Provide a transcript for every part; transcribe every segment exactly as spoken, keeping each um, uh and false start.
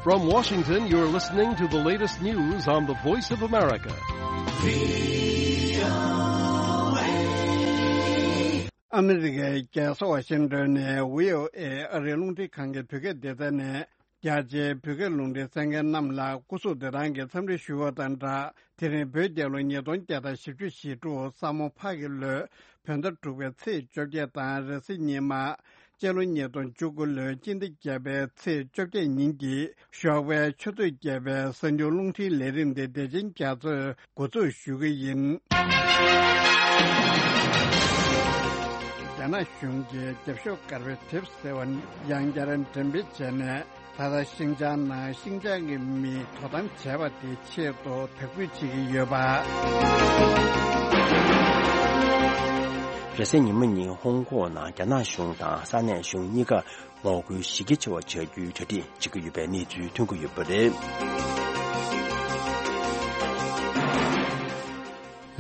From Washington, you're listening to the latest news on the Voice of America. ཨ་མི་རི་ཀའི་རྒྱལ་ས་ཝ་ཤིང་ཏོན་ནས་བྷི་ཨོ་ཨེ་ཨ་རིའི་རླུང་འཕྲིན་ཁང་གི་བོད་སྐད་སྡེ་ཚན་ནས། རྒྱ་ཆེའི་བོད་སྐད་རླུང་འཕྲིན་གསན་མཁན་རྣམས་ལ་སྐུ་གཟུགས་བདེ་ཐང་གི་འཚམས་འདྲི་ཞུ་བ་དང་སྦྲགས། དེ་རིང་བོད་རྒྱལ་ལོ་ཉིས་སྟོང་བརྒྱ་དང་བཞི་བཅུ་ཞེ་དྲུག་ས་མོ་ཕག་གི་ལོའི་བོད་ཟླ་དྲུག་པའི་ཚེས་བཅོ་བརྒྱད་དང་རེས་གཟའ་ཉི་མ། སྤྱི་ལོ་ཉིས་སྟོང་བཅུ་དགུ་ལོའི་སྤྱི་ཟླ་བརྒྱད་པའི་ཚེས་བཅོ་བརྒྱད་ཉིན་གྱི་ཞོགས་པའི་ཆུ་ཚོད་བརྒྱད་པའི་གསར་འགྱུར་རླུང་འཕྲིན་ལས་རིམ་དེ་བདེ་ཆེན་རྒྱ་མཚོས་འགོ་འཛུགས་ཞུ་གི་ཡིན། རྒྱ་ནག་གཞུང་གིས་རྒྱབ་ཤོག་དཀར་པོའི་དེབ་ཟེར་བ་ཡང་བསྐྱར་འགྲེམས་སྤེལ་བྱས་ནས། ད་ལྟ་ཤིན་ཅང་ནང་ཤིན་ཅང་གི་མིས་དོ་དམ་བྱས་པ་དེའི་ཆེད་དུ་དག་འབུད་བྱེད་ཀྱི་ཡོད་པ། རེས་གཟའ་ཉི་མ་ཉིན་ཧོང་ཀོང་ནང་རྒྱ་ནག་གཞུང་དང་ས་གནས་གཞུང་གཉིས་ཀ་ངོ་རྒོལ་གཞི་རྒྱ་ཆེ་བ་བྱ་རྒྱུའི་གྲ་སྒྲིག་བྱེད་ཀྱི་ཡོད་པའི་གནས་ཚུལ་ཐོན་གྱི་ཡོད་པ་རེད།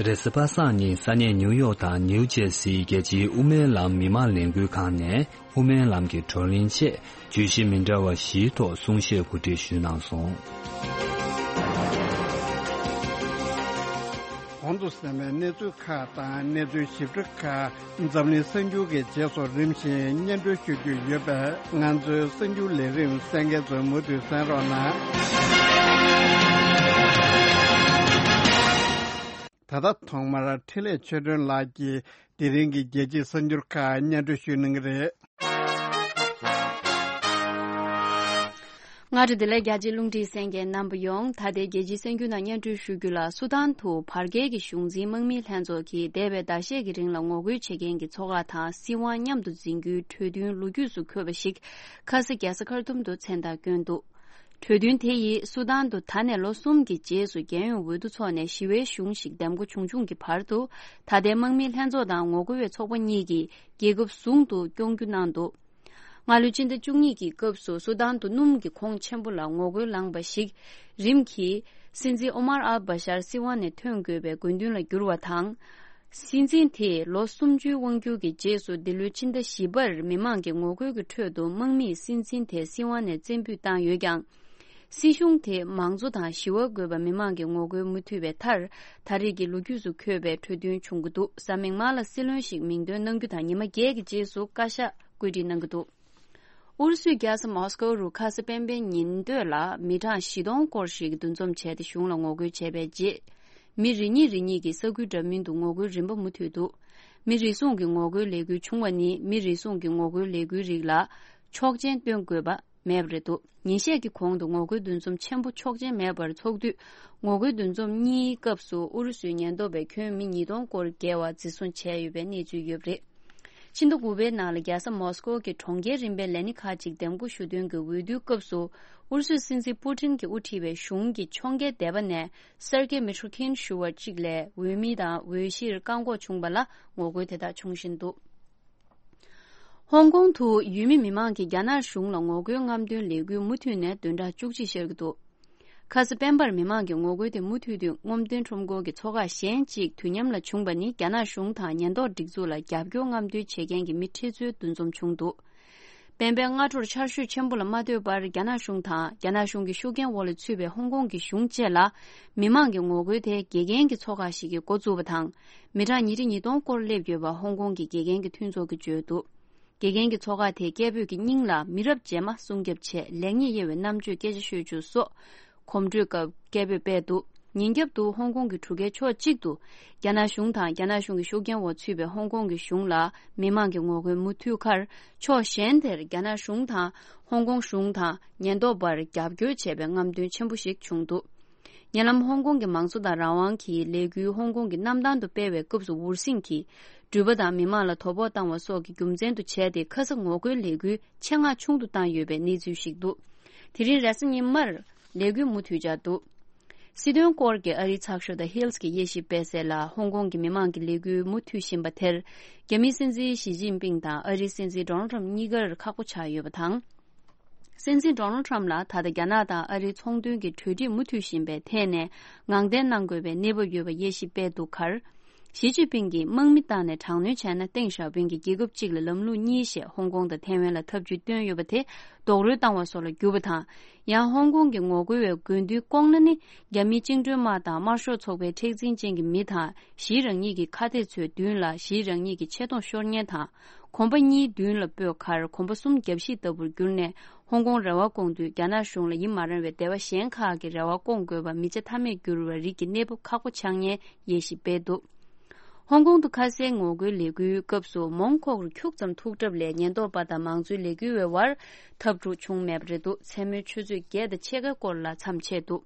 རེས་གཟའ་པ་སངས་ཉིན་ས་གནས་ནིའུ་ཡོག་དང་ནིའུ་ཇེར་སིའི་རྒྱལ་སྤྱིའི་དབུ་མའི་ལམ་མི་མང་ལས་འགུལ་ཁང་ནས་དབུ་མའི་ལམ་གྱི་བགྲོ་གླེང་ཆེད་བརྗོད་གཞི་མི་འདྲ་བ་བཞིའི་ཐོག་གསུང་བཤད་གོ་སྒྲིག་ཞུས་གནང་སོང་། གོང་དུ་གསན་པའི་གནས་ཚུལ་ཁག་དང་གནས་ཚུལ་ཞིབ་ཕྲ་ཁག་འཛམ་གླིང་གསར་འགྱུར་གྱི་རྗེས་སུ་རིམ་བཞིན་སྙན་སྒྲོན་ཞུ་རྒྱུ་ཡོད་པས། ང་ཚོའི་གསར་འགྱུར་ལས་རིམ་གསན་མཁན་ཚོས་མུ་མཐུད་གསན་རོགས་གནང་། ད་ལྟ་ཐོག་མར་འཕྲིན་ལས་ཆོས་སྒྲོན་ལགས་ཀྱིས་དེ་རིང་གི་རྒྱལ་སྤྱིའི་གསར་འགྱུར་ཁག་སྙན་སྒྲོན་ཞུ་གནང་གི་རེད། སྔ་དྲོ་བདེ་ལེགས། རྒྱ་ཆེའི་རླུང་འཕྲིན་གསན་མཁན་རྣམ་པ་ཡོངས། ད་ལྟའི་རྒྱལ་སྤྱིའི་གསར་འགྱུར་ནང་སྙན་སྒྲོན་ཞུ་རྒྱུ་ལ། སུ་དཱན་དུ་བར་བརྒལ་གྱི་གཞུང་འཛིན་དམག་མིའི་ལྷན་ཚོགས་ཀྱིས་འདས་པའི་ཟླ་ཤས་ཀྱི་རིང་ལ་ངོ་རྒོལ་བྱེད་མཁན་གྱི་ཚོགས་ཁག་དང་སྲིད་དབང་མཉམ་དུ་འཛིན་རྒྱུའི་གྲོས་མཐུན་ལོ་རྒྱུས་སུ་འཁོད་པ་ཞིག་ཁ་ས་རྒྱལ་ས་ཁར་ཐུམ་དུ་མཚན་རྟགས་བསྐྱོན་འདུག་གྲོས་མཐུན་དེ་ཡིས་སུ་དཱན་དུ་ད་ནས་ལོ་གསུམ་གྱི་རྗེས་སུ་རྒྱལ་ཡོངས་འོས་བསྡུ་འཚོགས་ནས་ཞི་བའི་གཞུང་ཞིག་འདེམས་འགོ་བྱུང་བྱུང་གི་བར་དུ། ད་ལྟའི་དམག་མིའི་ལྷན་ཚོགས་དང་ངོ་རྒོལ་བའི་ཚོགས་པ་གཉིས་ཀྱིས་རྒྱལ་ཁབ་ཟུང་དུ་སྐྱོང་རྒྱུ་གནང་འདུག་སྔ་ལོའི་སྤྱི་ཟླ་བཅུ་གཉིས་ཀྱི་སྐབས་སུ་སུ་དཱན་དུ་སྣུམ་གྱི་གོང་ཆེན་པོ་ལ་ངོ་རྒོལ་ལངས་པ་ཞིག་རིམ་གྱིས་སྲིད་འཛིན་ཨོ་མར་ཨལ་བྷ་ཤར་སྲིད་དབང་ནས་ཐོན་དགོས་པའི་དགོས་འདུན་ལ་གྱུར་བ་དང་། སྲིད་འཛིན་དེས་ལོ་སུམ་ཅུའི་དབང་སྒྱུར་གྱི་རྗེས་སུ་འདི་ལོའི་ཕྱི་ཟླ་བཞི་པར་མི་མང་གི་ངོ་རྒོལ་གྱི་ཁྲོད་དུ་དམག་མིས་སྲིད་འཛིན་དེ་སྲིད་དབང་ནས་བཙན་འབུད་བཏང་ཡོད་ཀྱང་། སྲིད་གཞུང་དེས་མང་གཙོ་དང་ཞི་བ་དགོས་པ་མི་མང་གི་ངོ་རྒོལ་མུ་མཐུད་པའི་མཐར། ད་རེས་ཀྱི་ལོ་རྒྱུས་སུ་འཁོད་པའི་གྲོས་མཐུན་བྱུང་གི་འདུག་གཟའ་མིག་དམར་ལ་སྲིད་བློན་ཞིག་མིང་འདོན་གནང་རྒྱུ་དང་ཉི་མ་བརྒྱད་ཀྱི་རྗེས་སུ་བཀའ་ཤག་བཀོད་སྒྲིག་གནང་གི་འདུག་ཨུ་རུ་སུའི་རྒྱལ་ས་མོ་སི་ཀོ་རུ་ཁ་སང་སྤེན་པའི་ཉིན་སྟོད་ལ་མི་གྲངས་བཞི་སྟོང་སྐོར་ཞིག་འདུ་འཛོམས་བྱས་ཏེ་གཞུང་ལ་ངོ་རྒོལ་བྱས་པའི་རྗེས། མི་རེ་གཉིས་རེ་གཉིས་ཀྱིས་ས་ཁུལ་འདྲ་མིན་དུ་ངོ་རྒོལ་རིམ་པ་མུ་མཐུད་འདུག་མི་རེ་ཟུང་གི་ངོ་རྒོལ་ལས་འགུལ་བྱུང་བ་ནི། མི་རེ་ཟུང་གི་ངོ་རྒོལ་ལས་འགུལ་རིགས་ལ་ཆོག་མཆན་སྟོན་དགོས་པ་མེད་པ་རེད་འདུག་ཉིན་ཤས་ཀྱི་གོང་དུ་ངོ་རྒོལ་འདུ་འཛོམས་ཆེན་པོ་ཆོག་མཆན་མེད་པར་ཚོགས་དུས། ངོ་རྒོལ་འདུ་འཛོམས་གཉིས་སྐབས་སུ་ཨུ་རུ་སུའི་ཉེན་རྟོག་པས་ཁྱོན་མི་ཉིས་སྟོང་སྐོར་བརྒལ་བ་འཛིན་བཟུང་བྱས་ཡོད་པའི་གནས་ཚུལ་ཡོད་པ་རེད། ཕྱི་ཟླ་དགུ་པའི་ནང་ལ་རྒྱལ་ས་མོ་སི་ཀོ་གི་གྲོང་ཁྱེར་རིམ་པའི་ལས་སྣེ་ཁག་ཅིག་འདེམས་བསྐོ་ཞུ་དོན་གྱི་འོས་བསྡུའི་སྐབས་སུ། ཨུ་རུ་སུའི་སྲིད་འཛིན་པུ་ཏིན་གྱིས་དབུ་ཁྲིད་པའི་གཞུང་གི་ཕྱོགས་འགལ་སྡེ་པ་ནས་སེར་གེ་མི་ཁྲོ་ཁིན་ཞུ་བ་གཅིག་ལས་འོས་མི་དང་འོས་གཞིར་བཀག་འགོག་བྱུང་བ་ལ་ངོ་རྒོལ་དེ་དག་འབྱུང་བཞིན་འདུག་ཧོང་ཀོང་དུ་ཡུལ་མི་མི་མང་གིས་རྒྱ་ནག་གཞུང་ལ་ངོ་རྒོལ་རྔམ་སྟོན་ལས་འགུལ་མུ་མཐུད་ནས་བདུན་ཕྲག་བཅུ་གཅིག་ཤར་གྱི་འདུག་ཁ་ས་སྤེན་པར་མི་མང་གི་ངོ་རྒོལ་དེ་མུ་མཐུད་དུ་རྔམ་སྟོན་ཁྲོམ་སྐོར་གྱི་ཚོགས་ཁག་གཞན་གཅིག་དུས་མཉམ་ལ་བྱུང་བ་ནི། རྒྱ་ནག་གཞུང་དང་ཉེན་རྟོག་སྒྲིག་འཛུགས་ལ་རྒྱབ་སྐྱོར་རྔམ་སྟོན་བྱེད་མཁན་གྱི་མི་ཁྲི་ཚོའི་འདུ་འཛོམས་བྱུང་འདུག་སྤེན་པའི་སྔ་དྲོར་ཆར་ཞོད་ཆེན་པོ་ལ་མ་ལྟོས་པར། རྒྱ་ནག་གཞུང་དང་རྒྱ་ནག་གཞུང་གི་ཤུགས་རྐྱེན་འོག་ལ་ཚུད་པའི་ཧོང་ཀོང་གི་གཞུང་བཅས་ལ། མི་མང་གི་ངོ་རྒོལ་དེ་དགེ་རྒན་གྱི་ཚོགས་ཁག་ཞིག་གིས་འགོ་བཙུགས་པ་དང་། མི་གྲངས་ཉིས་ཁྲི་ཉིས་སྟོང་སྐོར་སླེབས་ཡོད་པ་ཧོང་ཀོང་གི་དགེ་རྒན་གྱི་མཐུན་ཚོགས་ཀྱིས་བརྗོད་འདུག་དགེ་རྒན་གྱི་ཚོགས་ཁག་དེས་སྐད་འབོད་ཀྱི་སྙིང་ལ། མི་རབས་རྗེས་མ་སྲུང་སྐྱོབ་ཆེད་ལེགས་ཉེས་དབྱེ་བའི་རྣམ་དཔྱོད་སྐད་ཆ་ཤོད་རྒྱུ་སོགས་གོམ་བགྲོད་སྐབས་སྐད་འབོད་སྤེལ་འདུག་ཉིན་རྒྱབ་ཏུ་ཧོང་ཀོང་གི་གྲུ་ཁའི་ཕྱོགས་གཅིག་ཏུ། རྒྱ་ནག་གཞུང་དང་རྒྱ་ནག་གཞུང་གི་ཤུགས་རྐྱེན་འོག་ཚུད་པའི་ཧོང་ཀོང་གི་གཞུང་ལ་མི་མང་གི་ངོ་རྒོལ་མུ་མཐུད་ཁར། ཕྱོགས་གཞན་དེར་རྒྱ་ནག་གཞུང་དང་ཧོང་ཀོང་གཞུང་དང་ཉེན་རྟོག་པར་རྒྱབ་སྐྱོར་བྱས་པའི་རྔམ་སྟོན་ཆེན་པོ་ཞིག་བྱུང་འདུག་ཉེ་ལམ་ཧོང་ཀོང་གི་མང་གཙོ་དང་རང་དབང་གི་ལས་འགུལ་ཧོང་ཀོང་གི་གནམ་ཐང་དུ་སྤེལ་བའི་སྐབས་སུ་འུར་ཟིང་གིས་འགྲུལ་པ་དང་མི་མང་ལ་དོ་ཕོག་བཏང་བ་སོགས་ཀྱི་རྒྱུ་མཚན་དུ་བྱས་ཏེ། ཁ་ས་ངོ་རྒོལ་ལས་འགུལ་ཆེད་མངགས་ཆུང་དུ་བཏང་ཡོད་པའི་གནས་ཚུལ་ཞིག་འདུག་དེ་རིང་རེས་གཟའ་ཉི་མར་ལས་འགུལ་མུ་མཐུད་འཆར་འདུག་སྲིད་དོན་སྐོར་གྱི་ཨ་རིའི་ཚགས་ཤོག་The Hill གྱི་དབྱེ་ཞིབ་སྤེལ་གསལ་ལ། ཧོང་ཀོང་གི་མི་མང་གི་ལས་འགུལ་མུ་མཐུད་བཞིན་པ་དེར། རྒྱ་མིའི་སྲིད་འཛིན་ཞི་ཅིན་ཕིང་དང་ཨ་རིའི་སྲིད་འཛིན་ཌོ་ནལ་ཊམ་གཉིས་ཀར་ཁག་པོ་ཆགས་ཡོད་པ་དང་། སྲིད་འཛིན་ཌོ་ནལ་ཊམ་ལ་ད་ལྟ་རྒྱ་ནག་དང་ཨ་རིའི་ཚོང་དོན་གྱི་གྲོས་འགྲིག་མུ་མཐུད་བཞིན་པའི་ཐད་ནས་ངང་བརྟན་གནང་དགོས་པའི་གནས་བབ་ཡོད་པ་དབྱེ་ཞིབ་སྤེལ་འདུག་ཁར། ཞི་ཅིན་ཕིང་གིས་དམག་མི་བཏང་ནས་དྲག་གནོན་བྱས་ན་ཏེང་ཞའོ་ཕིང་གིས་རྒྱལ་ཁབ་གཅིག་ལ་ལམ་ལུགས་གཉིས་ཞེས་ཧོང་ཀོང་དང་ཐའེ་ཝན་ལ་ཐབས་ཇུས་བཏོན་ཡོད་པ་དེ་རྡོག་རོལ་བཏང་བ་སོགས་ལ་གྱུར་པ་དང་། ཡང་ཧོང་ཀོང་གི་ངོ་རྒོལ་བའི་དགོས་འདུན་སྐོང་ན་ནི། རྒྱ་མིའི་བཅིངས་འགྲོལ་དམག་དང་དམར་ཤོག་ཚོགས་པའི་མཁྲེགས་འཛིན་ཅན་གྱི་མི་དང་། ཞིའི་རང་ཉིད་ཀྱི་ཁ་གཏད་ཚོའི་མདུན་ལ་ཞིའི་རང་ཉིད་ཀྱི་ཆེ་མཐོང་ཤོར་ཉེན་དང་། གོམ་པ་གཉིས་མདུན་ལ་སྤོས་ཁར་གོམ་པ་གསུམ་རྒྱབ་བཤིག་ལྟ་བུར་གྱུར་ནས། ཧོང་ཀོང་རེ་བ་སྐོང་དུས་རྒྱ་ནག་གཞུང་ལ་ཡིན་མ་རུང་བའི་སྡེ་བ་གཞན་ཁག་གི་རེ་བ་སྐོང་དགོས་པ་མི་བྱ་ཐབས་མེད་གྱུར་བའི་རིགས་ཀྱི་གནས་བབ་ཁག་པོ་ཆགས་ཉེན་དབྱེ་ཞིབ་སྤེལ་འདུག་ཧོང་ཀོང་དུ་ཁ་སའི་ངོ་རྒོལ་ལས་འགུལ་སྐབས་སུ་མོན་ཁོག་རུ་ཁྱུག་ཙམ་ཐུག་གྲབས་ལས་ཉེན་རྟོག་པ་དང་མང་གཙོའི་ལས་འགུལ་བའི་བར་འཐབ་འཁྲུག་བྱུང་མེད་པ་རེད་འདུག་མཚན་མོའི་ཆུ་ཚོད་བརྒྱད་དང་ཕྱེད་ཀའི་སྐོར་ལ་མཚམས་ཆད་འདུག་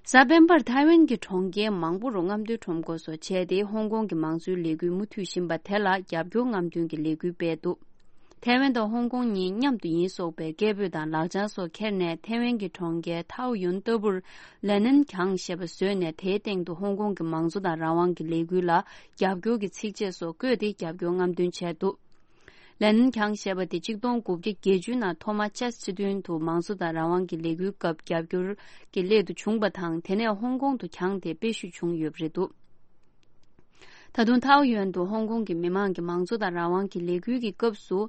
གཟའ་སྤེན་པར་ཐའེ་ཝན་གྱི་གྲོང་ཁྱེར་མང་པོ་རུ་རྔམ་སྟོན་ཁྲོམ་སྐོར་སོགས་བྱས་ཏེ་ཧོང་ཀོང་གི་མང་གཙོའི་ལས་འགུལ་མུ་མཐུད་བཞིན་པ་དེ་ལ་རྒྱབ་སྐྱོར་རྔམ་སྟོན་གྱི་ལས་འགུལ་སྤེལ་འདུག་ཐའེ་ཝན་དང་ཧོང་ཀོང་གཉིས་མཉམ་དུ་ཡིན་སོགས་པའི་སྐད་འབོད་དང་ལག་བྱང་སོགས་ཁྱེར་ནས་ཐའེ་ཝན་གྱི་གྲོང་ཁྱེར་ཐའོ་ཡུན་ལྟ་བུར་ལེ་ནན་གྱང་ཞེས་པ་བཟོས་ནས་དེའི་སྟེང་དུ་ཧོང་ཀོང་གི་མང་གཙོ་དང་རང་དབང་གི་ལས་འགུལ་ལ་རྒྱབ་སྐྱོར་གྱི་ཚིགས་བཅད་སོགས་བཀོད་དེ་རྒྱབ་སྐྱོར་རྔམ་སྟོན་བྱས་འདུག་ལེ་ནན་གྱང་ཞེས་པ་དེ་ཆིག་སྟོང་དགུ་བརྒྱ་བརྒྱད་ཅུ་ནང་ཐོ་མ་ཅཱས་སི་སི་དོན་དུ་མང་གཙོ་དང་རང་དབང་གི་ལས་འགུལ་སྐབས་རྒྱབ་སྐྱོར་གྱི་སླད་དུ་བྱུང་བ་དང་། དེ་ནས་ཧོང་ཀོང་དུ་གྱང་དེ་སྤེལ་བཤུས་བྱུང་ཡོད་པ་རེད་འདུག་ད་དུང་ཐའོ་ཡོན་དུ་ཧོང་ཀོང་གི་མི་མང་གི་མང་གཙོ་དང་རང་དབང་གི་ལས་འགུལ་གྱི་སྐབས་སུ་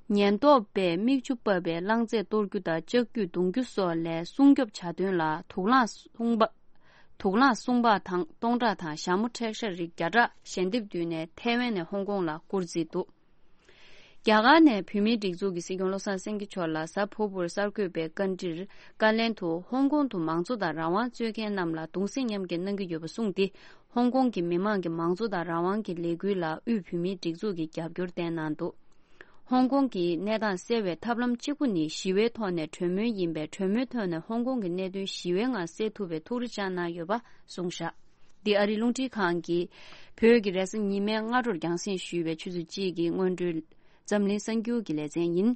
ཉེན་རྟོག་པས་མིག་ཆུ་ཕབ་པའི་རླངས་རྫས་གཏོར་རྒྱུ་དང་ལྕགས་ཀྱུས་རྡུང་རྒྱུ་སོགས་ལས་སྲུང་སྐྱོབ་བྱ་དོན་ལ་དུག་རླངས་སྲུང་འབག་དུག་རླངས་སྲུང་འབག་དང་སྟོང་ཕྲག་དང་ཞྭ་མོ་འཕྲེད་ཤ་རིགས་བརྒྱ་ཕྲག་ཞལ་འདེབས་བསྡུས་ནས་ཐའེ་ཝན་ནས་ཧོང་ཀོང་ལ་བསྐུར་རྩིས་འདུག་རྒྱ་གར་ནས་བོད་མིའི་སྒྲིག་འཛུགས་ཀྱི་སྲིད་སྐྱོང་བློ་བཟང་སེང་གེ་མཆོག་ལ་གཟའ་ཕུར་བུར་གསར་འགོད་པའི་བཀའ་འདྲིར་བཀའ་ལན་དུ་ཧོང་ཀོང་དུ་མང་གཙོ་དང་རང་དབང་རྩོད་མཁན་རྣམས་ལ་གདུང་སེམས་མཉམ་སྐྱེད་གནང་གི་ཡོད་པ་གསུངས་ཏེ། ཧོང་ཀོང་གི་མི་མང་གི་མང་གཙོ་དང་རང་དབང་གི་ལས་འགུལ་ལ་དབུས་བོད་མིའི་སྒྲིག་འཛུགས་ཀྱིས་རྒྱབ་སྐྱོར་བསྟན་གནང་འདུག་ཧོང་ཀོང་གི་གནས་སྟངས་སེལ་བའི་ཐབས་ལམ་གཅིག་པུ་ནི་ཞི་བའི་ཐོག་ནས་གྲོས་མོལ་ཡིན་པས། གྲོས་མོལ་ཐོག་ནས་ཧོང་ཀོང་གི་གནད་དོན་ཞི་བའི་ངང་སེལ་ཐུབ་པའི་ཐུགས་རེ་བཅངས་གནང་ཡོད་པ་གསུངས་བཞག་འདི་ཨ་རིའི་རླུང་འཕྲིན་ཁང་གིས་བོད་ཀྱི་རེས་གཟའ་ཉི་མའི་སྔ་དྲོར་རྒྱང་སྲིང་ཞུས་པའི་ཆུ་ཚོད་གཅིག་གི་སྔོན་འགྲོའི་འཛམ་གླིང་གསར་འགྱུར་གྱི་ལེ་ཚན་ཡིན།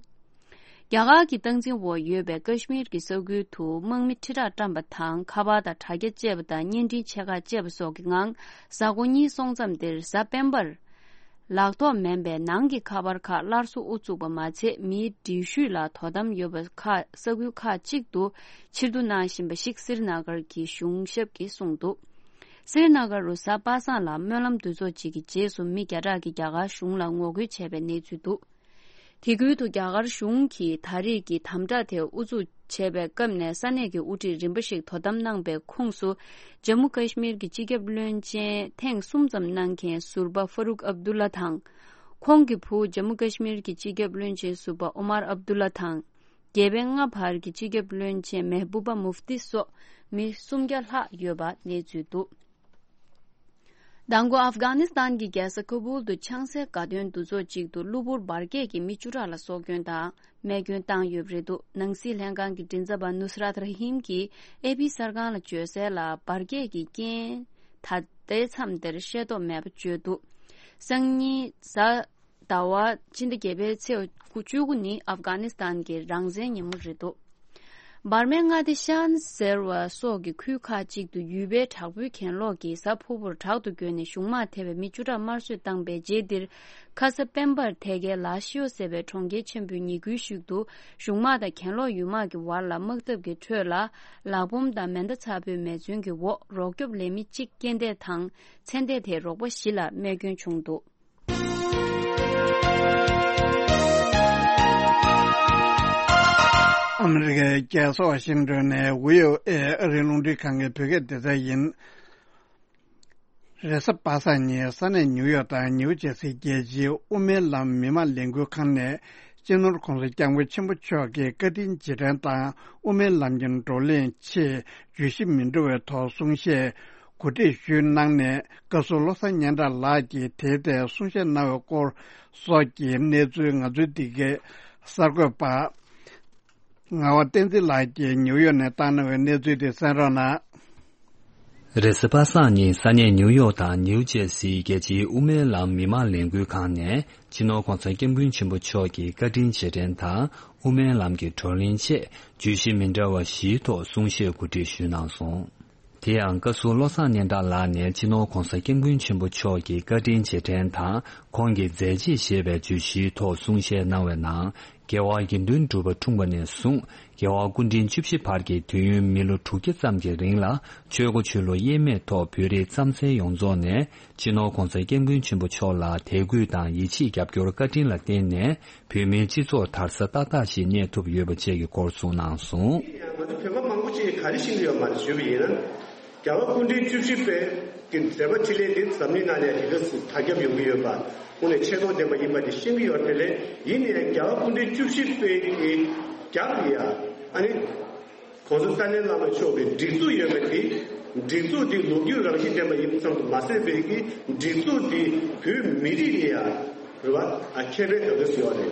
རྒྱ་གར་གྱི་སྟངས་འཛིན་འོག་ཡོད་པའི་ཀ་ཤི་མིར་གྱི་ས་ཁུལ་དུ་དམག་མི་ཁྲི་ཕྲག་བཀྲམ་པ་དང་། ཁ་པར་དང་དྲ་རྒྱ་བཅད་པ་དང་བརྙན་འཕྲིན་ཆེ་ཁག་བཅད་པ་སོགས་ཀྱི་ངང་། གཟའ་འཁོར་གཉིས་སོང་མཚམས་འདིར་གཟའ་སྤེན་པར། ལག་ཐོགས་མིན་པའི་ནང་གི་ཁ་པར་ཁག་སླར་གསོ་དབུ་བཙུགས་པ་མ་ཚད། མིའི་འགྲུལ་བཞུད་ལ་དོ་དམ་ཡོད་པ་ཁག་ས་ཁུལ་ཁག་ཅིག་ཏུ་ཕྱིར་བསྡུ་གནང་བཞིན་པ་ཞིག་སི་རི་ན་གར་གྱི་གཞུང་ཞབས་ཀྱིས་གསུངས་འདུག་སི་རི་ན་གར་རུ་གཟའ་པ་སངས་ལ་སྨོན་ལམ་འདུ་ཚོགས་གཅིག་གི་རྗེས་སུ་མི་བརྒྱ་ཕྲག་གིས་རྒྱ་གར་གཞུང་ལ་ངོ་རྒོལ་བྱས་པའི་གནས་ཚུལ་འདུག་དེ་ཁུལ་དུ་རྒྱ་གར་གཞུང་གིས་ད་རེས་ཀྱི་དམ་དྲག་དེ་དབུ་འཛུགས་བྱས་པའི་སྐབས་ནས་ས་གནས་ཀྱི་དབུ་ཁྲིད་རིམ་པ་ཞིག་དོ་དམ་གནང་པའི་ཁོངས་སུ། ཇམ་མུ་ཀ་ཤི་མིར་གྱི་སྤྱི་ཁྱབ་བློན་ཆེན་ཐེངས་གསུམ་ཙམ་གནང་མཁན་ཟུར་པ་ཧྥ་རུག་ཨབ་དུ་ལ་དང་། ཁོང་གི་བུ་ཇམ་མུ་ཀ་ཤི་མིར་གྱི་སྤྱི་ཁྱབ་བློན་ཆེན་ཟུར་པ་ཨོ་མར་ཨབ་དུ་ལ་དང་། རྒྱལ་བའི་མངའ་བར་གྱི་སྤྱི་ཁྱབ་བློན་ཆེན་མེ་བུ་པ་མུབ་ཏི་སོགས་མི་སུམ་བརྒྱ་ལྷག་ཡོད་པ་གནས་ཚུལ་འདུག་མདང་དགོང་ཨབ་གྷ་ནི་སི་ཐན་གྱི་རྒྱལ་ས་ཁ་བུལ་དུ་ཆང་སའི་དགའ་སྟོན་འདུ་ཚོགས་གཅིག་ཏུ་གློ་བུར་འབར་གས་ཀྱིས་མི་བཅུ་ཕྲག་ལ་སྲོག་སྐྱོན་དང་རྨས་སྐྱོན་བཏང་ཡོད་པ་རེད་འདུག་ནང་སྲིད་ལྷན་ཁང་གི་མགྲིན་ཚབ་པ་ནུ་སི་རཱད་ར་ཧིམ་གྱིས་ཨེ་པི་གསར་ཁང་ལ་བརྗོད་གསལ་ལ། འབར་གས་ཀྱི་རྐྱེན་ད་ལྟའི་མཚམས་འདིར་ཤེས་རྟོགས་མེད་པ་བརྗོད་འདུག་སང་ཉིན་གཟའ་ཟླ་བ་ཕྱི་ཟླ་བརྒྱད་པའི་ཚེས་བཅུ་དགུ་ནི་ཨབ་གྷ་ནི་སི་ཐན་གྱི་རང་བཙན་ཉིན་མོ་རེད་འདུག་འབར་མའི་མངའ་སྡེ་ཤན་ཟེར་བ་སོགས་ཀྱི་ཁུལ་ཁག་ཅིག་ཏུ་ཡུལ་པའི་དྲག་པོའི་གྱེན་ལོག་གིས་གཟའ་ཕུར་བུར་དྲག་ཏུ་བསྐྱོད་ནས་གཞུང་དམག་ཐེ་བའི་མི་བཅུ་ཕྲག་དམར་གསོད་བཏང་པའི་རྗེས་འདིར། ཁ་ས་སྤེན་པར་ཐེ་གའི་ལ་ཤིའོ་ཟེར་བའི་གྲོང་ཁྱེར་ཆེན་པོའི་ཉེ་ཁུལ་ཞིག་ཏུ་གཞུང་དམག་དང་གྱེན་ལོག་ཡུལ་དམག་གི་བར་ལ་དམག་འཐབ་ཀྱི་ཁྲོད་ལ། ལག་འབོམ་དང་མེ་མདའ་ཚ་པོའི་མེ་མཚོན་གྱི་འོག་རོགས་སྐྱོབ་ལས་མི་གཅིག་རྐྱེན་འདས་དང་། ཚེ་འདས་དེ་རོགས་པ་བཞི་ལ་རྨས་སྐྱོན་བྱུང་འདུག་ཨ་མི་རི་ཀའི་རྒྱལ་ས་ཝ་ཤིང་ཏོན་ནས་ཝི་ཨོ་ཨེ་ཨ་རིའི་རླུང་འཕྲིན་ཁང་གི་བོད་སྐད་སྡེ་ཚན་ཡིན། རེས་གཟའ་པ་སངས་ཉིན་ས་གནས་ནིའུ་ཡོག་དང་ནིའུ་ཇེ་སི་རྒྱལ་སྤྱིའི་དབུ་མའི་ལམ་མི་མང་ལས་འགུལ་ཁང་ནས་སྤྱི་ནོར་༸གོང་ས་༸སྐྱབས་མགོན་ཆེན་པོ་མཆོག་གི་བཀའ་དྲིན་རྗེས་དྲན་དང་དབུ་མའི་ལམ་གྱི་བགྲོ་གླེང་ཆེད་བརྗོད་གཞི་མི་འདྲ་བའི་ཐོག་གསུང་བཤད་གོ་སྒྲིག་ཞུས་གནང་ནས། བཀའ་ཟུར་བློ་བཟང་སྙན་གྲགས་ལགས་ཀྱིས་དེའི་ཐད་གསུང་བཤད་གནང་བའི་སྐོར་སོགས་ཀྱི་གནས་ཚུལ་ང་ཚོའི་འདི་གའི་གསར་འགོད་པ་ངག་དབང་བསྟན་འཛིན་ལགས་ཀྱིས་ནིའུ་ཡོག་ནས་བཏང་གནང་བའི་གནས་ཚུལ་དེ་གསན་རོགས་གནང་། རེས་གཟའ་པ་སངས་ཉིན་ས་གནས་ནིའུ་ཡོག་དང་ནིའུ་ཇེ་སིའི་རྒྱལ་སྤྱིའི་དབུ་མའི་ལམ་མི་མང་ལས་འགུལ་ཁང་ནས་སྤྱི་ནོར་༸གོང་ས་༸སྐྱབས་མགོན་ཆེན་པོ་མཆོག་གི་བཀའ་དྲིན་རྗེས་དྲན་དང་དབུ་མའི་ལམ་གྱི་བགྲོ་གླེང་ཆེད་བརྗོད་གཞི་མི་འདྲ་བ་བཞིའི་ཐོག་གསུང་བཤད་གོ་སྒྲིག་ཞུས་གནང་སོང་། དེ་ཡང་བཀའ་ཟུར་བློ་བཟང་སྙན་གྲགས་ལགས་ནས་སྤྱི་ནོར་༸གོང་ས་༸སྐྱབས་མགོན་ཆེན་པོ་མཆོག་གི་བཀའ་དྲིན་རྗེས་དྲན་དང་ཁོང་གི་མཛད་རྗེས་ཞེས་པའི་བརྗོད་གཞིའི་ཐོག་གསུང་བཤད་གནང་བའི་ནང་། རྒྱལ་བ་དགེ་འདུན་གྲུབ་པ་འཁྲུངས་པ་ནས་བཟུང་རྒྱལ་བ་སྐུ་ཕྲེང་བཅུ་བཞི་བར་གྱི་དུས་ཡུན་མི་ལོ་དྲུག་བརྒྱ་ཙམ་གྱི་རིང་ལ་ཆོས་སྒོ་ཆོས་ལུགས་དབྱེར་མེད་ཐོག་བོད་རིགས་རྩམ་ཟན་ཡོངས་རྫོགས་ནས་སྤྱི་ནོར་༸གོང་ས་༸སྐྱབས་མགོན་ཆེན་པོ་མཆོག་ལ་དད་གུས་དང་ཡིད་ཆེས་རྒྱབ་སྐྱོར་བཀའ་དྲིན་ལ་བརྟེན་ནས་བོད་མིའི་སྤྱི་ཚོགས་དར་ས་ཏག་ཏག་ཞིག་གནས་ཐུབ་ཡོད་པ་བཅས་ཀྱི་སྐོར་གསུངས་གནང་སོང་། ང་ཚོ་བོད་པ་མང་པོ་ཅིག་ག་རེ་ཤེས་ཀྱི་ཡོད་མ་རེད་ཞུས་པ་ཡིན་ན། རྒྱལ་བ་སྐུ་ཕྲེང་བཅུ་བཞི་པའི་གི་མཛད་པ་འཕྲིན་ལས་འདི་འཛམ་གླིང་ནང་ལ་དེ་ག་ཙམ་དར་ཁྱབ་ཡོང་གི་ཡོད་པ། དངོས་གནས་ཆེ་མཐོང་ལྡན་པ་ཡིན་པ་དེ་ཤེས་ཀྱི་ཡོད་རེད། དེ་ལས་ཡིན་ནའི་རྒྱལ་བ་སྐུ་ཕྲེང་བཅུ་བཞི་པའི་གི་རྒྱབ་ལ་ཡ་ཨ་ནི་༸གོང་ས་ཏཱ་ལའི་བླ་མ་མཆོག་གི་སྒྲིག་འཛུགས་ཡོད་པ་དེ། སྒྲིག་འཛུགས་དེ་ལོ་རྒྱུས་རང་བཞིན་ལྡན་པ་ཡིན་ཙམ་དུ་མ་ཟད་པའི་གི་སྒྲིག་འཛུགས་དེ་བོད་མི་རིགས་ལ་ཡ་རེད་བ། ཨ་ཁྱད་པར་ག་ག་ཟེར་བ་རེད།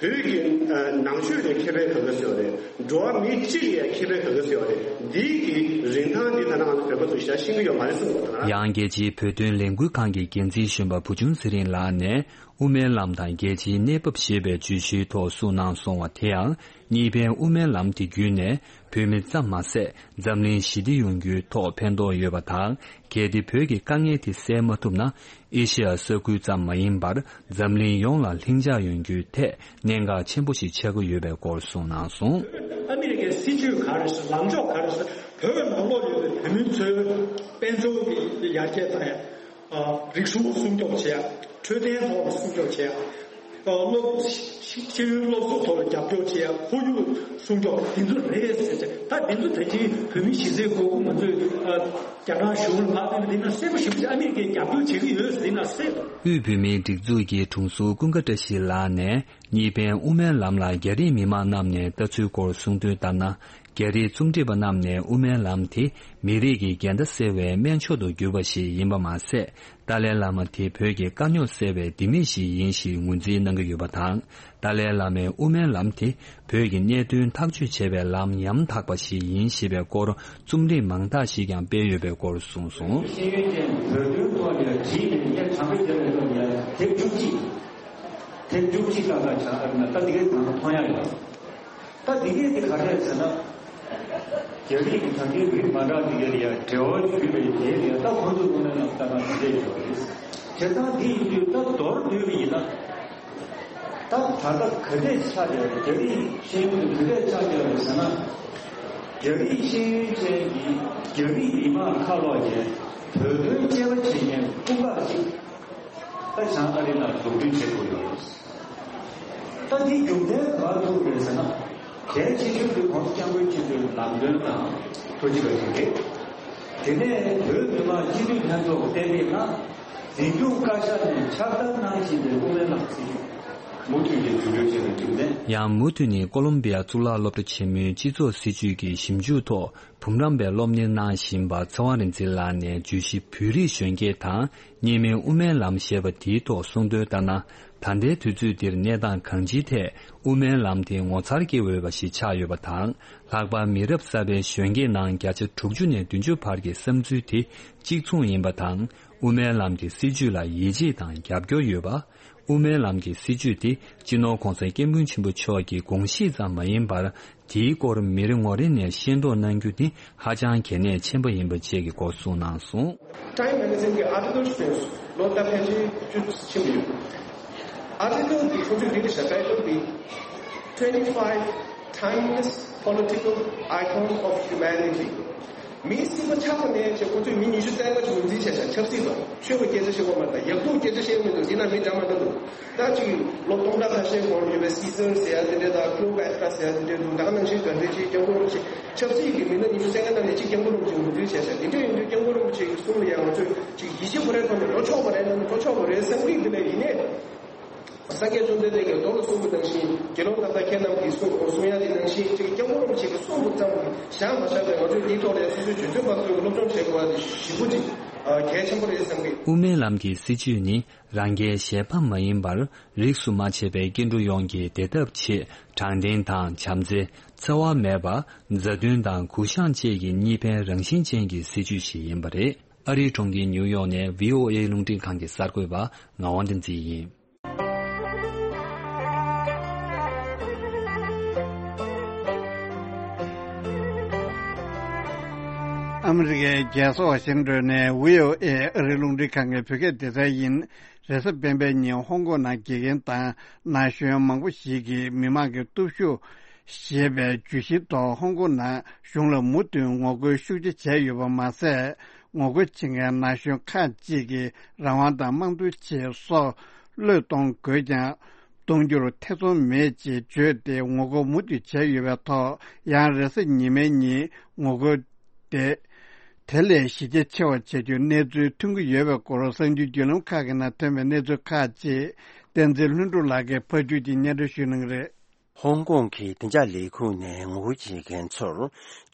བོད་ཀྱི་ཨ་ནང་ཆོས་ལ་ཁྱད་པར་ག་ག་ཟེར་བ་རེད། འགྲོ་བ་མི་སྤྱི་ལ་ཡང་ཁྱད་པར་ག་ག་ཟེར་བ་རེད། འདིའི་གི་རིན་ཐང་འདི་ད་ནང་ང་ཚོ་བོད་པ་ཚོ་ཞེ་དྲག་ཤེས་ཀྱི་ཡོད་མ་རེད་བསམ་གྱི་འདུག་ད་ཡང་རྒྱལ་སྤྱིའི་བོད་དོན་ལས་འགུལ་ཁང་གི་འགན་འཛིན་གཞོན་པ་བུ་ཆུང་ཚེ་རིང་ལགས་ནས་དབུ་མའི་ལམ་དང་རྒྱལ་སྤྱིའི་གནས་བབ་ཞེས་པའི་བརྗོད་གཞིའི་ཐོག་གསུངས་གནང་སོང་བ། དེ་ཡང་གཉིས་ཕན་དབུ་མའི་ལམ་དེ་བརྒྱུད་ནས་བོད་མི་ཙམ་མ་ཟད་འཛམ་གླིང་ཞི་བདེ་ཡོང་རྒྱུའི་ཐོག་ཕན་ཐོགས་ཡོད་པ་དང་། གལ་ཏེ་བོད་ཀྱི་དཀའ་ངལ་དེ་སེལ་མ་ཐུབ་ན། ཨེ་ཤི་ཡ་ས་ཁུལ་ཙམ་མ་ཡིན་པར་འཛམ་གླིང་ཡོངས་ལ་ལྷིང་འཇགས་ཡོང་རྒྱུའི་ཐད་གནད་འགག་ཆེན་པོ་ཞིག་ཆགས་ཀྱི་ཡོད་པའི་སྐོར་གསུངས་གནང་སོང་། ཨ་མི་རི་ཀའི་སྲིད་ཇུས་ག་རེ་ཟེར། ལངས་ཕྱོགས་ག་རེ་ཟེར། བོད་ནང་ལོགས་ཡོད་པའི་བོད་མི་ཚོའི་དཔལ་འབྱོར་གྱི་ཡར་རྒྱས་དང་། ཨ། རིག་གཞུང་སྲུང་སྐྱོབ་བྱེད་ཡ། འཕྲོད་བསྟེན་ཐོག་ལ་སྲུང་སྐྱོབ་བྱེད་ཡ། ཨ། སློབ། ཤེས་ཡོན་སློབ་གསོ་ཐོག་ལ་རྒྱབ་སྐྱོར་བྱེད་ཡ། ཁོར་ཡུག་སྲུང་སྐྱོབ་འདི་ཚོ་རེད་ཟེར་བྱས། ད་འདི་ཚོ་ད་ཅི་བོད་མི་གཞིས་རྩེའི་དགོས་མཁོ་ང་ཚོས། ཨ། རྒྱ་ནག་གཞུང་ལ་ཕར་ཕུལ་ན་འདི་ན་གསལ་པོ་ཞེ་པོ་ཅིག་ཨ་མི་རི་ཀས་རྒྱབ་སྐྱོར་བྱེད་ཀྱི་ཡོད་ཟེར་འདི་ན་གསལ་པོ། དབུས་བོད་མིའི་སྒྲིག་འཛུགས་ཀྱི་དྲུང་འཚོ་ཀུན་དགའ་བཀྲ་ཤིས་ལགས་ནས་གཉིས་ཕན་དབུ་མའི་ལམ་ལ་རྒྱ་རིགས་མི་མང་རྣམས་ནས་ལྟ་ཚུལ་སྐོར་གསུངས་དོན་ལྟར་ན། རྒྱ་རིགས་རྩོམ་སྒྲིག་པ་རྣམས་ནས་དབུ་མའི་ལམ་དེ་མི་རིགས་ཀྱི་འགལ་ཟླ་སེལ་བའི་སྨན་མཆོག་ཏུ་གྱུར་པ་ཞིག་ཡིན་པ་མ་ཟད། ཏཱ་ལའི་བླ་མ་དེ་བོད་ཀྱི་དཀའ་རྙོག་སེལ་བའི་ལྡེ་མིག་ཞིག་ཡིན་ཞེས་ངོས་འཛིན་གནང་གི་ཡོད་པ་དང་། ཏཱ་ལའི་བླ་མའི་དབུ་མའི་ལམ་དེ་བོད་ཀྱི་གནད་དོན་ཐག་གཅོད་བྱེད་པའི་ལམ་ཉམ་ཐག་པ་ཞིག་ཡིན་ཞེས་པའི་སྐོར་རྩོམ་སྒྲིག་མང་དག་ཞིག་ཀྱང་སྤེལ་ཡོད་པའི་སྐོར་གསུངས་སོང་། ཤེས་ཡོན་ཅན་བོད་དོན་ཐོག་ནས་བྲིས་ནས་ངས་དྲང་པོ་བརྗོད་པའི་ཐོག་ནས་དེབ་བཅུ་གཅིག་དེབ་བཅུ་གཅིག་ཏག་ཏག་ཆགས་ཨ་རི་ན་ད་འདི་གའི་དང་མཐོང་ཡ་ཡོད། ད་འདི་གའི་དེ་ག་རེ་རེད་ཟེར་ན། རྒྱ་རིགས་ཀྱི་ད་གིན་རིགས་མ་འདྲ་འདི་གའི་ལ་ཡ་འབྲེལ་བ་ཞུས་པའི་རྗེས་ལ་ཡ་ད་ཁོང་ཚོ་དངོས་གནས་ལ་ལྟ་ན་འདི་འདྲས་ཡོད་རེད། བྱས་ཙང་འདི་ཡིན་དུས་ད་མདོར་བསྡུས་པ་ཡིན་ན། ད་ད་ལྟ་ག་འདྲས་ཆགས་བསྡད་རེད། རྒྱ་རིགས་ཤེས་ཡོན་དེ་ག་འདྲས་ཆགས་བསྡད་རེད་ཟེར་ན། རྒྱ་རིགས་ཤེས་ཡོན་ཅན་གྱི་རྒྱ་རིགས་མི་མང་ཁ་ལོག་གིས་བོད་དོན་དཔྱད་པ་བྱེད་མཁན་དཔུང་ཁག་ཅིག་ད་བྱང་ཨ་རི་ནང་འཛུགས་སྐྲུན་བྱེད་དགོས་ཡོད་རེད། ད་འདི་རྒྱུ་མཚན་ག་པར་ཐུག་རེད་ཟེར་ན། གལ་ཆེ་ཤོས་དེ་༸གོང་ས་༸སྐྱབས་མགོན་ཆེན་པོའི་ལམ་སྟོན་དང་ཐུགས་རྗེ་ཆེ་ཞུ་གི། དེ་ནས་བོད་མི་མང་སྤྱི་འཐུས་ལྷན་ཚོགས་གཏན་འབེབས་གནང་། འཛིན་སྐྱོང་བཀའ་ཤག་ནས་ཕྱག་བསྟར་གནང་བཞིན་པའི་དབུ་མའི་ལམ་སྲིད་ཇུས་མུ་མཐུད་ནས་རྒྱུན་འཁྱོངས་བྱེད་པའི་རྒྱུ་མཚན། ཡང་མུ་མཐུད་ནས་ཀོ་ལོམ་བི་ཡ་གཙུག་ལག་སློབ་གྲྭ་ཆེན་མོའི་སྤྱི་ཚོགས་སྲིད་ཇུས་ཀྱི་ཞིབ་འཇུག་ཐོག་འབུམ་རམས་པའི་སློབ་གཉེར་གནང་བཞིན་པ་ཚེ་དབང་རིག་འཛིན་ལགས་ནས་བརྗོད་གཞི་བོད་རིགས་གཞོན་སྐྱེས་དང་གཉིས་སྨན་དབུ་མའི་ལམ་ཞེས་པ་དེའི་ཐོག་གསུངས་དོན་ལྟར་ན། ད་ལྟའི་དུས་ཚོད་འདིར་གནས་སྟངས་གང་ཅིའི་ཐད་དབུ་མའི་ལམ་དེ་ངོ་མཚར་སྐྱེ་འོས་པ་ཞིག་ཆགས་ཡོད་པ་དང་། ལྷག་པར་མི་རབས་གསར་པའི་གཞོན་སྐྱེས་ནང་བརྒྱ་ཆ་དྲུག་ཅུ་ནས་བདུན་ཅུ་བར་གྱི་བསམ་ཚུལ་དེ་གཅིག་མཚུངས་ཡིན་པ་དང་། དབུ་མའི་ལམ་གྱི་སྲིད་བྱུས་ལ་ཡིད་ཆེས་དང་རྒྱབ་སྐྱོར་ཡོད་པ། དབུ་མའི་ལམ་གྱི་སྲིད་བྱུས་དེ་སྤྱི་ནོར་༸གོང་ས་༸སྐྱབས་མགོན་ཆེན་པོ་མཆོག་གི་དགོངས་གཞི་ཙམ་མ་ཡིན་པར། དེའི་སྐོར་མི་རེ་ངོ་རེ་ནས་ཤེས་རྟོགས་གནང་རྒྱུ་ནི་ཧ་ཅང་གལ་གནད་ཆེན་པོ་ཡིན་པ་བཅས་ཀྱི་སྐོར་གསུངས་གནང་སོང་། Time Magazine གྱི་article ཞིག་བཏོན་སོང་། ལོ་ཟླ་ཕལ་ཆེར་བཅུ་ཕྱིན་པ་ཡོད། Article འདི་ཁོང་ཚོས་འདི་འདྲ་བཞག title འདི། Twenty-five timeless political icons of humanity. མིའི་སྲིད་པ་ཆགས་པ་ནས་བྱས་ཁོ་ཚོས་མི་ཉི་ཤུ་རྩ་ལྔ་ཅིག་ངོས་འཛིན་བྱས་ཤག་ཆབ་སྲིད་པ། ཆོས་པ་སྐད་ཆ་བཤད་དགོས་མ་རེད། ད་ཡག་སྡུག་སྐད་ཆ་བཤད་ཀྱི་མི་འདུག་འདི་ན་མི་འདྲ་མ་འདྲ་འདུག་ད་ཅིག་ལོ་སྟོང་ཕྲག་ཁ་ཤས་གོང་ལ་ཡོད་པའི་སི་སར་ཟེར་ཡ་དེ་འདྲས་དང་ཀླེའོ་པ་ཏྲ་ཟེར་ཡ་དེ་འདྲས་འདུག་ད་ག་ནང་བཞིན་ད་ལྟའི་ཅིག་སྐྱབས་མགོན་རིན་པོ་ཆེ་ཆབ་སྲིད་ཀྱི་མི་སྣ་ཉི་ཤུ་རྩ་ལྔ་ནང་ནས་གཅིག་སྐྱབས་མགོན་རིན་པོ་ཆེ་ངོས་འཛིན་བྱས་ཤག་དེ་འདྲས་ཡིན་དུས་སྐྱབས་མགོན་རིན་པོ་ཆེ་གི་གསུང་ལ་ཡང་ང་ཚོས་ཅིག་ཡིད་ཆེས་དགོས་རེད་མཐོང་ནས་འགྲོ་ཆོག་པ་རེད་ལབ་ན་འགྲོ་ཆོག་པ་རེད་བསམ་གི་འདི་ལས་ཡིན་ནའི། སངས་རྒྱས་བཅོམ་ལྡན་འདས་ཀྱིས་མདོ་ལ་གསུངས་པ་ནང་བཞིན་དགེ་སློང་རྣམ་དག་ཁྱེད་རྣམས་ཀྱིས་གསུང་གསུང་ཡ་དེ་ནང་བཞིན་ཅིག་སྐྱབས་མགོན་རིན་པོ་ཆེ་གི་གསུང་དུ་ཙམ་གྱིས་བཞག་མ་བཞག་པའི་ང་ཚོས་འདིའི་ཐོག་ལ་སོ་སོའི་དུས་ཚོད་ཕར་ཚུར་སློབ་སྦྱོང་བྱེད་དགོས་པ་དེ་ཞེ་པོ་ཅིག་གལ་ཆེན་པོ་རེད་བསམ་གི། དབུ་མའི་ལམ་གྱི་སྲིད་བྱུས་ནི་རང་རྒྱལ་གཞན་ཕམ་མ་ཡིན་པར་རིས་སུ་མ་ཆད་པའི་སྐྱེ་འགྲོ་ཡོངས་ཀྱི་བདེ་ཐབས་ཆེད་དྲང་བདེན་དང་བྱམས་བརྩེ། འཚེ་བ་མེད་པ། མཛའ་མཐུན་དང་གུ་བཤངས་བཅས་ཀྱི་གཉིས་ཕན་རང་བཞིན་ཅན་གྱི་སྲིད་བྱུས་ཤིག་ཡིན་པ་རེད། ཨ་རིའི་གྲོང་ཁྱེར་ཉིའུ་ཡོག་ནས་བྷི་ཨོ་ཨེ་རླུང་འཕྲིན་ཁང་གི་གསར་འགོད་པ་ངག་དབང་བསྟན་འཛིན་ཡིན། ཨ་མི་རི་ཀའི་རྒྱལ་ས་ཝ་ཤིང་ཏོན་ནས་བྷི་ཨོ་ཨེ་ཨ་རིའི་རླུང་འཕྲིན་ཁང་གི་བོད་སྐད་སྡེ་ཚན་ཡིན། རེས་གཟའ་སྤེན་པའི་ཉིན་ཧོང་ཀོང་ནང་དགེ་རྒན་དང་ན་གཞོན་མང་པོ་ཞིག་གིས་མི་མང་གི་སྟོབས་ཤུགས་ཞེས་པའི་བརྗོད་གཞིའི་ཐོག་ཧོང་ཀོང་ནང་གཞུང་ལ་མུ་མཐུད་ངོ་རྒོལ་ཤུགས་ཆེ་བྱས་ཡོད་པ་མ་ཟད། ངོ་རྒོལ་བྱེད་མཁན་ན་གཞོན་ཁག་ཅིག་གིས་རང་དབང་དང་དམངས་གཙོའི་ཆེད་སྲོག་བློས་གཏོང་དགོས་ཀྱང་། གཏོང་རྒྱུར་ཐེ་ཚོམ་མེད་ཅེས་བརྗོད་དེ་ངོ་རྒོལ་མུ་མཐུད་བྱས་ཡོད་པའི་ཐོག་ཡང་རེས་གཟའ་ཉི་མའི་ཉིན་ངོ་རྒོལ་དེ་དེ་ལས་གཞི་རྒྱ་ཆེ་བ་བྱ་རྒྱུའི་གནས་ཚུལ་ཐོན་གྱི་ཡོད་པའི་སྐོར་གསར་འགྱུར་བརྒྱུད་ལམ་ཁག་གི་ནང་ཐོན་པའི་གནས་ཚུལ་ཁག་ཅིག་བསྟན་འཛིན་ལྷུན་གྲུབ་ལགས་ཀྱིས་ཕབ་སྒྱུར་གྱིས་སྙན་སྒྲོན་ཞུ་གནང་གི་རེད། ཧོང་ཀོང་གི་བདེ་འཇགས་ལས་ཁུངས་ནས་ངོ་རྒོལ་བྱེད་མཁན་ཚོར་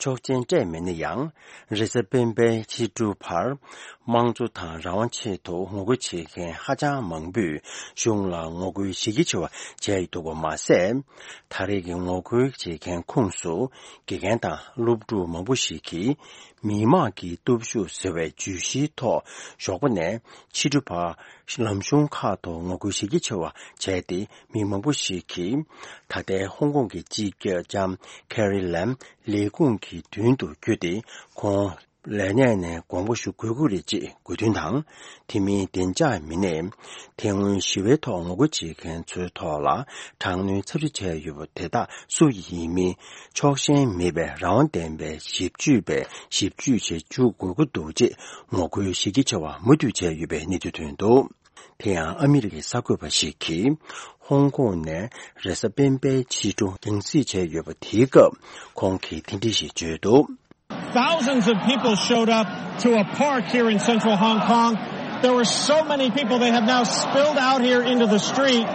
ཆོག་མཆན་སྤྲད་མེད་ན་ཡང་། རེས་གཟའ་སྤེན་པའི་ཕྱི་དྲོ་བར་དམངས་གཙོ་དང་རང་དབང་ཆེད་དུ་ངོ་རྒོལ་བྱེད་མཁན་ཧ་ཅང་མང་པོས་གཞུང་ལ་ངོ་རྒོལ་གཞི་རྒྱ་ཆེ་བ་བྱས་ཡོད་འདུག་པ་མ་ཟད། ད་རེས་ཀྱི་ངོ་རྒོལ་བྱེད་མཁན་ཁོངས་སུ་དགེ་རྒན་དང་སློབ་ཕྲུག་མང་པོ་ཞིག་གིས་མི་དམངས་ཀྱི་སྟོབས་ཤུགས་ཟེར་བའི་བརྗོད་གཞིའི་ཐོག་ཞོགས་པ་ནས་ཕྱི་དྲོ་བར་ལམ་གཞུང་ཁག་ཏུ་ངོ་རྒོལ་གཞི་རྒྱ་ཆེ་བ་བྱས་ཏེ། མི་མང་པོ་ཞིག་གིས་ད་ལྟའི་ཧོང་ཀོང་གི་སྤྱི་ཁྱབ་ལྕམ་ཁེ་རི་ལེམ་ལས་ཁུངས་ཀྱི་མདུན་དུ་བསྐྱོད་དེ། ཁོང་ལས་གནས་ནས་དགོངས་པ་ཞུ་དགོས་ཀྱི་རེད་ཅེས་དགོས་འདུན་དང་། དེ་མིན་བདེ་འཇགས་མི་སྣས་དེ་སྔོན་ཞི་བའི་ཐོག་ངོ་རྒོལ་བྱེད་མཁན་ཚོའི་ཐོག་ལ་དྲག་གནོན་ཚབས་ཆེ་བྱས་ཡོད་པ་དེ་དག་སུ་ཡིན་མིན་ཕྱོགས་ཞེན་མེད་པའི་རང་དབང་ལྡན་པའི་ཞིབ་དཔྱོད་པས་ཞིབ་དཔྱོད་བྱེད་འཇུག་དགོས་ཀྱི་འདུག་ཅེས་ངོ་རྒོལ་གཞི་རྒྱ་ཆེ་བ་མུ་མཐུད་བྱས་ཡོད་པའི་གནས་ཚུལ་ཐོན་འདུག་དེ་ཡང་ཨ་མི་རི་ཀའི་གསར་འགོད་པ་ཞིག་གིས་ཧོང་ཀོང་ནས་རེས་གཟའ་སྤེན་པའི་ཕྱི་དྲོ་རྒྱང་སྲིང་བྱས་ཡོད་པ་དེའི་སྐབས་ཁོང་གིས་དེ་འདྲ་ཞིག་བརྗོད་འདུག Thousands of people showed up to a park here in central Hong Kong. There were so many people, they have now spilled out here into the street.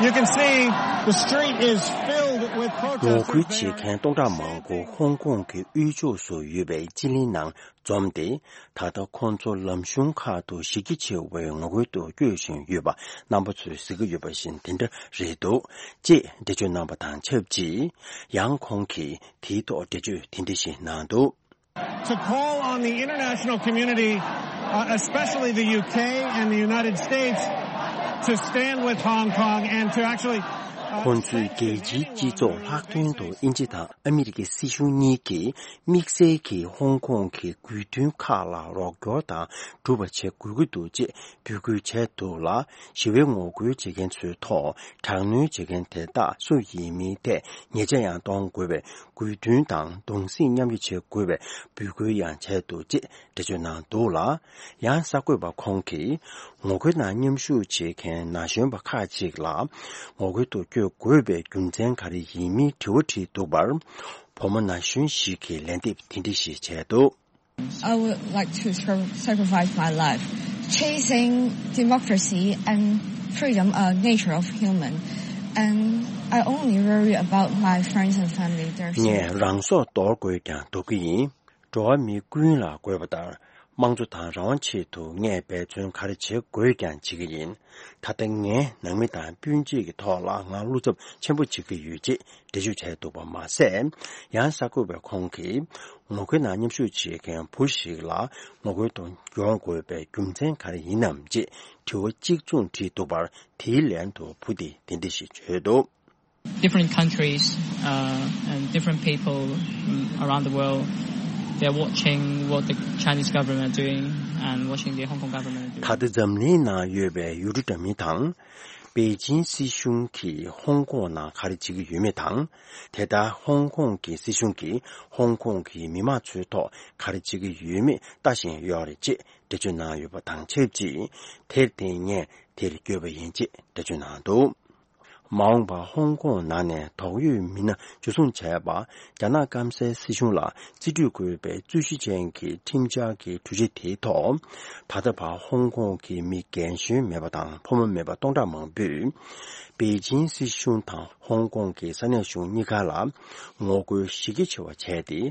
You can see the street is filled with protesters. ངོ་རྒོལ་བྱེད་མཁན་སྟོང་ཕྲག་མང་པོ་ཧོང་ཀོང་གི་དབུས་ཕྱོགས་སུ་ཡོད་པའི་སྤྱི་གླིང་ནང་འཛོམས་ཏེ། ད་ལྟ་ཁོང་ཚོ་ལམ་གཞུང་ཁག་ཏུ་གཞི་རྒྱ་ཆེ་བའི་ངོ་རྒོལ་དུ་བསྐྱོད་བཞིན་ཡོད་པ་རྣམ་པ་ཚོས་གཟིགས་ཀྱི་ཡོད་པ་བཞིན་དེ་འདྲ་རེད་འདུག་ཅེས་འགྲེལ་བརྗོད་གནང་བ་དང་ཆབས་ཅིག་ཡང་ཁོང་གིས་དེའི་ཐོག་འགྲེལ་བརྗོད་དེ་འདྲ་ཞིག་གནང་འདུག To call on the international community, uh, especially the U K and the United States, to stand with Hong Kong and to actually, uh, ཁོང་ཚོས་རྒྱལ་སྤྱིའི་སྤྱི་ཚོགས་ལྷག་དོན་དུ་དབྱིན་ཇི་དང་ཨ་མི་རི་ཀའི་སྲིད་གཞུང་གཉིས་ཀྱིས་དམིགས་བསལ་གྱིས་ཧོང་ཀོང་གི་དགོས་འདུན་ཁག་ལ་རོགས་སྐྱོར་དང་སྒྲུབ་པ་བྱེད་དགོས་ཀྱི་འདུག་ཅེས་འབོད་སྐུལ་བྱས་འདུག་ལ། ཞི་བའི་ངོ་རྒོལ་བྱེད་མཁན་ཚོའི་ཐོག་དྲག་གནོན་བྱེད་མཁན་དེ་དག་སུ་ཡིན་མིན་ཐད་ཉེས་ཆད་ཡང་གཏོང་དགོས་པའི་དགོས་འདུན་དང་གདུང་སེམས་མཉམ་སྐྱེད་བྱེད་དགོས་པའི་འབོད་སྐུལ་ཡང་བྱས་འདུག་ཅེས་འགྲེལ་བརྗོད་གནང་འདུག་ལ། ཡང་གསར་འགོད་པ་ཁོང་གིས་ངོ་རྒོལ་ནང་མཉམ་ཞུགས་བྱེད་མཁན་ན་གཞོན་པ་ཁག་ཅིག་ལ་ངོ་རྒོལ་དུ་བསྐྱོད་དགོས་པའི་རྒྱུ་མཚན་ག་རེ་ཡིན་མིན་དྲི་བ་དྲིས་འདུག་པར། བུ་མོ་ན་གཞོན་ཞིག་གིས་ལན་འདེབས་དེ་འདྲ་ཞིག་བྱས་འདུག I would like to sacri- sacrifice my life chasing democracy and freedom, a nature of human. And I only worry about my friends and family. They're ངས་རང་སྲོག་འདོར་དགོས་ཀྱང་འདོར་གྱི་ཡིན། འགྲོ་བ་མི་ཀུན་ལ་དགོས་པ་ལྟར། དམངས་གཙོ་དང་རང་དབང་ཆེད་དུ་ངས་འབད་བརྩོན་ག་རེ་བྱེད་དགོས་ཀྱང་བྱེད་ཀྱི་ཡིན། ད་ལྟ་ངའི་ནང་མི་དང་སྤུན་མཆེད་ཀྱི་ཐོག་ལ་ང་བློ་འཚབ་ཆེན་པོ་བྱེད་ཀྱི་ཡོད་ཅེས་འགྲེལ་བརྗོད་བྱས་འདུག་པ་མ་ཟད། ཡང་གསར་འགོད་པས་ཁོང་གིས་ངོ་རྒོལ་ནང་མཉམ་ཞུགས་བྱེད་མཁན་བུ་ཞིག་ལ་ངོ་རྒོལ་དུ་འབྱོར་དགོས་པའི་རྒྱུ་མཚན་ག་རེ་ཡིན་ནམ་ཅེས་དྲི་བ་གཅིག་མཚུངས་དྲིས་འདུག་པར། དེའི་ལན་དུ་བུ་དེས་དེ་འདྲ་ཞིག་བརྗོད་འདུག Different countries, uh, and different people, mm, around the world, they're watching what the Chinese government are doing and watching the Hong Kong government are doing. ད་ལྟ་འཛམ་གླིང་ནང་ཡོད་པའི་ཡུལ་གྲུ་འདྲ་མིན་དང་། པེ་ཅིན་སྲིད་གཞུང་གིས་ཧོང་ཀོང་ནང་ག་རེ་བྱེད་ཀྱི་ཡོད་མེད་དང་། དེ་ལྟར་ཧོང་ཀོང་གི་སྲིད་གཞུང་གིས་ཧོང་ཀོང་གི་མི་མང་ཚོའི་ཐོག་ག་རེ་བྱེད་ཀྱི་ཡོད་མེད་ལྟ་བཞིན་ཡོད་རེད་ཅེས་འགྲེལ་བརྗོད་གནང་ཡོད་པ་དང་ཆབས་ཅིག་དེར་བརྟེན་ངས་དེར་བསྐྱོད་པ་ཡིན་ཅེས་འགྲེལ་བརྗོད་གནང་འདུག་མ་འོངས་པར་ཧོང་ཀོང་ནང་ནས་དོགས་ཡོད་མི་སྣ་འཇུ་བཟུང་བྱས་པ། རྒྱ་ནག་སྐམ་སའི་སྲིད་གཞུང་ལ་རྩིས་སྤྲོད་དགོས་པའི་རྩོད་གཞི་ཅན་གྱི་ཁྲིམས་འཆར་གྱི་གྲོས་གཞི་དེའི་ཐོག་ད་ལྟ་བར་ཧོང་ཀོང་གི་མི་རྒན་གཞོན་མེད་པ་དང་ཕོ་མོ་མེད་པ་སྟོང་ཕྲག་མང་པོས། པེ་ཅིན་སྲིད་གཞུང་དང་ཧོང་ཀོང་གི་ས་གནས་གཞུང་གཉིས་ཀ་ལ་ངོ་རྒོལ་གཞི་རྒྱ་ཆེ་བ་བྱས་ཏེ།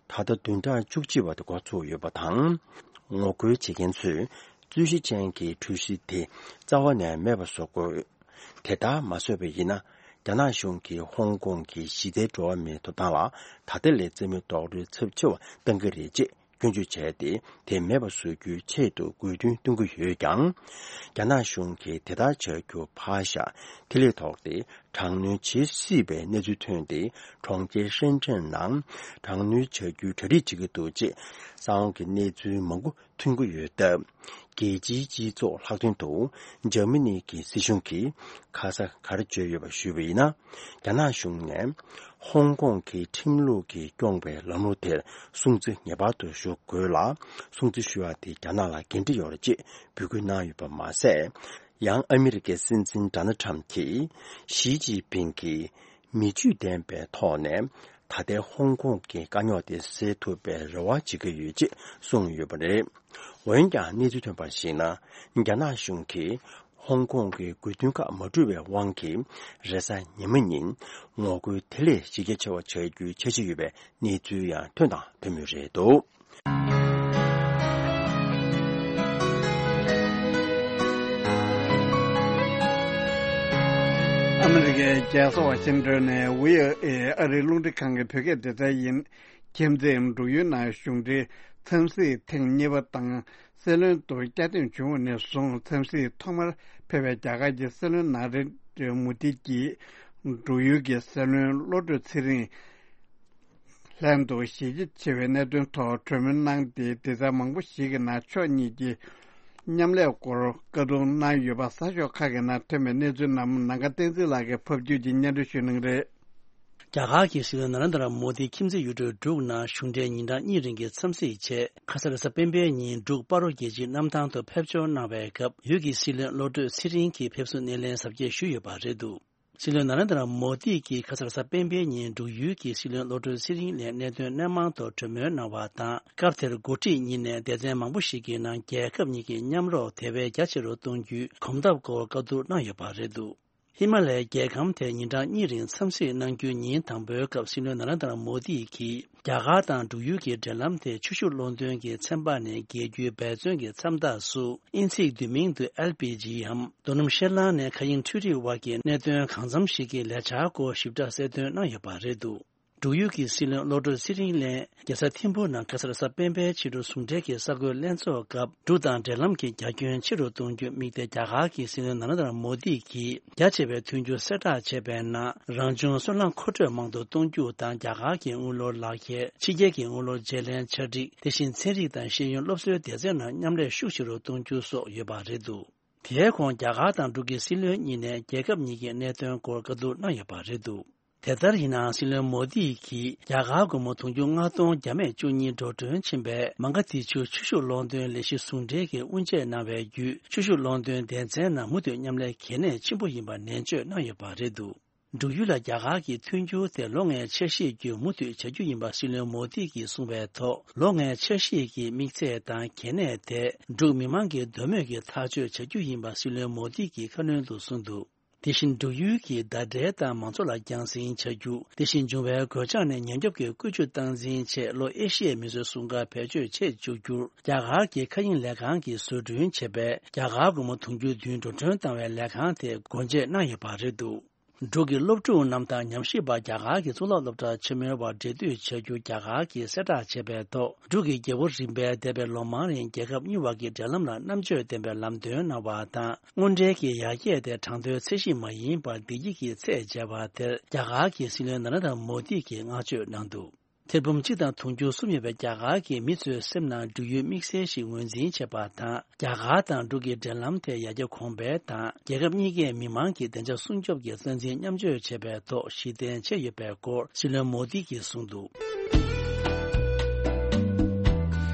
ད་ལྟ་བདུན་ཕྲག་བཅུ་གཅིག་པ་དེ་འགོ་ཚུགས་ཡོད་པ་དང་། ངོ་རྒོལ་བྱེད་མཁན་ཚོས་རྩོད་གཞི་ཅན་གྱི་གྲོས་གཞི་དེ་རྩ་བ་ནས་མེད་པ་བཟོ་དགོས། དེ་ལྟར་མ་བཟོས་པ་ཡིན་ན། རྒྱ་ནག་གཞུང་གིས་ཧོང་ཀོང་གི་གཞི་རྩའི་འགྲོ་བ་མིའི་ཐོབ་ཐང་ལ་ད་ལྟ་ལས་རྩིས་མེད་རྡོག་རོལ་ཚབས་ཆེ་བ་གཏང་གི་རེད་ཅེས་སྐྱོན་བརྗོད་བྱས་ཏེ། དེ་མེད་པ་བཟོ་རྒྱུའི་ཆེད་དུ་དགོས་འདུན་གཏོང་གི་ཡོད་ཀྱང་། རྒྱ་ནག་གཞུང་གིས་དེ་ལྟར་བྱ་རྒྱུ་ཕར་བཞག་དེ་ལས་ལྡོག་སྟེ། དྲག་གནོན་བྱེད་སྲིད་པའི་གནས་ཚུལ་ཐོན་ཏེ། གྲོང་ཁྱེར་ཧྲེན་ཀྲེན་ནང་དྲག་གནོན་བྱ་རྒྱུའི་གྲ་སྒྲིག་བྱེད་ཀྱི་འདུག་ཅེས་གསང་བ་གི་གནས་ཚུལ་མང་པོ་ཐོན་གྱི་ཡོད་སྟབས། རྒྱལ་སྤྱིའི་སྤྱི་ཚོགས་ལྷག་དོན་དུ་འཇར་མ་ནི་གི་སྲིད་གཞུང་གིས་ཁ་ས་ག་རེ་བརྗོད་ཡོད་པ་ཞུས་པ་ཡིན་ན། རྒྱ་ནག་གཞུང་ནས་ཧོང་ཀོང་གི་ཁྲིམས་ལུགས་ཀྱིས་སྐྱོང་བའི་ལམ་ལུགས་དེར་སྲུང་བརྩི་ངེས་པར་དུ་ཞུ་དགོས་ལ། སྲུང་བརྩི་ཞུ་བ་དེ་རྒྱ་ནག་ལ་འགན་འཁྲི་ཡོད་རེད་ཅེས་འབོད་སྐུལ་གནང་ཡོད་པ་མ་ཟད། ཡང་ཨ་མི་རི་ཀའི་སྲིད་འཛིན་ཌོ་ནལ་ཊམ་གྱིས་ཞི་ཅིན་ཕིང་གིས་མི་ཆོས་ལྡན་པའི་ཐོག་ནས་ད་ལྟའི་ཧོང་ཀོང་གི་དཀའ་རྙོག་དེ་སེལ་ཐུབ་པའི་རེ་བ་བྱེད་ཀྱི་ཡོད་ཅེས་གསུངས་ཡོད་པ་རེད། འོན་ཀྱང་གནས་ཚུལ་ཐོན་པར་གཞིགས་ན། རྒྱ་ནག་གཞུང་གིས་ཧོང་ཀོང་གི་དགོས་འདུན་ཁག་མ་འགྲུབ་པའི་དབང་གིས་རེས་གཟའ་ཉི་མ་ཉིན་ངོ་རྒོལ་དེ་ལས་ཞི་རྒྱ་ཆེ་བ་བྱ་རྒྱུའི་འཆར་གཞི་ཡོད་པའི་གནས་ཚུལ་ཡང་ཐོན་དང་ཐོན་མུས་རེད་འདུག། ཨ་མི་རི་ཀའི་རྒྱལ་ས་ཝ་ཤིང་ཏོན་ནས་ཝི་ཨོ་ཨེ་ཨ་རིའི་རླུང་འཕྲིན་ཁང་གི་བོད་སྐད་སྡེ་ཚན་ཡིན། ཁྱིམ་མཚེས་འབྲུག་ཡུལ་ནང་གཞུང་འབྲེལ་འཚམས་གཟིགས་ཐེངས་གཉིས་པ་དང་། སྲིད་བློན་དུ་བསྐྱར་འདེམས་བྱུང་བ་ནས་བཟུང་འཚམས་གཟིགས་ཐོག་མར་ཕེབས་པའི་རྒྱ་གར་གྱི་སྲིད་བློན་ནཱ་རེན་དྲ་མོ་དི་གྱིས་འབྲུག་ཡུལ་གྱི་སྲིད་བློན་བློ་གྲོས་ཚེ་རིང་ལྷན་དུ་ཞི་རྒྱ་ཆེ་བའི་གནད་དོན་ཐོག་གྲོས་མོལ་གནང་སྟེ། སྡེ་ཚན་མང་པོ་ཞིག་གི་ནང་ཕྱོགས་གཉིས་ཀྱི་མཉམ་ལས་སྐོར་བཀའ་བསྡུར་གནང་ཡོད་པ་གསར་ཤོག་ཁག་གི་ནང་ཐོན་པའི་གནས་ཚུལ་རྣམས་ནམ་མཁའ་བསྟན་འཛིན་ལགས་ཀྱིས་ཕབ་སྒྱུར་གྱིས་སྙན་སྒྲོན་ཞུ་གནང་གི་རེད། རྒྱ་གར་གྱི་སྲིད་བློན་ནཱ་རེན་དྲ་མོ་དི་ཁྱིམ་མཚེས་ཡུལ་གྲུ་འབྲུག་ནང་གཞུང་འབྲེལ་ཉིན་གྲངས་གཉིས་རིང་གི་འཚམས་གཟིགས་ཆེད། ཁ་ས་རེས་གཟའ་སྤེན་པའི་ཉིན་འབྲུག་སྤ་རོ་རྒྱལ་སྤྱིའི་གནམ་ཐང་དུ་ཕེབས་འབྱོར་གནང་བའི་སྐབས། ཡུལ་གྱི་སྲིད་བློན་བློ་གྲོས་ཚེ་རིང་གིས་ཕེབས་བསུ་སྣེ་ལེན་གཟབ་རྒྱས་ཞུས་ཡོད་པ་རེད་འདུག། སྲིད་བློན་ནཱ་རེན་དྲ་མོ་དི་གིས་ཁ་ས་རེས་གཟའ་སྤེན་པའི་ཉིན་འབྲུག་ཡུལ་གྱི་སྲིད་བློན་བློ་གྲོས་ཚེ་རིང་ལ་གནད་དོན་སྣ་མང་ཐོག་གྲོས་མོལ་གནང་བ་དང་། སྐབས་དེར་འགོ་ཁྲིད་གཉིས་ནས་སྡེ་ཚན་མང་པོ་ཞིག་གི་ནང་རྒྱལ་ཁབ་གཉིས་ཀྱི་མཉམ་རོགས་དེ་བས་རྒྱ་ཆེ་རུ་གཏོང་རྒྱུའི་གོམ་སྟབས་སྐོར་བཀའ་བསྡུར་གནང་ཡོད་པ་རེད་འདུག། ཧི་མ་ལའི་རྒྱལ་ཁམས་དེར་ཉིན་གྲངས་གཉིས་རིང་འཚམས་གཟིགས་གནང་རྒྱུའི་ཉིན་དང་པོའི་སྐབས། སྲིད་བློན་ནཱ་རེན་དྲ་མོ་དི་གིས་རྒྱ་གར་དང་འབྲུག་ཡུལ་གྱི་འབྲེལ་ལམ་དེ་ཆུ་ཤུགས་གློག་འདོན་གྱི་ཚན་པ་ནས་རྒྱལ་རྒྱུའི་འབད་བརྩོན་གྱི་མཚམས་རྟགས་སུ། དབྱིན་ཚིག་བསྡུས་མིང་དུ་ཨེལ་པི་ཇི་འམ་རྡོ་སྣུམ་བཤེར་གླང་ནས་མཁའ་དབྱིངས་འཕྲུལ་རིག་བར་གྱི་གནད་དོན་གང་འཚམ་ཞིག་གི་ལས་འཆར་སྐོར་ཞིབ་ཕྲ་གསལ་སྟོན་གནང་ཡོད་པ་རེད་འདུག། འབྲུག་ཡུལ་གྱི་སྲིད་བློན་བློ་གྲོས་ཚེ་རིང་ལགས་རྒྱལ་ས་ཐིམ་ཕུ་ནང་ཁ་ས་རེས་གཟའ་སྤེན་པའི་ཕྱི་དྲོ་ཟུང་འབྲེལ་གྱི་གསར་འགོད་ལྷན་ཚོགས་སྐབས། འབྲུག་དང་འབྲེལ་ལམ་གྱི་རྒྱ་ཁྱོན་ཆེ་རུ་གཏོང་རྒྱུར་དམིགས་ཏེ། རྒྱ་གར་གྱི་སྲིད་བློན་ནཱ་རེན་དྲ་མོ་དི་གིས་རྒྱ་ཆེ་བའི་མཐུན་འགྱུར་གསལ་བསྒྲགས་བྱས་པའི་ནང་། རང་བྱུང་སོལ་རླངས་མཁོ་སྤྲོད་མང་དུ་གཏོང་རྒྱུ་དང་། རྒྱ་གར་གྱི་དངུལ་ལོར་ལག་ཁྱེར། ཕྱི་རྒྱལ་གྱི་དངུལ་ལོར་བརྗེ་ལེན་ཆ་སྒྲིག། དེ་བཞིན་ཚན་རིག་དང་ཤེས་ཡོན་སློབ་གསོའི་སྡེ་ཚན་ནང་མཉམ་ལས་ཤུགས་ཆེ་རུ་གཏོང་རྒྱུ་སོགས་ཡོད་པ་རེད་འདུག། དེའི་གོང་རྒྱ་གར་དང་འབྲུག་གི་སྲིད་བློན་གཉིས་ནས་རྒྱལ་ཁབ་གཉིས་ཀྱི་གནད་དོན་སྐོར་བཀའ་བསྡུར་གནང་ཡོད་པ་རེད་འདུག། དེ་ལྟར་ཡིན་ནའང་། སྲིད་བློན་མོ་དི་གིས་རྒྱ་གར་སྒོར་མོ་དུང་ཕྱུར་ལྔ་སྟོང་བརྒྱ་མེད་བཅུ་གཉིས་འགྲོ་གྲོན་ཕྱིན་པའི་མ་ག་དྷི་ཆུ་ཆུ་ཤུགས་གློག་འདོན་ལས་གཞི་ཟུང་འབྲེལ་གྱིས་དབུ་འབྱེད་གནང་བའི་བརྒྱུད། ཆུ་ཤུགས་གློག་འདོན་སྡེ་ཚན་ནང་མུ་མཐུད་མཉམ་ལས་གལ་གནད་ཆེན་པོ་ཡིན་པ་ནན་བརྗོད་གནང་ཡོད་པ་རེད་འདུག། འབྲུག་ཡུལ་ལ་རྒྱ་གར་གྱི་མཐུན་འགྱུར་དེ་ལོ་ལྔའི་འཆར་གཞི་བརྒྱུད་མུ་མཐུད་བྱ་རྒྱུ་ཡིན་པ་སྲིད་བློན་མོ་དི་གིས་གསུངས་པའི་ཐོག། ལོ་ལྔའི་འཆར་གཞི་གི་དམིགས་ཚད་དང་གལ་གནད་དེ་འབྲུག་མི་མང་གི་འདོད་མོས་ཀྱི་ཐག་གཅོད་བྱ་རྒྱུ་ཡིན་པ་སྲིད་བློན་མོ་དི་གིས་ཁ་སྣོན་དུ་གསུངས་འདུག། དེ་བཞིན་འབྲུག་ཡུལ་གྱི་ཟླ་སྒྲིལ་དང་མང་ཚོགས་ལ་རྒྱང་སྲིང་བྱ་རྒྱུ། དེ་བཞིན་འབྱུང་བའི་གོད་ཆག་ནས་ཉེན་སྐྱོབ་ཀྱི་བཀོད་ཇུས་སྟངས་འཛིན་ཆེད་ལྷོ་ཨེ་ཤི་ཡའི་མི་སེར་སྲུང་སྐར་བེད་སྤྱོད་ཆེད་བཅུག་རྒྱུར། རྒྱ་གར་གྱི་མཁའ་དབྱིངས་ལས་ཁང་གིས་བཟོ་སྐྲུན་བྱས་པའི་རྒྱ་གར་སྒོར་མོ་དུང་ཕྱུར་བདུན་འགྲོ་གྲོན་བཏང་བའི་ལས་ཁང་དེ་སྒོ་འབྱེད་གནང་ཡོད་པ་རེད་འདུག། འབྲུག་གི་སློབ་ཕྲུག་རྣམས་དང་ཉམས་ཞིབ་པ་རྒྱ་གར་གྱི་གཙུག་ལག་སློབ་གྲྭ་ཆེན་མོའི་བར་འབྲེལ་མཐུད་བྱ་རྒྱུ་རྒྱ་གར་གྱིས་གསལ་བསྒྲགས་བྱས་པའི་ཐོག། འབྲུག་གི་རྒྱལ་པོ་རིམ་པས་འདས་པའི་ལོ་མང་རིང་རྒྱལ་ཁབ་གཉིས་བར་གྱི་འབྲེལ་ལམ་ལ་རྣམ་དཔྱོད་ལྡན་པའི་ལམ་སྟོན་གནང་བ་དང་། དངོས་འབྲེལ་གྱི་ཡར་རྒྱས་དེ་གྲངས་ཐོའི་ཚད་གཞི་མ་ཡིན་པར་བདེ་སྐྱིད་ཀྱི་ཚད་འཇལ་བ་དེར་རྒྱ་གར་གྱི་སྲིད་བློན་ནཱ་རེན་དྲ་མོ་དི་གིས་བསྔགས་བརྗོད་གནང་འདུག། ཐེར་འབུམ་གཅིག་དང་དུང་ཕྱུར་གསུམ་ཡོད་པའི་རྒྱ་གར་གྱིས་མི་ཚོའི་སེམས་ནང་འབྲུག་ཡུལ་དམིགས་བསལ་ཞིག་ངོས་འཛིན་བྱེད་པ་དང་། རྒྱ་གར་དང་འབྲུག་གི་འབྲེལ་ལམ་དེ་ཡར་རྒྱས་གོང་འཕེལ་དང་། རྒྱལ་ཁབ་གཉིས་ཀའི་མི་མང་གི་བདེ་འཇགས་སྲུང་སྐྱོབ་ཀྱི་རྩ་འཛིན་མཉམ་སྤྱོད་བྱེད་པའི་ཐོག་གཞི་རྟེན་བྱས་ཡོད་པའི་སྐོར་སྲིད་བློན་མོ་དི་གིས་གསུངས་འདུག།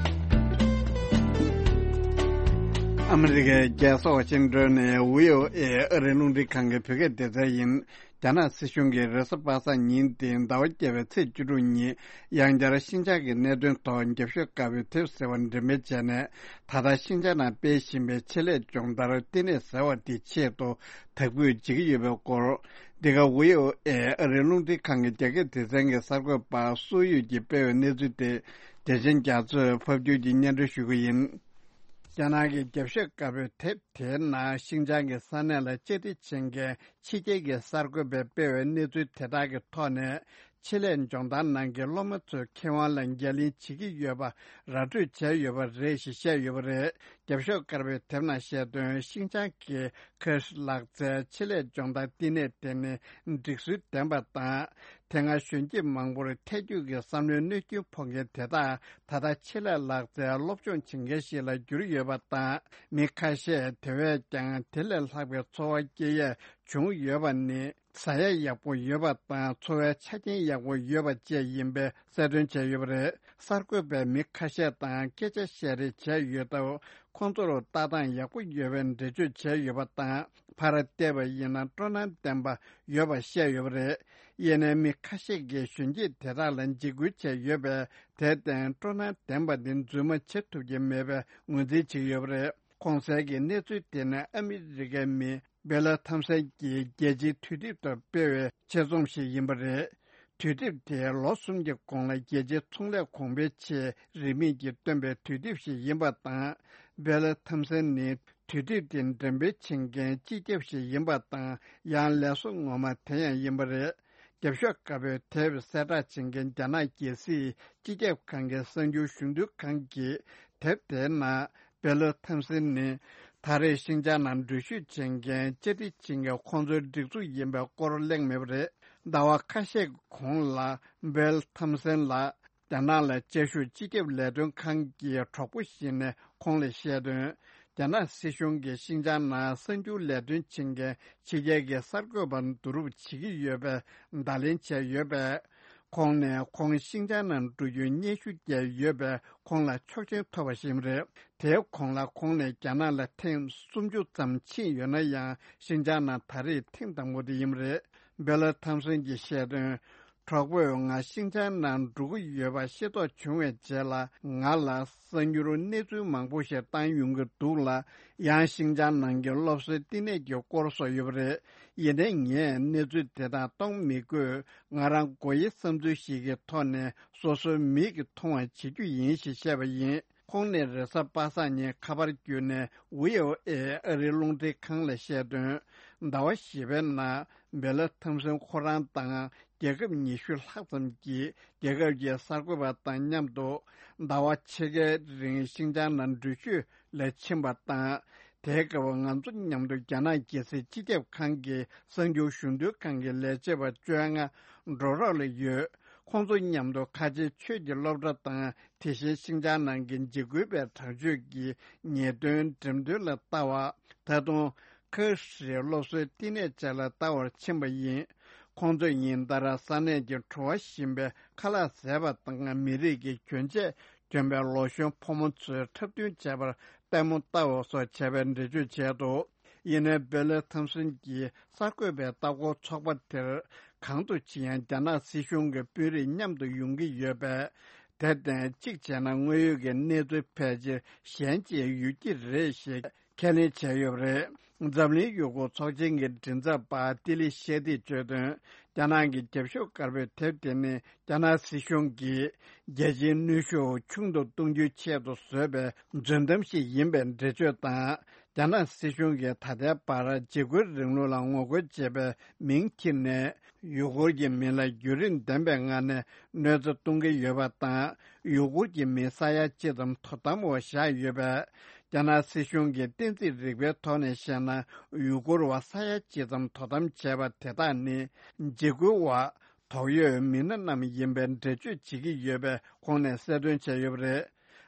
ཨ་མི་རི་ཀའི་རྒྱལ་ས་ཝ་ཤིང་ཏོན་ནས་བྷི་ཨོ་ཨེ་ཨ་རིའི་རླུང་འཕྲིན་ཁང་གི་བོད་སྐད་སྡེ་ཚན་ཡིན། རྒྱ་ནག་སྲིད་གཞུང་གིས་རེས་གཟའ་པ་སངས་ཉིན་དེ་ཟླ་བ་བརྒྱད་པའི་ཚེས་བཅུ་དྲུག་ཉིན་ཡང་བསྐྱར་ཤིན་ཅང་གི་གནད་དོན་ཐོག་རྒྱབ་ཤོག་དཀར་པོའི་དེབ་ཟེར་བ་འགྲེམས་སྤེལ་བྱས་ནས། ད་ལྟ་ཤིན་ཅང་ནང་སྤེལ་བཞིན་པའི་ཆེད་ལས་སྦྱོང་བརྡར་བསྟི་གནས་ཟེར་བ་དེའི་ཆེད་དུ་དག་འབུད་བྱེད་ཀྱི་ཡོད་པའི་སྐོར། འདི་ག་བྷི་ཨོ་ཨེ་ཨ་རིའི་རླུང་འཕྲིན་ཁང་གི་རྒྱ་སྐད་སྡེ་ཚན་གྱི་གསར་འགོད་པ་སུའུ་ཡུས་ཀྱིས་སྤེལ་བའི་གནས་ཚུལ་དེ། བདེ་ཆེན་རྒྱ་མཚོས་ཕབ་སྒྱུར་གྱིས་སྙན་སྒྲོན་ཞུ་གི་ཡིན། རྒྱ་ནག་གི་རྒྱབ་ཤོག་དཀར་པོའི་དེབ་དེའི་ནང་ཤིན་ཅང་གི་ས་གནས་ལ་བཅའ་སྒྲིག་བྱེད་མཁན་ཕྱི་རྒྱལ་གྱི་གསར་འགོད་པས་སྤེལ་བའི་གནས་ཚུལ་དེ་དག་གི་ཐོག་ནས། ཆེད་ལས་སྦྱོང་བརྡར་ནང་གི་སློབ་མ་ཚོའི་ཁེ་དབང་ལ་འགན་ལེན་བྱེད་ཀྱི་ཡོད་པ་ར་སྤྲོད་བྱས་ཡོད་པ་རེད་ཞེས་བཤད་ཡོད་པ་རེད། རྒྱབ་ཤོག་དཀར་པོའི་དེབ་ནང་བཤད་དོན། ཤིན་ཅང་གི་ཁེར་ལག་རྩལ་ཆེད་ལས་སྦྱོང་བརྡར་བསྟི་གནས་དེ་ནི་སྒྲིག་སྲོལ་ལྡན་པ་དང་། དེ་སྔ་གཞོན་སྐྱེས་མང་པོར་ཐལ་འགྱུར་གྱི་བསམ་བློའི་གནོད་སྐྱོན་ཕོག་མཁན་དེ་དག་ད་ལྟ་ཆེད་ལས་ལག་རྩལ་སློབ་སྦྱོང་བྱེད་མཁན་ཞིག་ལ་གྱུར་ཡོད་པ་དང་། མི་ཁ་ཤས་དེ་བས་ཀྱང་དེ་ལས་ལྷག་པའི་འཚོ་བ་སྐྱེལ་ཡས་བྱུང་ཡོད་པ་ནི། ཟ་ཡ་ཡག་པོ་ཡོད་པ་དང་། འཚོ་བའི་ཆ་རྐྱེན་ཡག་པོ་ཡོད་པ་བཅས་ཡིན་པའི་གསལ་སྟོན་བྱས་ཡོད་པ་རེད། གསར་འགོད་པས་མི་ཁ་ཤས་དང་སྐད་ཆ་བཤད་རེས་བྱས་ཡོད་སྟབས། ཁོང་ཚོར་ལྟ་སྟངས་ཡག་པོ་ཡོད་པའི་འགྲེལ་བརྗོད་བྱས་ཡོད་པ་དང་། ཕར་བལྟས་པ་ཡིན་ན་སྤྲོ་སྣང་ལྡན་པ་ཡོད་པ་བཤད་ཡོད་པ་རེད། ཡིན་ནའི་མི་ཁ་ཤས་ཀྱིས་གཞོན་སྐྱེས་དེ་དག་ལ་འཇིགས་སྐུལ་བྱས་ཡོད་པས། དེར་བརྟེན་སྤྲོ་སྣང་ལྡན་པ་འདི་རྫུན་མ་བྱེད་ཐུབ་ཀྱི་མེད་པའི་ངོས་འཛིན་བྱས་ཡོད་པ་རེད། གོང་གསལ་གྱི་གནས་ཚུལ་དེ་ནི་ཨ་མི་རི་ཀའི་མི་སྦེ་ལ་ཐམ་སན་གྱིས་རྒྱལ་སྤྱིའི་དུས་དེབ་ཐོག་སྤེལ་བའི་ཆེད་རྩོམ་ཞིག་ཡིན་པ་རེད། དུས་དེབ་དེས་ལོ་གསུམ་གྱི་གོང་ལ་རྒྱལ་སྤྱིའི་ཚོང་ལས་གོང་འཕེལ་ཆེད་རིན་མེད་ཀྱིས་བཏོན་པའི་དུས་དེབ་ཞིག་ཡིན་པ་དང་། སྦེ་ལ་ཐམ་སན་ནི་དུས་དེབ་དེ་འགྲེམས་སྤེལ་བྱེད་མཁན་སྤྱི་ཁྱབ་ཞིག་ཡིན་པ་དང་། ཡང་ལས་བཟོ་ངོ་མ་དེ་ཡང་ཡིན་པ་རེད། རྒྱབ་ཤོག་དཀར་པོས་དེབ་གསལ་བསྒྲགས་བྱེད་མཁན་རྒྱ་ནག་རྒྱལ་སྲིད་སྤྱི་ཁྱབ་ཁང་གི་གསར་འགྱུར་ཞུ་འདུན་ཁང་གིས། དེབ་དེའི་ནང་སྦེ་ལ་ཐམ་སན་ནི་ད་རེས་ཤིན་ཅང་ནང་འགྲུལ་བཞུད་བྱེད་མཁན་བཅར་འདྲི་བྱེད་མཁན་ཁོང་ཚོའི་སྒྲིག་འཛུགས་ཡིན་པའི་སྐོར་གླེང་མེད་པ་རེད། ཟླ་བ་ཁ་ཤས་ཀྱི་གོང་ལ་སྦེ་ལ་ཐམ་སན་ལགས་རྒྱ་ནག་ལ་བཅའ་བཞུགས་སྤྱི་ཁྱབ་ལས་དོན་ཁང་གི་གྲོགས་པོ་ཞིག་ནས་ཁོང་ལ་བཤད་དོན། རྒྱ་ནག་སྲིད་གཞུང་གིས་ཤིན་ཅང་ནང་གསར་འགྱུར་ལས་དོན་བྱེད་མཁན་ཕྱི་རྒྱལ་གྱི་གསར་འགོད་པ་བསྡུ་རུབ་བྱེད་ཀྱི་ཡོད་པའི་བརྡ་ལན་བྱས་ཡོད་པས། ཁོང་ནས་ཁོང་ཤིན་ཅང་ནང་འགྲོ་རྒྱུའི་སྙན་ཞུ་བསྐྱལ་ཡོད་པས། ཁོང་ལ་ཆོག་མཆན་ཐོབ་པ་ཞིག་རེད། དེའི་གོང་ལ་ཁོང་ནས་རྒྱ་ནག་ལ་ཐེངས་སུམ་ཅུ་ཙམ་ཕྱིན་ཡོད་ན་ཡང་། ཤིན་ཅང་ནང་ད་རེས་ཐེངས་དང་པོ་དེ་ཡིན་པ་རེད། སྦེ་ལ་ཐམ་སན་གྱིས་བཤད་དོན། གྲོགས་པོས་ང་ཤིན་ཅང་ནང་འགྲོ་གི་ཡོད་པ་ཤེས་རྟོགས་བྱུང་བའི་རྗེས་ལ། ང་ལ་གསར་འགྱུར་གནས་ཚུལ་མང་པོ་ཞིག་བཏང་ཡོང་གི་འདུག་ལ། ཡང་ཤིན་ཅང་ནང་གི་སློབ་གསོའི་བསྟི་གནས་ཀྱི་སྐོར་སོགས་ཡོད་པ་རེད། ཡིན་ནའི་ངས་གནས་ཚུལ་དེ་དག་གཏོང་མི་དགོས། ང་རང་སྒོ་དབྱེ་བསམ་ཚུལ་ཞིག་གི་ཐོག་ནས་སོ་སོའི་མིག་གིས་མཐོང་བ་བྱེད་རྒྱུ་ཡིན་ཞེས་བཤད་པ་ཡིན། ཁོང་ནས་རེས་གཟའ་པ་སངས་ཉིན་ཁ་པར་བརྒྱུད་ནས་ཝི་ཨོ་ཨེ་ཨ་རིའི་རླུང་འཕྲིན་ཁང་ལ་བཤད་དོན། ཟླ་བ་བཞི་པའི་ནང་སྦེ་ལ་ཐམ་སན་ཁོ་རང་དང་རྒྱལ་ཁབ་ཉི་ཤུ་ལྷག་ཙམ་གྱི་རྒྱལ་ཁབ་ཀྱི་གསར་འགོད་པ་དང་མཉམ་དུ། ཟླ་བ་ཕྱེད་ཀའི་རིང་ཤིན་ཅང་ནང་འགྲུལ་བཞུད་ལ་ཕྱིན་པ་དང་། དེའི་སྐབས་ང་ཚོ་མཉམ་དུ་རྒྱ་ནག་རྒྱལ་སྲིད་སྤྱི་ཁྱབ་ཁང་གི་གསར་འགྱུར་ཞུ་འདོན་ཁང་གི་ལས་བྱེད་པ་བཅོ་ལྔ་འགྲོ་རོགས་ལ་ཡོད། ཁོང་ཚོ་མཉམ་དུ་ཁ་ཆེའི་ཆོས་ཀྱི་སློབ་གྲྭ་དང་། དེ་བཞིན་ཤིན་ཅང་ནང་གི་འཇིགས་སྐུལ་བའི་དྲག་སྤྱོད་ཀྱི་ཉེས་དོན་འགྲེམས་སྟོན་ལ་ལྟ་བ། ད་དུང་ཁ་ཧྲིའི་སློབ་གསོའི་བསྟི་གནས་བཅས་ལ་ལྟ་བར་ཕྱིན་པ་ཡིན། ཁོང་ཚོས་ཉིན་ལྟར་ས་གནས་ཀྱི་བྲོ་བ་ཞིམ་པའི་ཁ་ལག་བཟས་པ་དང་། མི་རིགས་ཀྱི་གྱོན་ཆས་གྱོན་པའི་ལོ་གཞོན་ཕོ་མོ་ཚོའི་འཁྲབ་སྟོན་བྱས་པར་ལྟད་མོ་ལྟ་བ་སོགས་བྱས་པའི་འགྲེལ་བརྗོད་བྱས་འདུག་ཡིན་ནའི་སྦེ་ལ་ཐམ་སན་གྱིས་གསར་འགོད་པའི་ལྟ་སྐོར་ཚོགས་པ་དེར་གང་དུ་ཕྱིན་ཡང་རྒྱ་ནག་སྲིད་གཞུང་གི་དཔོན་རིགས་མཉམ་དུ་ཡོང་གི་ཡོད་པས། དེར་བརྟེན་གཅིག་བྱས་ན་དངོས་ཡོད་ཀྱི་གནས་ཚུལ་ཕལ་ཆེར་གཞན་གྱིས་ཡོད་ཀྱི་རེད་ཞེས་ཁས་ལེན་བྱས་ཡོད་པ་རེད། འཛམ་གླིང་ཡུ་གུར་ཚོགས་ཆེན་གྱི་མགྲིན་ཚབ་པ་ཏི་ལི་ཤེ་ཏིས་བརྗོད་དོན། རྒྱ་ནག་གི་རྒྱབ་ཤོག་དཀར་པོའི་དེབ་དེ་ནི་རྒྱ་ནག་སྲིད་གཞུང་གིས་རྒྱལ་སྤྱིའི་གནོན་ཤུགས་ཆུང་དུ་གཏོང་རྒྱུའི་ཆེད་དུ་བཟོས་པའི་རྫུན་གཏམ་ཞིག་ཡིན་པའི་འགྲེལ་བརྗོད་དང་། རྒྱ་ནག་སྲིད་གཞུང་གིས་ད་ལྟའི་བར་འཇིགས་སྐུལ་རིང་ལུགས་ལ་ངོ་རྒོལ་བྱེད་པའི་མིང་ཁྱེར་ནས། ཡུ་གུར་གྱི་མི་ལ་བརྒྱུད་རིམ་ལྡན་པའི་ངང་ནས་གནོད་འཚེ་གཏོང་གི་ཡོད་པ་དང་། ཡུ་གུར་གྱི་མི་ས་ཡ་གཅིག་ཙམ་དོ་དམ་འོག་བཞག་ཡོད་པས། རྒྱ་ནག་སྲིད་གཞུང་གིས་གཏན་ཚིགས་རིག་པའི་ཐོག་ནས་བཤད་ན། ཡུ་གུར་བ་ས་ཡ་གཅིག་ཙམ་དོ་དམ་བྱས་པ་དེ་དག་ནི། འཇིགས་སྐུལ་བ། དོགས་ཡོད་མི་སྣ་རྣམས་ཡིན་པའི་འགྲེལ་བརྗོད་བྱེད་ཀྱི་ཡོད་པའི་ཁོང་ནས་གསལ་སྟོན་བྱས་ཡོད་པ་རེད།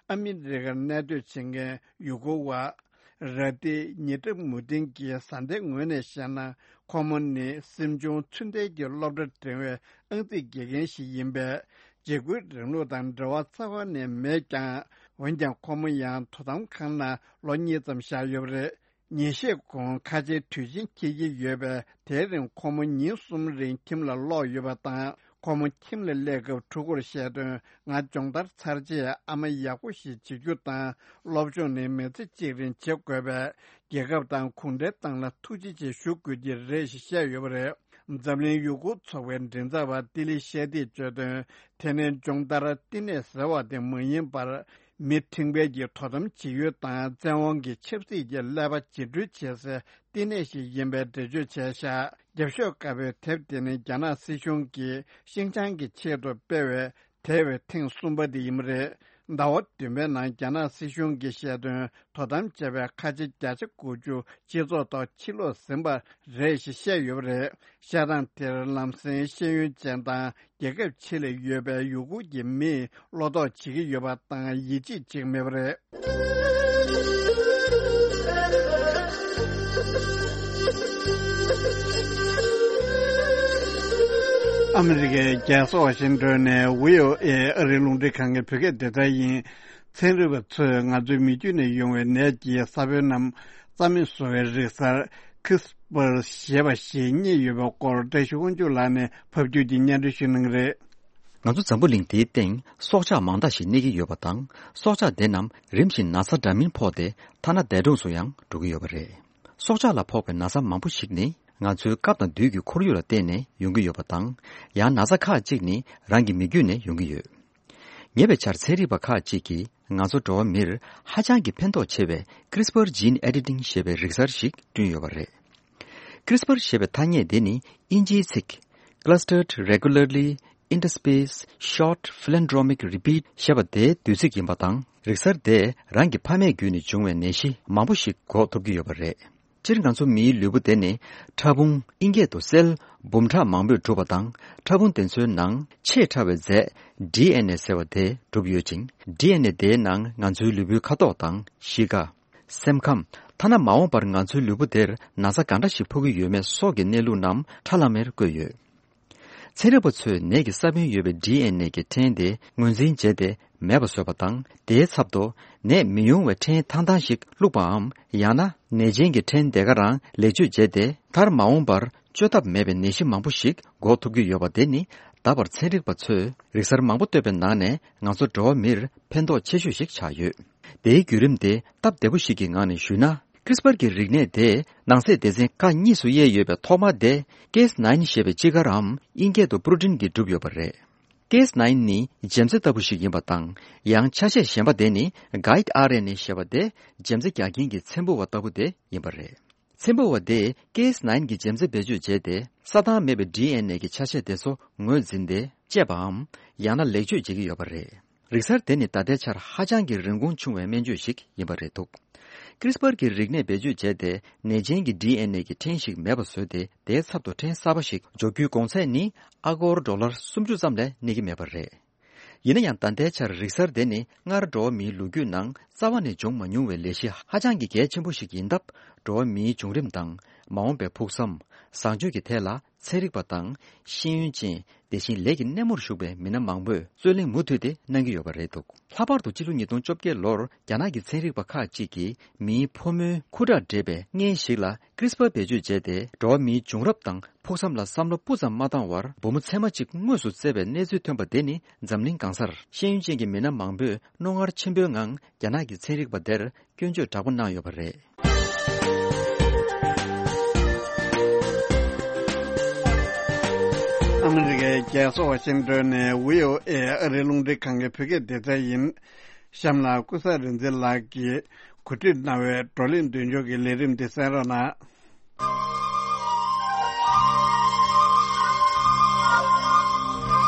ཨ་མི་རི་ཀར་གནས་སྡོད་བྱེད་མཁན་ཡུ་གུར་བ། ར་ཏི་ཉི་ཏྲ་མུ་ཏིན་གྱི་བཟའ་ཟླའི་ངོས་ནས་བཤད་ན། ཁོ་མོ་ནི་སེམས་ཆུང་ཚུལ་ལྡན་གྱི་སློབ་གྲྭ་འགྲིམ་པའི་ཨང་རྩིས་དགེ་རྒན་ཞིག་ཡིན་པས། འཇིགས་སྐུལ་རིང་ལུགས་དང་འབྲེལ་བ་རྩ་བ་ནས་མེད་ཀྱང་། འོན་ཀྱང་ཁོ་མོ་ཡང་དོ་དམ་ཁང་ནང་ལོ་གཉིས་ཙམ་བཞག་ཡོད་པ་རེད། ཉིན་ཤས་གོང་ཁ་ཆེའི་དུས་ཆེན་འཁེལ་གྱི་ཡོད་པས། དེའི་རིང་ཁོ་མོ་ཉིན་གསུམ་རིང་ཁྱིམ་ལ་ལོག་ཡོད་པ་དང་། ཁོ་མོ་ཁྱིམ་ལ་སླེབས་སྐབས་ཕྲུ་གུར་བཤད་དོན། ང་སྦྱོང་བརྡར་ཚར་རྗེས་ཨ་མ་ཡག་པོ་ཞིག་བྱེད་རྒྱུ་དང་། སློབ་སྦྱོང་ནི་མི་ཚེ་གཅིག་རིང་བྱེད་དགོས་པས། རྒྱལ་ཁབ་དང་གུང་ཁྲན་ཏང་ལ་ཐུགས་རྗེ་ཆེ་ཞུ་དགོས་ཀྱི་རེད་ཞེས་བཤད་ཡོད་པ་རེད། འཛམ་གླིང་ཡུ་གུར་ཚོགས་པའི་མགྲིན་ཚབ་པ་ཏི་ལི་ཤེ་ཏིས་བརྗོད་དོན། དེ་ནི་སྦྱོང་བརྡར་བསྟི་གནས་ཟེར་བ་དེ་མ་ཡིན་པར། མི་ཁྲིམས་འགལ་གྱི་དོ་དམ་བྱེད་ཡུལ་དང་། བཙན་དབང་གི་ཆབ་སྲིད་ཀྱི་ཀླད་པ་འཇིགས་སྐྲོལ་བྱེད་སའི་བསྟི་གནས་ཤིག་ཡིན་པའི་འགྲེལ་བརྗོད་བྱས་བཞག་རྒྱབ་ཤོག་དཀར་པོའི་དེབ་དེ་ནི་རྒྱ་ནག་སྲིད་གཞུང་གིས་ཤིན་ཅང་གི་ཆེད་དུ་སྤེལ་བའི་དེ་བས་ཐེངས་གསུམ་པ་དེ་ཡིན་པ་རེད། ཟླ་བ་བདུན་པའི་ནང་རྒྱ་ནག་སྲིད་གཞུང་གིས་བཤད་དོན། དོ་དམ་བྱས་པའི་ཁ་ཆེ་བརྒྱ་ཆ་དགུ་བཅུ་སྤྱི་ཚོགས་ཐོག་ཕྱིར་སློག་ཟིན་པ་རེད་ཞེས་བཤད་ཡོད་པ་རེད། བཤད་སྟངས་དེར་ལམ་སེང་ཤེས་ཡོན་ཅན་དང་རྒྱལ་ཁབ་ཕྱི་ལ་ཡོད་པའི་ཡུ་གུར་གྱི་མིས་བློ་དོགས་བྱེད་ཀྱི་ཡོད་པ་དང་ཡིད་ཆེས་བྱེད་ཀྱི་མེད་པ་རེད། ཨ་མི་རི་ཀའི་རྒྱལ་ས་ཝ་ཤིང་ཏོན་ནས་བྷི་ཨོ་ཨེ་ཨ་རིའི་རླུང་འཕྲིན་ཁང་གི་བོད་སྐད་སྡེ་ཚན་ཡིན། ཚན་རིག་པ་ཚོས་ང་ཚོའི་མི་རྒྱུད་ནས་ཡོང་བའི་ནད་ཀྱི་ས་བོན་ནམ་རྩ་མེད་བཟོ་བའི་རིག་གསར་ཁི་རིས་པར་ཞེས་པ་ཞིག་རྙེད་ཡོད་པའི་སྐོར་བཀྲ་ཤིས་དབང་ཕྱུག་ལགས་ནས་ཕབ་སྒྱུར་གྱིས་སྙན་སྒྲོན་ཞུ་གནང་གི་རེད། ང་ཚོ་འཛམ་བུ་གླིང་འདིའི་སྟེང་སྲོག་ཆགས་མང་དག་ཞིག་གནས་ཀྱི་ཡོད་པ་དང་། སྲོག་ཆགས་དེ་རྣམས་རིམ་བཞིན་ན་ཚ་འདྲ་མིན་ཕོག་སྟེ་ཐ་ན་འདས་གྲོངས་སུ་ཡང་འགྲོ་གི་ཡོད་པ་རེད། སྲོག་ཆགས་ལ་ཕོག་པའི་ན་ཚ་མང་པོ་ཞིག་ནི་ང་ཚོའི་སྐབས་དང་དུས་ཀྱི་ཁོར་ཡུག་ལ་བརྟེན་ནས་ཡོང་གི་ཡོད་པ་དང་། ཡང་ན་ཚ་ཁག་ཅིག་ནི་རང་གི་མི་རྒྱུད་ནས་ཡོང་གི་ཡོད། ཉེ་བའི་ཆར་ཚན་རིག་པ་ཁག་ཅིག་གིས་ང་ཚོ་འགྲོ་བ་མིར་ཧ་ཅང་གི་ཕན་ཐོགས་ཆེ་བའི་CRISPR gene editing ཞེས་པའི་རིག་གསར་ཞིག་བསྐྲུན་ཡོད་པ་རེད། CRISPR ཞེས་པའི་ཐ་སྙད་དེ་ནི་དབྱིན་ཇིའི་ཚིག Clustered Regularly Interspersed Short Palindromic Repeat ཞེས་པ་དེའི་བསྡུས་ཚིག་ཡིན་པ་དང་། རིག་གསར་དེས་རང་གི་ཕ་མེས་བརྒྱུད་ནས་བྱུང་བའི་ནད་གཞི་མང་པོ་ཞིག་འགོག་ཐུབ་ཀྱི་ཡོད་པ་རེད། སྤྱིར་ང་ཚོ་མིའི་ལུས་པོ་དེ་ནི་ཕྲ་ཕུང་ཨིན་སྐད་དུ་སེལ་འབུམ་ཕྲག་མང་པོས་གྲུབ་པ་དང་། ཕྲ་ཕུང་དེ་ཚོའི་ནང་ཆེས་ཕྲ་བའི་རྫས་ཌི་ཨེན་ཨེ་ཟེར་བ་དེས་གྲུབ་ཡོད་ཅིང་། ཌི་ཨེན་ཨེ་དེའི་ནང་ང་ཚོའི་ལུས་པོའི་ཁ་དོག་དང་གཤིས་ཀ། སེམས་ཁམས། ཐ་ན་མ་འོངས་པར་ང་ཚོའི་ལུས་པོ་དེར་ན་ཚ་གང་འདྲ་ཞིག་ཕོག་གི་ཡོད་མེད་སོགས་ཀྱི་གནས་ལུགས་རྣམས་ཁྲ་ལམ་མེར་བཀོད་ཡོད། ཚན་རིག་པ་ཚོས་ནད་ཀྱི་ས་བོན་ཡོད་པའི་ཌི་ཨེན་ཨེ་གི་ཕྲན་དེ་ངོས་འཛིན་བྱས་ཏེ་མེད་པ་བཟོས་པ་དང་། དེའི་ཚབ་ཏུ་ནད་མི་ཡོང་བའི་ཕྲན་ཐང་ཐང་ཞིག་བླུགས་པའམ། ཡང་ན་ནད་ཅན་གྱི་ཕྲན་དེ་ག་རང་ལེགས་བཅོས་བྱས་ཏེ། མཐར་མ་འོངས་པར་བཅོས་ཐབས་མེད་པའི་ནད་གཞི་མང་པོ་ཞིག་འགོག་ཐུབ་ཀྱི་ཡོད་པ་དེ་ནི། ད་བར་ཚན་རིག་པ་ཚོས་རིག་གསར་མང་པོ་བཏོད་པའི་ནང་ནས་ང་ཚོ་འགྲོ་བ་མིར་ཕན་ཐོགས་ཆེ་ཤོས་ཤིག་ཆགས་ཡོད། དེའི་བརྒྱུད་རིམ་དེ་སྟབས་བདེ་པོ་ཞིག་གི་ངང་ནས་ཞུས་ན། CRISPR གྱི་རིག་གནས་དེས་ནང་གསེས་སྡེ་ཚན་ཁག་གཉིས་སུ་དབྱེ་ཡོད་པའི་ཐོག་མ་དེ་ཀེ་ཨེས་ནའིན་ཞེས་པའི་སྤྱི་སྒར་འམ་ཨིན་སྐད་དུ་པྲོ་ཊིན་གྱིས་གྲུབ་ཡོད་པ་རེད། ཀེ་ཨེས་ནའིན་ནི་འཇེམ་རྩྭ་ལྟ་བུ་ཞིག་ཡིན་པ་དང་། ཡང་ཆ་ཤས་གཞན་པ་དེ་ནི་གའིཌ་ཨར་ཨེན་ཨེ་ཞེས་པ་དེ་འཇེམ་རྩྭ་རྒྱག་མཁན་གྱི་ཚེམ་བུ་བ་ལྟ་བུ་དེ་ཡིན་པ་རེད། ཚེམ་བུ་བ་དེས་ཀེ་ཨེས་ནའིན་གྱི་འཇེམ་རྩྭ་བེད་སྤྱོད་བྱས་ཏེ། རྩྭ་ཐང་མེད་པའི་ཌི་ཨེན་ཨེ་གི་ཆ་ཤས་དེ་ཚོ་ངོས་འཛིན་ཏེ་བཅད་པའམ། ཡང་ན་ལེགས་བཅོས་བྱེད་ཀྱི་ཡོད་པ་རེད། རིག་གསར་དེ་ནི་ད་ལྟའི་ཆར་ཧ་ཅང་གི་རིན་གོང་ཆུང་བའི་སྨན་བཅོས་ཤིག་ཡིན་པ་རེད་འདུག་ཀྲིས་པར་གྱི་རིག་གནས་བེད་སྤྱོད་བྱས་ཏེ། ནད་ཅན་གྱི་ཌི་ཨེན་ཨེ་གི་ཕྲན་ཞིག་མེད་པ་བཟོས་ཏེ། དེའི་ཚབ་ཏུ་ཕྲན་གསར་པ་ཞིག་འཇོག་རྒྱུའི་གོང་ཚད་ནི་ཨ་སྒོར་ཌོ་ལར་སུམ་ཅུ་ཙམ་ལས་གནས་ཀྱི་མེད་པ་རེད། ཡིན་ན་ཡང་། ད་ལྟའི་ཆར་རིག་གསར་དེ་ནི་སྔར་འགྲོ་བ་མིའི་ལོ་རྒྱུས་ནང་རྩ་བ་ནས་བྱུང་མ་མྱོང་བའི་ལས་གཞི་ཧ་ཅང་གི་གལ་ཆེན་པོ་ཞིག་ཡིན་སྟབས། འགྲོ་བ་མིའི་བྱུང་རིམ་དང་། མ་འོངས་པའི་ཕུགས་བསམ། བཟང་སྤྱོད་ཀྱི་ཐད་ལ་ཚན་རིག་པ་དང་། ཤེས་ཡོན་ཅན། དེ་བཞིན་ལས་ཀྱི་སྣེ་མོར་ཞུགས་པའི་མི་སྣ་མང་པོས་རྩོད་གླེང་མུ་མཐུད་དེ་གནང་གི་ཡོད་པ་རེད་འདུག་ལྷག་པར་དུ་ཕྱི་ལོ་ཉིས་སྟོང་བཅོ་བརྒྱད་ལོར་རྒྱ་ནག་གི་ཚན་རིག་པ་ཁག་ཅིག་གིས་མིའི་ཕོ་མོའི་ཁུ་ཁྲག་འདྲེས་པའི་མངལ་ཞིག་ལ་ཀྲིས་པར་བེད་སྤྱོད་བྱས་ཏེ། འགྲོ་བ་མིའི་བྱུང་རབས་དང་ཕུགས་བསམ་ལ་བསམ་བློ་སྤུ་ཙམ་མ་བཏང་བར་བུ་མོ་ཚད་མ་གཅིག་དངོས་སུ་བཙས་པའི་གནས་ཚུལ་ཐོན་པ་དེ་ནི། འཛམ་གླིང་གང་སར་ཤེས་ཡོན་ཅན་གྱི་མི་སྣ་མང་པོས་རྣོ་ངར་ཆེན་པོའི་ངང་རྒྱ་ནག་གི་ཚན་རིག་པ་དེར་སྐྱོན་བརྗོད་དྲག་པོ་གནང་ཡོད་པ་རེད། ཨ་མི་རི་ཀའི་རྒྱལ་ས་ཝ་ཤིང་ཏོན་ནས་བྷི་ཨོ་ཨེ་ཨ་རིའི་རླུང་འཕྲིན་ཁང་གི་བོད་སྐད་སྡེ་ཚན་ཡིན། གཤམ་ལ་ཀུན་བཟང་རིག་འཛིན་ལགས་ཀྱིས་གོ་སྒྲིག་གནང་བའི་བགྲོ་གླེང་མདུན་ལྕོག་གི་ལས་རིམ་འདི་གསན་རོགས་གནང་།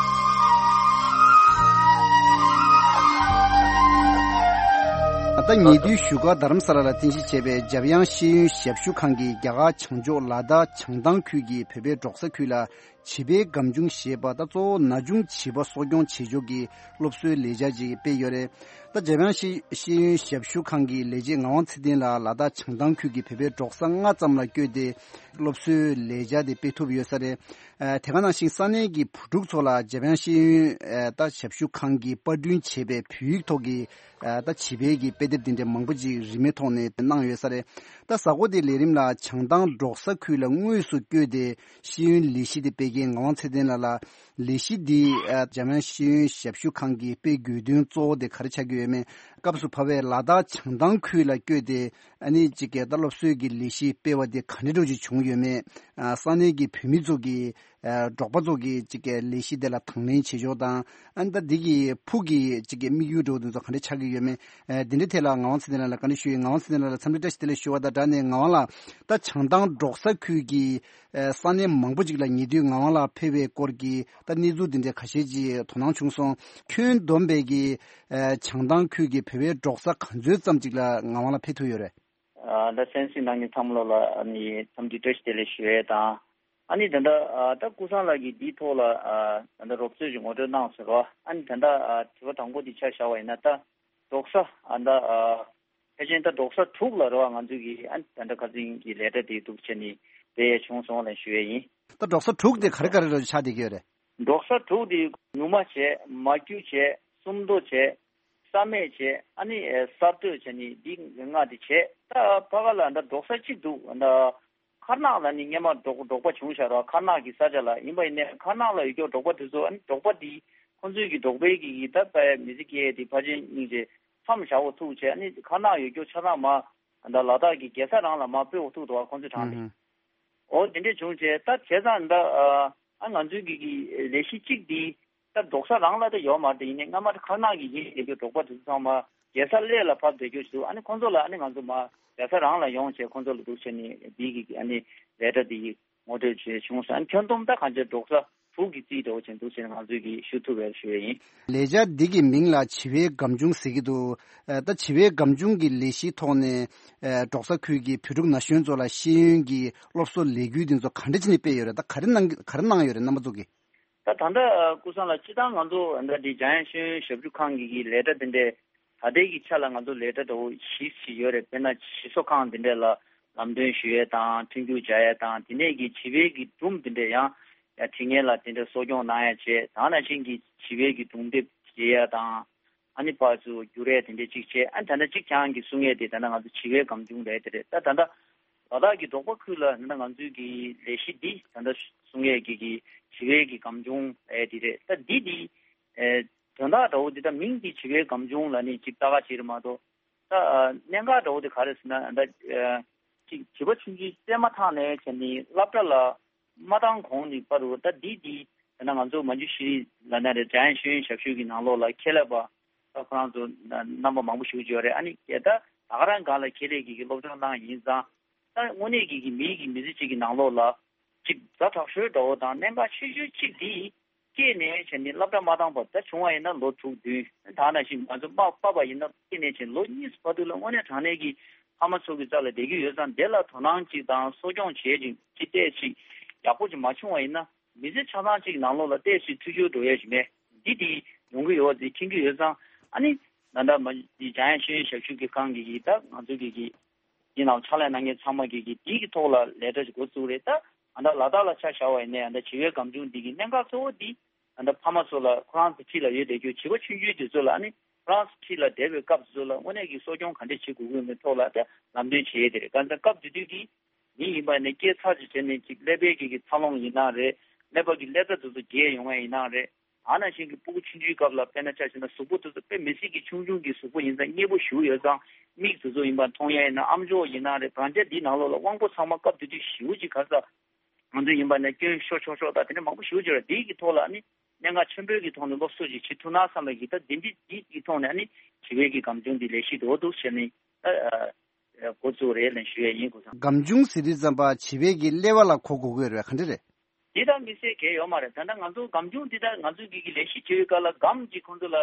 ད་ཉེ་དུས་བཞུགས་སྒར་རྡ་རམ་ས་ལ་ལ་རྟེན་གཞི་བྱས་པའི་འཇམ་དབྱངས་ཤེས་ཡོན་ཞབས་ཞུ་ཁང་གིས་རྒྱ་གར་བྱང་ཕྱོགས་ལ་དྭགས་བྱང་ཐང་ཁུལ་གྱི་བོད་པའི་འབྲོག་ས་ཁུལ་ལ་བྱིས་པའི་སྒམ་ཆུང་ཞེས་པ་དང་། གཙོ་བོ་ན་ཆུང་བྱིས་པ་གསོ་སྐྱོང་བྱེད་ཕྱོགས་ཀྱི་སློབ་གསོའི་ལས་འཆར་ཅིག་སྤེལ་ཡོད་རེད། ད་འཇམ་དབྱངས་ཤེས་ཤེས་ཡོན་ཞབས་ཞུ་ཁང་གི་ལས་བྱེད་ངག་དབང་ཚེ་བརྟན་ལགས་ལ་དྭགས་བྱང་ཐང་ཁུལ་གྱི་བོད་པའི་འབྲོག་ས་ལྔ་ཙམ་ལ་བསྐྱོད་དེ་སློབ་གསོའི་ལས་འཆར་དེ་སྤེལ་ཐུབ་ཡོད་ས་རེད། ཨ། དེ་ག་ནང་བཞིན་ས་གནས་ཀྱི་བུ་ཕྲུག་ཚོ་ལ་འཇམ་དབྱངས་ཤེས་ཡོན་ཨ་ད་ཞབས་ཞུ་ཁང་གིས་པར་སྐྲུན་བྱས་པའི་བོད་ཡིག་ཐོག་གི་ཨ་ད་བྱིས་པའི་གི་དཔེ་དེབ་དེ་འདྲ་མང་པོ་ཅིག་རིན་མེད་ཐོག་ནས་གནང་ཡོད་ས་རེད། ད་གཟའ་འཁོར་དེའི་ལས་རིམ་ལ་བྱང་ཐང་འབྲོག་ས་ཁུལ་ལ་དངོས་སུ་བསྐྱོད་དེ་ཤེས་ཡོན་ལས་གཞི་དེ་སྤེལ་མཁན་ངག་དབང་ཚེ་བརྟན་ལགས་ལ། ལས་གཞི་འདི་ཨ་འཇམ་དབྱངས་ཤེས་ཡོན་ཞབས་ཞུ་ཁང་གིས་སྤེལ་དགོས་དོན་གཙོ་བོ་དེ་ག་རེ་ཆགས་ཀྱི་ཡོད་མེད། སྐབས་སུ་བབས་པའི་ལ་དྭགས་བྱང་ཐང་ཁུལ་ལ་བསྐྱོད་དེ་ཨ་ནི་ཅིག་གི་ད་སློབ་གསོའི་གི་ལས་གཞི་སྤེལ་བ་དེ་ག་འདྲ་འདྲ་ཅིག་བྱུང་ཡོད་མེད། ཨ་ས་གནས་ཀྱི་བོད་མི་ཚོ་གི་ཨ་འབྲོག་པ་ཚོ་གི་ཅིག་གི་ལས་གཞི་དེ་ལ་དང་ལེན་བྱེད་ཕྱོགས་དང་། ཨ་ནི་ད་འདི་གི་ཕུགས་ཀྱི་ཅིག་གི་དམིགས་ཡུལ་འདྲ་བོ་དེ་ཚོ་ག་འདྲ་ཆགས་ཀྱི་ཡོད་མེད། ཨ་འདི་འདྲའི་ཐད་ལ་ངག་དབང་ཚེ་བརྟན་ལགས་ལ་བཀའ་འདྲི་ཞུ་ཡིན། ངག་དབང་ཚེ་བརྟན་ལགས་ལ་འཚམས་འདྲི་བཀྲ་ཤིས་བདེ་ལེགས་ཞུ་བ་དང་སྦྲགས་ནས། ངག་དབང་ལགས། ད་བྱང་ཐང་འབྲོག་ས་ཁུལ་གྱི་ཨ་ས་གནས་མང་པོ་ཅིག་ལ་ཉེ་དུས་ངག་དབང་ལགས་ཕེབས་པའི་སྐོར་གྱི་ད་གནས་ཚུལ་འདི་འདྲའི་ཁ་ཤས་ཅིག་དོ་སྣང་བྱུང་སོང་། ཁྱོན་བསྡོམས་པའི་གི་ཨ་བྱང་ཐང་ཁུལ་གྱི་བོད་པའི་འབྲོག་ས་ག་ཚོད་ཙམ་ཅིག་ལ་ངག་དབང་ལགས་ཕེབས་ཐུབ་ཡོད་རེད། ཨ་ད་གསན་གཟིགས་གནང་མཁན་ཚང་མ་ལོ་ལ་ཨ་ནི་འཚམས་འདྲི་བཀྲ་ཤིས་བདེ་ལེགས་ཞུ་ཡས་དང་། ཨ་ནི་ད་ལྟ་ཨ་ད་ཀུན་བཟང་ལགས་ཀྱིས་འདིའི་ཐོག་ལ་ཨ་ད་ལྟ་རོབ་ཙམ་ཞིག་ངོ་སྤྲོད་གནང་ཟེར་རོ། ཨ་ནི་ད་ལྟ་ཨ་དྲི་བ་དང་པོ་འདི་ཆ་བཞག་པ་ཡིན་ན། ད་འབྲོག་ས་ཨ་ད་ཨ་ཕལ་ཆེར་ད་འབྲོག་ས་དྲུག་ལ་རེད་བ། ང་ཚོས་ཀྱི་ཨ་ནི་ད་ལྟ་ཁ་སང་གི་ལས་གྲྭ་དེ་འདུག་བྱས་ནས་སྤེལ་ཡས་བྱུང་སོང་ལབ་ཞུ་ཡས་ཡིན། ད་འབྲོག་ས་དྲུག་དེ་ག་རེ་ག་རེ་ལ་ཆགས་བསྡད་ཀྱི་ཡོད་རེད། འབྲོག་ས་དྲུག་དེ་ཉུ་མ་བྱས། མ་རྒྱུད་བྱས། སུམ་མདོ་བྱས། ས་སྨད་བྱས། ཨ་ནི་ཨེ་གསར་གཏོད་བྱས་ནས་འདི་ལྔ་དེ་བྱས། ད་ཕ་ག་ལ་འདྲ་འབྲོག་ས་གཅིག་འདུག་འདྲ། མཁར་ནག་ལ་ནི་སྔན་མ་འབྲོག་འབྲོག་པ་བྱུང་བཞག་ར། མཁར་ནག་གི་ས་ཆ་ལ་ཡིན་པ་ཡིན་ནའི་མཁར་ནག་ལ་ཡོད་རྒྱུ་འབྲོག་པ་དེ་ཚོ། ཨ་ནི་འབྲོག་པ་དེ་ཁོང་ཚོའི་གི་འབྲོག་པའི་གི་གི་ད་པའི་མི་ཚེ་སྐྱེལ་དེ་ཕལ་ཆེར་སྙིང་རྗེ་མཚམས་བཞག་འོ་ཐུག་བྱས། ཨ་ནི་མཁར་ནག་ཡོད་རྒྱུ་ཆ་ཚང་མ་འདྲ་ལ་དྭགས་ཀྱི་རྒྱལ་ས་རང་ལ་མར་སྤོས་འོ་ཐུག་འདུག་བ། ཁོང་ཚོའི་གྲངས་དེ། ཨུམ། འོ་དེ་འདྲས་བྱུང་བྱས། ད་བྱས་ཙང་ད་ཨ་ང་ཚོའི་གི་གི་ལས་གཞི་གཅིག་འདི་ད་འབྲོག་ས་རང་ལ་ད་ཡོད་མ་རེད། ཡིན་ནའི་སྔ་མ་ད་མཁར་ནག་གི་ཡིན་བསྡད་རྒྱུ་འབྲོག་པ་དེ་ཚོ་ཚང་མ་རྒྱལ་ས་གླེ་ལ་ཕབ་བསྡད་རྒྱུ་ཞིག་འདུག་ཨ་ནི་ཁོང་ཚོ་ལ་ཨ་ནི་ང་ཚོ་མར་རྒྱལ་ས་རང་ལ་ཡོང་བྱས་ཁོང་ཚོ་ལ་འདུག་བྱས་ནས་འདི་གི་ཨ་ནི་ལས་གྲྭ་འདི་གི་ངོ་སྤྲོད་བྱས་བྱུང་སོང་། ཨ་ནི་ཁྱོན་བསྡོམས་ད་གང་ཅི་འབྲོག་ས་དྲུག་གི་རྩིས་འདྲ་བོ་བྱས་འདུག་བྱས་ནས་ང་ཚོས་གི་ཞུ་ཐུབ་པའི་ཞུ་ཡས་ཡིན། ལས་འཆར་འདི་གི་མིང་ལ་བྱིས་པའི་སྒམ་ཆུང་ཟེར་གྱི་འདུག་ཨ་ད་བྱིས་པའི་སྒམ་ཆུང་གི་ལས་གཞིའི་ཐོག་ནས་ཨ་འབྲོག་ས་ཁུལ་གྱི་བོད་ཕྲུག་ན་གཞོན་ཚོ་ལ་ཤེས་ཡོན་གྱི་སློབ་གསོ་ལས་འགུལ་འདི་ཚོ་ག་འདྲ་བྱས་ནས་སྤེལ་ཡོད་རེད། ད་ག་རེ་གནང་ག་རེ་གནང་ཡོད་རེད་རྣམ་པ་ཚོ་གིས། ད་ད་ལྟ་ཨ་ཀུན་བཟང་ལགས་སྤྱིར་བཏང་ང་ཚོ་ཨ་ད་འདི་འཇམ་དབྱངས་ཤེས་ཡོན་ཞབས་ཞུ་ཁང་གི་གི་ལས་གྲྭ་འདི་འདྲའི་ད་ལྟའི་གི་ཆ་ལ་ང་ཚོ་ལས་གྲྭ་འདྲ་བོ་བཞི་ཞིག་ཡོད་རེད། དཔེར་ན་ཞིག་གསོ་ཁང་འདི་འདྲ་ལ་ལམ་སྟོན་ཞུ་ཡས་དང་མཐུན་འགྱུར་བྱ་ཡས་དང་། དེ་ནས་གི་བྱིས་པའི་གི་སྒྲུང་འདི་འདྲ་ཡང་ཡང་དྲི་ངན་ལ་དེ་འདྲ་གསོ་སྐྱོང་གནང་ཡས་བྱས། ད་ནང་བཞིན་གི་བྱིས་པའི་གི་སྒྲུང་དེབ་འབྲི་ཡས་དང་། ཨ་ནི་ཕར་ཚུར་བསྒྱུར་ཡས་དེ་འདྲ་གཅིག་བྱས། ཨ་ནི་ད་ལྟ་གཅིག་ཁྱེད་རང་གིས་གསུང་ཡས་དེ་ད་ལྟ་ང་ཚོ་བྱིས་པའི་སྒམ་ཆུང་རེད་དེ་རེད། ད་ད་ལྟ་ལ་དྭགས་ཀྱི་འབྲོག་པ་ཁུལ་ལ་ད་ལྟ་ང་ཚོའི་གི་ལས་གཞི་འདི་ད་ལྟ་གསུང་ཡས་ཀྱི་གི་བྱིས་པའི་གི་སྒམ་ཆུང་རེད་དེ་རེད། ད་འདི་འདི་ཨེ་དོན་དག་འདྲ་བོ་འདི་ད་མིང་འདི་བྱིས་པའི་སྒམ་ཆུང་ལ་ནི་ཅིག་ལྟ་ག་བྱེད་རེད་མ་གཏོགས། ད་ཨ་གནད་འགག་འདྲ་བོ་དེ་ག་རེ་ཟེར་ན། ད་ཨ་ཅིག་བྱིས་པ་ཆུང་ཆུང་བཙས་མ་ཐག་ནས་བྱས་ནས་སློབ་གྲྭ་ལ་མ་བཏང་གོང་ནས་བར་དུ། ད་འདི་འདི་ད་ལྟ་ང་ཚོ་མ་འཇུ་ཤེས་རིག་ལབ་ན་རེད། འཇམ་དབྱངས་ཤེས་ཡོན་ཞབས་ཞུ་གི་ནང་ལོགས་ལ་ཁྱད་ལས་པ་ད་ཁོ་རང་ཚོ་རྣམ་པ་མང་པོ་ཞིག་ཡོད་རེད། ཨ་ནི་ད་ད་ག་རང་སྒང་ལ་ཁྱད་ལས་ཀྱི་གི་སློབ་སྦྱོང་གནང་ཡིན་ཙང་། ད་དངོས་གནས་ཀྱི་གི་མིའི་གི་མི་ཚེ་གཅིག་གི་ནང་ལོགས་ལ་ཅིག་ཛ་དྲག་ཤོས་འདྲ་བོ་དང་གནད་འགག་ཆེ་ཤོས་གཅིག་འདི་སྐྱེས་ནས་བྱས་ནས་སློབ་གྲྭ་མ་བཏང་བར། ད་བྱུང་བ་ཡིན་ན་ལོ་དྲུག་བདུན། ད་ནང་བཞིན་ང་ཚོ་མ་པ་པ་ཡིན་ན་སྐྱེས་ནས་བྱས་ལོ་གཉིས་བར་དུ་ལ་དངོས་གནས་དྲང་གནས་ཀྱི་ཕ་མ་ཚོ་གི་རྩ་ལ་བསྡད་ཀྱི་ཡོད་ཙང་། དེ་ལ་དོ་སྣང་གཅིག་དང་གསོ་སྐྱོང་བྱེད་ཅིག་ཅིག་ཏོག་ཙམ་ཡག་པོ་ཅིག་མ་བྱུང་བ་ཡིན་ན། མི་ཚེ་ཆ་ཚང་གཅིག་ནང་ལོགས་ལ་ཏོག་ཙམ་འཐུས་ཤོར་འགྲོ་ཡས་ཞིག་མེད། འདི་དེ་ཡོང་གི་ཡོད་ཅེས་མཁྱེན་གྱི་ཡོད་ཙང་། ཨ་ནི་ད་ལྟ་མ་འདི་འཇམ་དབྱངས་ཤེས་ཡོན་ཞབས་ཞུ་གི་ཁང་གི་གི་ད་ང་ཚོ་གི་གི་འདི་ནང་ཕྱག་ལས་གནང་མཁན་ཚང་མ་གི་གི་འདི་གི་ཐོག་ལ་ལས་གྲྭ་ཞིག་འགོ་བཙུགས་རེད། ད་ད་ལྟ་ལ་དྭགས་ལ་ཆ་བཞག་པ་ཡིན་ནའི་ད་ལྟ་བྱིས་པའི་སྒམ་ཆུང་འདི་གི་གནད་འགག་གཙོ་བོ་འདི་ད་ལྟ་ཕ་མ་ཚོ་ལ་ཁོ་རང་ཚོ་འཁྲིས་ལ་ཡོད་བསྡད་རྒྱུ་བྱིས་པ་ཆུང་ཆུང་དེ་ཚོ་ལ། ཨ་ནི་ཁོ་རང་ཚོ་འཁྲིས་ལ་བསྡད་པའི་སྐབས་དེ་ཚོ་ལ་དངོས་གནས་ཀྱི་གསོ་སྐྱོང་ག་འདྲས་བྱེད་དགོས་ཀྱི་ཡོད་མེད་ཐོག་ལ་ད་ལམ་སྟོན་བྱེད་ཡས་དེ་རེད། གང་ལྟར་སྐབས་དེ་དུས་ཀྱི་མི་ཡིན་པ་ནས་སྐྱེས་ཚར་ཅིག་བྱས་ནས་ཅིག་ཀླད་པའི་གི་གི་འཚར་ལོངས་ཡིན་ན་རེད། ཀླད་པ་གི་ཀླད་རྩ་དེ་ཚོ་རྒྱས་ཡོང་བ་ཡིན་ན་རེད། ད་ནང་བཞིན་གྱི་སྤུ་གུ་ཆུང་ཆུང་སྐབས་ལ་དཔེར་ན་ཆ་བཞག་ན་གཟུགས་པོ་དེ་ཚོ་དཔེ་མི་སྲིད་ཀྱི་ཆུང་ཆུང་གི་གཟུགས་པོ་ཡིན་ཙང་མཉེས་པོ་ཞེ་པོ་ཡོད་ཙང་མིག་དེ་ཚོ་ཡིན་པ་མཐོང་ཡ་ཡིན་ན་ཨམ་ཅོག་ཡིན་ན་རེད། བར་ཆད་འདིའི་ནང་ལོགས་ལ་དབང་པོ་ཚང་མ་སྐབས་དེ་དུས་ཞེ་པོ་ཅིག་ག་ས་ང་ཚོ་ཡིན་པ་ནས་སྐྱོན་ཤོར་ཤོར་ཤོར་དང་དེ་འདྲ་མང་པོ་ཞེ་པོ་ཅིག་རེད། འདིའི་གི་ཐོག་ལ་ནི་གནད་འགག་ཆེན་པོའི་གི་ཐོག་ནས་སློབ་གསོ་ཅིག་བྱེད་ཐུབ་ན་བསམ་པའི་གི་ད་འདི་འདི་འདི་གི་ཐོག་ནས་ནི་བྱིས་པའི་གི་སྒམ་ཆུང་འདི་ལས་གཞི་འདྲ་བོ་འདུག་ཟེར་ནས་ད་འགོ་བཙུགས་རེད་ལབ་ཞུ་ཡས་ཡིན། ཀུན་བཟང་། སྒམ་ཆུང་ཟེར་དུས་ཙམ་པ་བྱིས་པའི་གི་ཀླད་པ་ལ་གོ་དགོས་ཀྱི་ཡོད་རེད་བ། ག་འདྲ་རེད། འདི་ལྟར་དམིགས་བསལ་གང་ཡང་ཡོད་མ་རེད། ད་ལྟ་ང་ཚོ་སྒམ་ཆུང་འདི་ལྟར་ང་ཚོའི་གི་གི་ལས་གཞི་བྱེད་པའི་སྐབས་ལ་སྒམ་གྱི་ཁོང་ཚོ་ལ་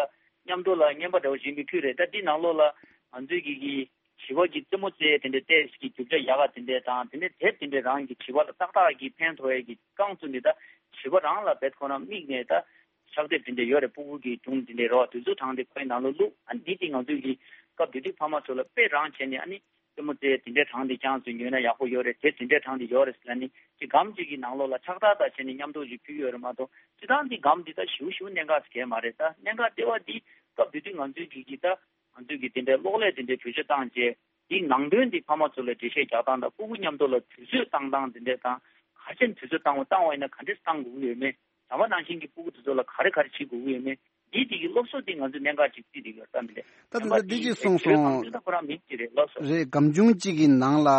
མཉམ་དུ་ལ་རྔན་པ་འདྲ་བོ་བྱིན་པའི་ཁུལ་རེད། ད་འདི་ནང་ལོགས་ལ་ང་ཚོའི་གི་གི་བྱིས་པ་གི་རྩེད་མོ་རྩེ་དེ་འདྲའི་ཏོག་ཙམ་གི་རྒྱུ་ཆ་ཡག་ག་དེ་འདྲའི་དང་། དེ་ནས་དེབ་དེ་འདྲའི་རང་གི་བྱིས་པ་ལ་ཏག་ཏག་གི་ཕན་ཐོགས་ཡས་གི་རྐང་བཙུགས་ནས་ད་བྱིས་པ་རང་ལ་བེད་ཁོ་རང་དམིགས་ནས་ད་ཕྱག་དེབ་དེ་འདྲ་ཡོད་རེད། སྤུ་གུ་གི་སྒྲུང་དེ་འདྲ་རོ་དེ་ཚོ་དྲངས་ཏེ་ཁོའི་ནང་ལོགས་བླུགས། ཨ་ནི་འདི་དེ་ང་ཚོའི་གི་སྐབས་དེ་དུས་ཕ་མ་ཚོ་ལ་དཔེ་རང་བྱས་ནས་ཨ་ནི་རྩེད་མོ་རྩེ་དེ་འདྲའི་དྲངས་ཏེ་ཀྱང་ཚོས་ཉོས་ན་ཡག་པོ་ཡོད་རེད། དེ་དེ་འདྲའི་དྲངས་ཏེ་ཡོད་རེད་ཟེར་ལབ་ནི་ཅིག་སྒམ་གཅིག་གི་ནང་ལོགས་ལ་ཕྱག་རྟགས་དང་བྱས་ནས་མཉམ་དུ་ཅིག་ཕུལ་ཡོད་རེད་མ་གཏོགས། སྤྱིར་བཏང་འདི་སྒམ་འདི་ད་ཞེ་པོ་ཞེ་པོ་གནད་འགག་ཟེར་མཁན་མ་རེད། ད་གནད་འགག་ལྟེ་བ་འདི་སྐབས་དེ་དུས་ང་ཚོའི་གི་གི་ད་ང་ཚོའི་གི་དེ་འདྲའི་གློག་ཀླད་དེ་འདྲའི་བེད་སྤྱོད་བཏང་རྗེས་འདི་ནང་དོན་འདི་ཕ་མ་ཚོ་ལ་འགྲེལ་བཤད་རྒྱག་སྟངས་དང་སྤུ་གུ་མཉམ་དུ་ལ་དུས་ཚོད་བཏང་སྟངས་དེ་འདྲ་དང་། ག་ཚོད་དུས་ཚོད་བཏང་བ་བཏང་བ་ཡིན་ན་ག་འདྲས་བཏང་དགོས་ཀྱི་ཡོད་མེད། ད་བར་ནང་བཞིན་གྱི་སྤུ་གུ་དེ་ཚོ་ལ་ག་རེ་ག་རེ་བྱེད་དགོས་ཀྱི་ཡོད་མེད། འདི་དེ་གི་སློབ་གསོ་དེ་ང་ཚོ་གནད་འགག་ཅིག་བརྩིས་བསྡད་ཡོད་ད་མི་རེད། ད་ད་ད་འདི་ཅིག་གསུངས་སོང་། ཁོ་རང་མིང་ཅིག་རེད་སློབ་གསོ། རེད། སྒམ་ཆུང་གཅིག་གི་ནང་ལ་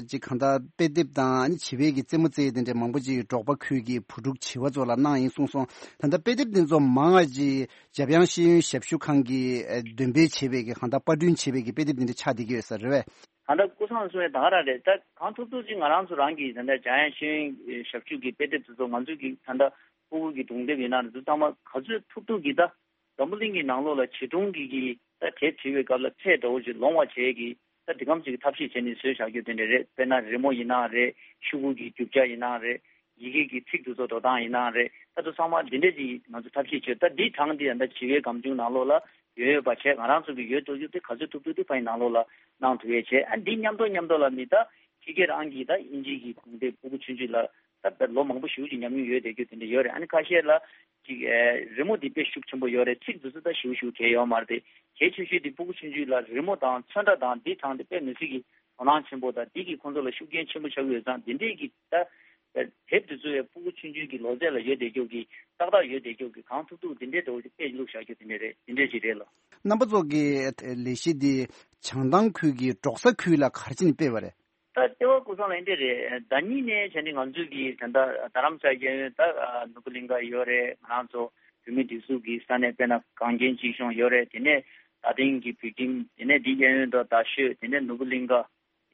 ཅིག་གང་ལྟར་དཔེ་དེབ་དང་བྱིས་པའི་གི་རྩེད་མོ་རྩེ་དེ་འདྲ་མང་པོ་ཅིག་འབྲོག་པ་ཁུལ་གྱི་བུ་ཕྲུག་བྱིས་པ་ཚོ་ལ་གནང་ཡིན་གསུངས་སོང་། ད་ལྟ་དཔེ་དེབ་དེ་ཚོ་མང་བ་ཅིག་འཇམ་དབྱངས་ཤེས་ཡོན་ཞབས་ཞུ་ཁང་གིས་འདོན་སྤེལ་བྱས་པའི་གི་གང་ལྟར་པར་སྐྲུན་བྱས་པའི་གི་དཔེ་དེབ་དེ་འདྲ་ཆགས་བསྡད་ཀྱི་ཡོད་ས་རེད་བས། ད་ལྟ་སྐུ་སངས་གསུང་བའི་ད་ག་རང་རེད། ད་གང་ཐུབ་ཐུབ་ཅིག་ང་རང་ཚོ་རང་གི་ད་ལྟ་འཇམ་དབྱངས་ཤེས་ཡོན་ཞབས་ཞུ་གི་དཔེ་དེབ་དེ་ཚོ་ང་ཚོ་གི་ད་ལྟ་ཕྲུ་གུ་གི་སྒྲུང་དེབ་ཡིན་ན་རེད། ཚང་མ་ག་ཚོད་ཐུབ་ཐུབ་གི་ད་འཛམ་བུ་གླིང་གི་ནང་ལོགས་ལ་བྱིས་སྒྲུང་གི་གི་ད་དེབ་བྲིས་པའི་སྐབས་ལ་ཚད་འདྲ་བོ་ཅིག་ལོང་བ་བྱས་གི་ད་འདི་གམ་ཅིག་གི་ཐབས་ཤེས་བྱས་ནས་བཟོས་བཞག་རྒྱུ་དེ་འདྲ་རེད། དཔེར་ན་རི་མོ་ཡིན་ན་རེད། ཤོག་གུ་གི་རྒྱུ་ཆ་ཡིན་ན་རེད། ཡི་གེ་གི་ཚིག་དེ་ཚོ་འགྲོ་སྟངས་ཡིན་ན་རེད། ད་དུང་ཚང་མ་འདི་འདྲས་ཅིག་ང་ཚོ་ཐབས་ཤེས་བྱས། ད་འདི་གྲངས་འདི་ད་ལྟ་བྱིས་པའི་སྒམ་ཆུང་ནང་ལོགས་ལ་ཡོད་ཡོད་པ་བྱས། ང་རང་ཚོ་གི་ཡོད་དོ་ཅོག་དེ་ག་ཚོད་ཐུབ་ཐུབ་དེ་ཕ་ཡི་ནང་ལོགས་ལ་གནང་ཐུབ་ཡས་བྱས། ཨ་འདི་མཉམ་དུ་མཉམ་དུ་ལ་མི་ད་ཁྱི་སྐད་རང་གི་ད་དབྱིན་ཇི་གི་སྒྲུང་དེབ་ཕྲུ་གུ་ཆུང་ཆུང་ལ་ད་ལོ་མང་པོ་ཞེ་པོ་ཅིག་ཉམས་མྱོང་ཡོད་བསྡད་རྒྱུ་དེ་འདྲ་ཡོད་རེད། ཨ་ནི་ཁ་ཤས་ལ་ཅིག་ཨེ་རི་མོ་འདི་དཔེ་ཤུགས་ཆེན་པོ་ཡོད་རེད། ཚིག་འདི་ཚོ་ད་ཞེ་པོ་ཞེ་པོ་གལ་ཡོད་མ་རེད་དེ། གལ་ཆེ་ཤོས་འདི་ཕྲུ་གུ་ཆུང་ཆུང་ལ་རི་མོ་དང་ཚོན་ཁྲ་དང་འདི་དྲངས་ཏེ་དཔེ་མི་སྲིད་ཀྱི་དོ་སྣང་ཆེན་པོ་དང་འདི་གིས་ཁོང་ཚོ་ལ་ཤུགས་རྐྱེན་ཆེན་པོ་ཆགས་ཀྱི་ཡོད་ཙང་འདི་འདྲས་ཀྱི་ད་དེབ་འདི་ཚོ་ཡང་ཕྲུ་གུ་ཆུང་ཆུང་གི་ལོ་ཚད་ལ་ཡོད་བསྡད་རྒྱུ་གི་ཏག་ཏག་ཡོད་བསྡད་རྒྱུ་གི་གང་ཐུབ་ཐུབ་འདི་འདྲས་འདྲ་བོ་ཞིག་དཔེ་བླུགས་བཞག་རྒྱུ་དེ་འདྲས་རེད། འདི་འདྲས་ཅིག་རེད་ལ། རྣམ་པ་ཚོ་གི་ལས་གཞི་འདི་བྱང་ཐང་ཁུལ་གྱི་འབྲོག་ས་ཁུལ་ལ་ག་རེ་བྱས་ནས་སྤེལ་བ་རེད། ད་ལྟེ་བ་སྐུ་སངས་ལ་འདི་རེད། ཟླ་ཉིན་ནས་བྱས་ནས་ང་ཚོས་ཀྱི་ད་ལྟ་རྡ་རམ་ས་གཡས་གཡོན་ད་ནོར་བུ་གླིང་ག་ཡོད་རེད། ང་རང་ཚོ་བོད་མི་སྒྲིག་འཛུགས་ཀྱི་ས་གནས་དཔེར་ན་གངས་རྒྱན་སྐྱིད་གཤོངས་ཡོད་རེད། དེ་ནས་རྡ་སྟེང་གི་བོད་ཁྱིམ། དེ་ནས་འདི་གཡས་གཡོན་དུ་རྡ་ཤོད། དེ་ནས་ནོར་བུ་གླིང་ག། དེ་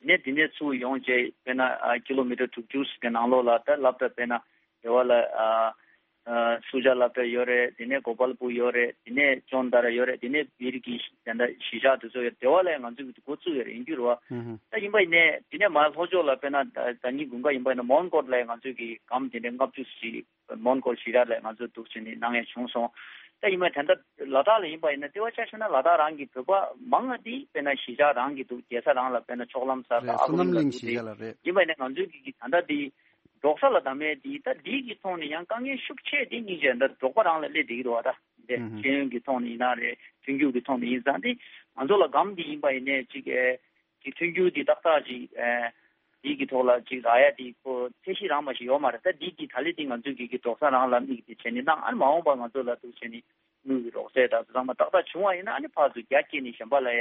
ནས་འདི་ནས་ཚུར་ཡོང་བྱས་དཔེར་ན་ཨ་ཀི་ལོ་མི་ཊར་དྲུག་ཅུ་ཟིག་གི་ནང་ལོགས་ལ་ད་སློབ་གྲྭ་དཔེར་ན་རེ་བ་ལ་ཨ་ཨ་སུ་ཇཱ་སློབ་གྲྭ་ཡོད་རེད། དེ་ནས་གོ་པལ་པུར་ཡོད་རེད། དེ་ནས་ཅོན་ཏ་ར་ཡོད་རེད། དེ་ནས་བིར་གྱི་དེ་འདྲ་གཞིས་ཆགས་དེ་ཚོ་ཡོད་རེད། རེ་བ་ལ་ང་ཚོས་འགོ་བཙུགས་ཡོད་རེད། ཡིན་རྒྱུ་རེད་བ། ཧུམ་ཧུམ། ད་ཡིན་པ་ཡིན་ནས་དེ་ནས་མར་ལྷོ་ཕྱོགས་ལ་དཔེར་ན་ཟླ་ཉིན་དགུན་ཁ་ཡིན་པ་ཡིན་ན་མོན་གྷོ་ལ་ང་ཚོས་ཀྱི་སྒམ་དེ་འདྲ་ལྔ་བཅུ་ཞིག་མོན་གྷོ་གཞིས་ཆགས་ལ་ང་ཚོ་འདུག་བྱས་ནས་གནང་ཡ་བྱུང་སོང་། ད་ཡིན་པ་ད་ལྟ་ལ་དྭགས་ལ་ཡིན་པ་ཡིན་ན་ལྟེ་བ་ཆ་བཞག་ན་ལ་དྭགས་རང་གི་བོད་པ་མང་ང་དེ་དཔེར་ན་གཞིས་ཆགས་རང་གི་འདུག་རྒྱལ་ས་རང་ལ་དཔེར་ན་ཕྱོགས་ལམ་སར་རེད། ཨ་བསོད་ཁུ་ནམ་ལིང་གླིང་གཞིས་འདུག་ཆགས་ལ་རེད། ཡིན་པ་ཡིན་ན་ང་ཚོའི་གི་གི་ད་ལྟ་དེ་འབྲོག་ས་ལ་བདམས་མེད་དེ་ད་འདི་གི་ཐོག་ནས་ཡང་དཀའ་ངལ་ཤུགས་ཆེ་དེ་སྙིང་རྗེ་ད་འབྲོག་པ་རང་ལ་སླེབས་བསྡད་ཀྱི་འདུག་བ། ད་འདི་ཧུམ་ཧུམ། ཤེས་ཡོན་གི་ཐོག་ནས་ཡིན་ན་རེད། མཐུན་འགྱུར་གི་ཐོག་ནས་ཡིན་ཙང་དེ་ང་ཚོ་ལ་སྒམ་འདི་ཡིན་པ་ཡིན་ནས་ཅིག་ཨེ། གི་མཐུན་འགྱུར་འདི་ཏག་ཏག་ཅིག་ཨེ། འདི་གི་ཐོག་ལ་ཅིག་རག་ཡ་འདི་ཁོ་ཚད་གཞི་རང་མ་ཞིག་ཡོད་མ་རེད། ད་འདི་གི་ད་ལི་འདི་ང་ཚོས་གི་གི་འབྲོག་ས་རང་ལ་དམིགས་ཏེ་བྱས་ནས་གནང་། ཨ་ནི་མ་འོངས་པ་ང་ཚོ་ལ་འདུག་བྱས་ནས་དངུལ་གི་རོགས་རྩེད་དང་ཚང་མ་ཏག་ཏག་བྱུང་བ་ཡིན་ན་ཨ་ནི་ཕར་ཚུར་རྒྱ་བསྐྱེད་ནས་གཞན་པ་ལ་ཡ་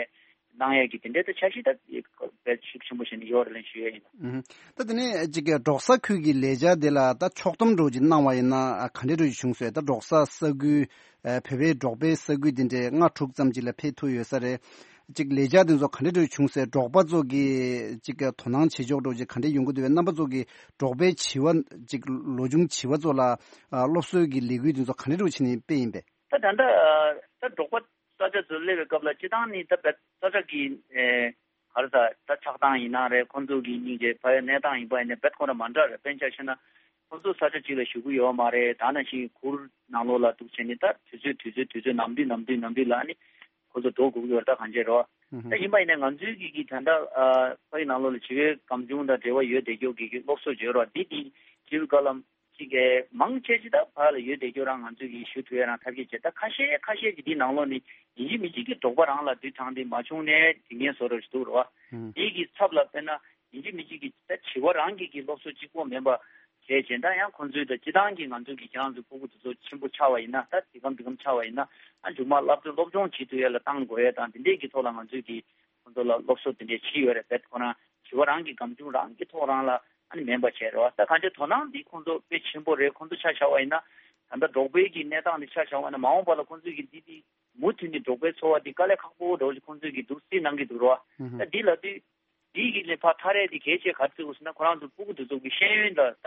གནང་ཡ་གི་དེ་འདྲའི་ད་འཆར་གཞི་ད་དཔེ་ཤུགས་ཆེན་པོ་བྱས་ནས་ཡོད་རེད་ལན་ཞུ་ཡ་ཡིན། ཨུ་ཧུ། ད་དེ་ནས་ཅིག་གི་འབྲོག་ས་ཁུལ་གྱི་ལས་འཆར་དེ་ལ་ད་ཕྱོགས་བསྡོམས་འདྲ་བོ་ཅིག་གནང་བ་ཡིན་ན་ཨ་ག་འདྲས་འདྲ་བོ་ཅིག་བྱུང་སོང་། ད་འབྲོག་ས་ས་ཁུལ་ཨ་བོད་པའི་འབྲོག་པའི་ས་ཁུལ་དེ་འདྲའི་ལྔ་དྲུག་ཙམ་ཅིག་ལ་ཕེབས་ཐུབ་ཡོད་ས་རེད། ཅིག་ལས་འཆར་དེ་ཚོ་ག་འདྲས་འདྲ་བོ་བྱུང་སོང་། འབྲོག་པ་ཚོ་གི་ཅིག་གི་དོ་སྣང་བྱེད་ཕྱོགས་འདྲ་བོ་ཅིག་ག་འདྲས་ཡོང་གི་འདུག་པས། རྣམ་པ་ཚོ་གི་འབྲོག་པའི་བྱིས་པ་ཅིག་ལོ་ཆུང་བྱིས་པ་ཚོ་ལ་ཨ་སློབ་གསོའི་གི་ལས་འགུལ་དེ་ཚོ་ག་འདྲས་འདྲ་བོ་བྱས་ནས་སྤེལ་ཡིན་པས། ད་ད་ལྟ་ཨ་ད་འབྲོག་པ་ས་ཆ་ཚོ་སླེབས་པའི་སྐབས་ལ་སྤྱི་བཏང་ནི་ད་བད་ས་ཆ་གི་ཨེ་ག་རེ་ཟ་ད་ཆགས་སྟངས་ཡིན་ན་རེད། ཁོང་ཚོ་གི་སྙིང་རྗེ་ཕ་ཡུལ་གནས་སྟངས་ཡིན་པ་ཡིན་ན་བད་ཁོ་རང་མ་འདྲ་རེད། དཔེར་ན་ཆ་བཞག་ན་ཁོང་ཚོ་ས་ཆ་གཅིག་ལ་བཞུགས་ཀྱི་ཡོད་མ་རེད། ད་ནང་བཞིན་གུར་ནང་ལོགས་ལ་འདུག་བྱས་ནས་ད་དུས་ཚོད་དུས་ཚོད་དུས་ཚོད་ནམ་དུས་ནམ་དུས་ནམ་དུས་ལ་ཨ་ནི་ཁོང་ཚོ་འགྲོ་དགོས་ཀྱི་ཡོད་རེད། ད་གང་བྱས་རེད་བ། ད་ཡིན་པ་ཡིན་ན་ང་ཚོའི་གི་གི་ད་ལྟ་ཨ་ཕ་ཡུལ་ནང་ལོགས་ལ་བྱིས་པའི་སྒམ་ཆུང་དང་འབྲེལ་བ་ཡོད་བསྡད་རྒྱུ་གི་གི་སློབ་གསོ་བྱོས་རོགས་འདི་དེ་བྱིས་པའི་བཀའ་སློབ་ཅིག་གི་མང་ཆེ་ཅིག་ད་ཕར་ལ་ཡོད་བསྡད་རྒྱུ་རང་ང་ཚོས་ཀྱིས་ཞུ་ཐུབ་ཡ་རང་ཐབས་ཤེས་བྱས། ད་ཁ་ཤས་ཁ་ཤས་ཀྱིས་འདི་ནང་ལོགས་ནས་ཡིན་གཅིག་མིན་གཅིག་གི་འབྲོག་པ་རང་ལ་དུས་དྲངས་ཏེ་མ་བྱུང་ནས་དྲི་ངན་བཟོ་རོགས་ཞིག་འདུག་རོ། ཨུམ། འདི་གི་ཚབ་ལ་དཔེར་ན་ཡིན་གཅིག་མིན་གཅིག་གི་ད་བྱིས་པ་རང་གི་གི་སློབ་གསོ་གཅིག་པོ་མིན་པ་བྱས་བྱས་ད་ཡང་ཁོང་ཚོའི་ད་སྤྱི་བཏང་གི་ང་ཚོའི་གི་ཁྱེད་རང་ཚོའི་ཕྲུ་གུ་དེ་ཚོ་ཆེན་པོ་ཆགས་པ་ཡིན་ན་ད་འདི་གམ་འདི་གམ་ཆགས་པ་ཡིན་ན་ཨ་མཇུག་མ་སློབ་སྦྱོང་སློབ་སྦྱོང་བྱེད་ཐུབ་ཡ་ལ་བཏང་དགོས་ཡ་དང་འདི་འདྲས་ཀྱི་ཐོག་ལ་ང་ཚོའི་གི་ཁོང་ཚོ་ལ་སློབ་གསོ་དེ་འདྲས་བྱས་ཡོད་རེད། བེད་ཁོ་རང་བྱིས་པ་རང་གི་སྒམ་ཆུང་རང་གི་ཐོག་རང་ལ་ཨ་ནི་མིན་པ་བྱས་རེད་བ། ད་གང་ཅི་དོ་སྣང་འདི་ཁོང་ཚོ་དཔེ་ཆེན་པོ་རེད། ཁོང་ཚོ་ཆ་བཞག་པ་ཡིན་ན་ད་ལྟ་འབྲོག་པའི་གི་གནས་སྟངས་འདི་ཆ་བཞག་པ་ཡིན་ན་མ་འོངས་པ་ལ་ཁོང་ཚོས་གི་འདི་འདི་མུ་མཐུད་ནས་འབྲོག་པའི་འཚོ་བ་འདི་དཀའ་ལས་ཁག་པོ་འདྲ་བོ་ཞིག་ཁོང་ཚོས་གི་འདུག་སེ་གནང་གི་འདུག་རེད་བ། ད་འདི་ལབ་དུས་འདི་གི་ལས་ཕར་ཐག་རེད་འདི་གལ་ཆེ་ག་ཚོད་འོ་ཟེར་ན་ཁོ་རང་ཚོ་ཕྲུ་གུ་འདི་ཚོ་གི་ཤེས་ཡོན་ལ་ད་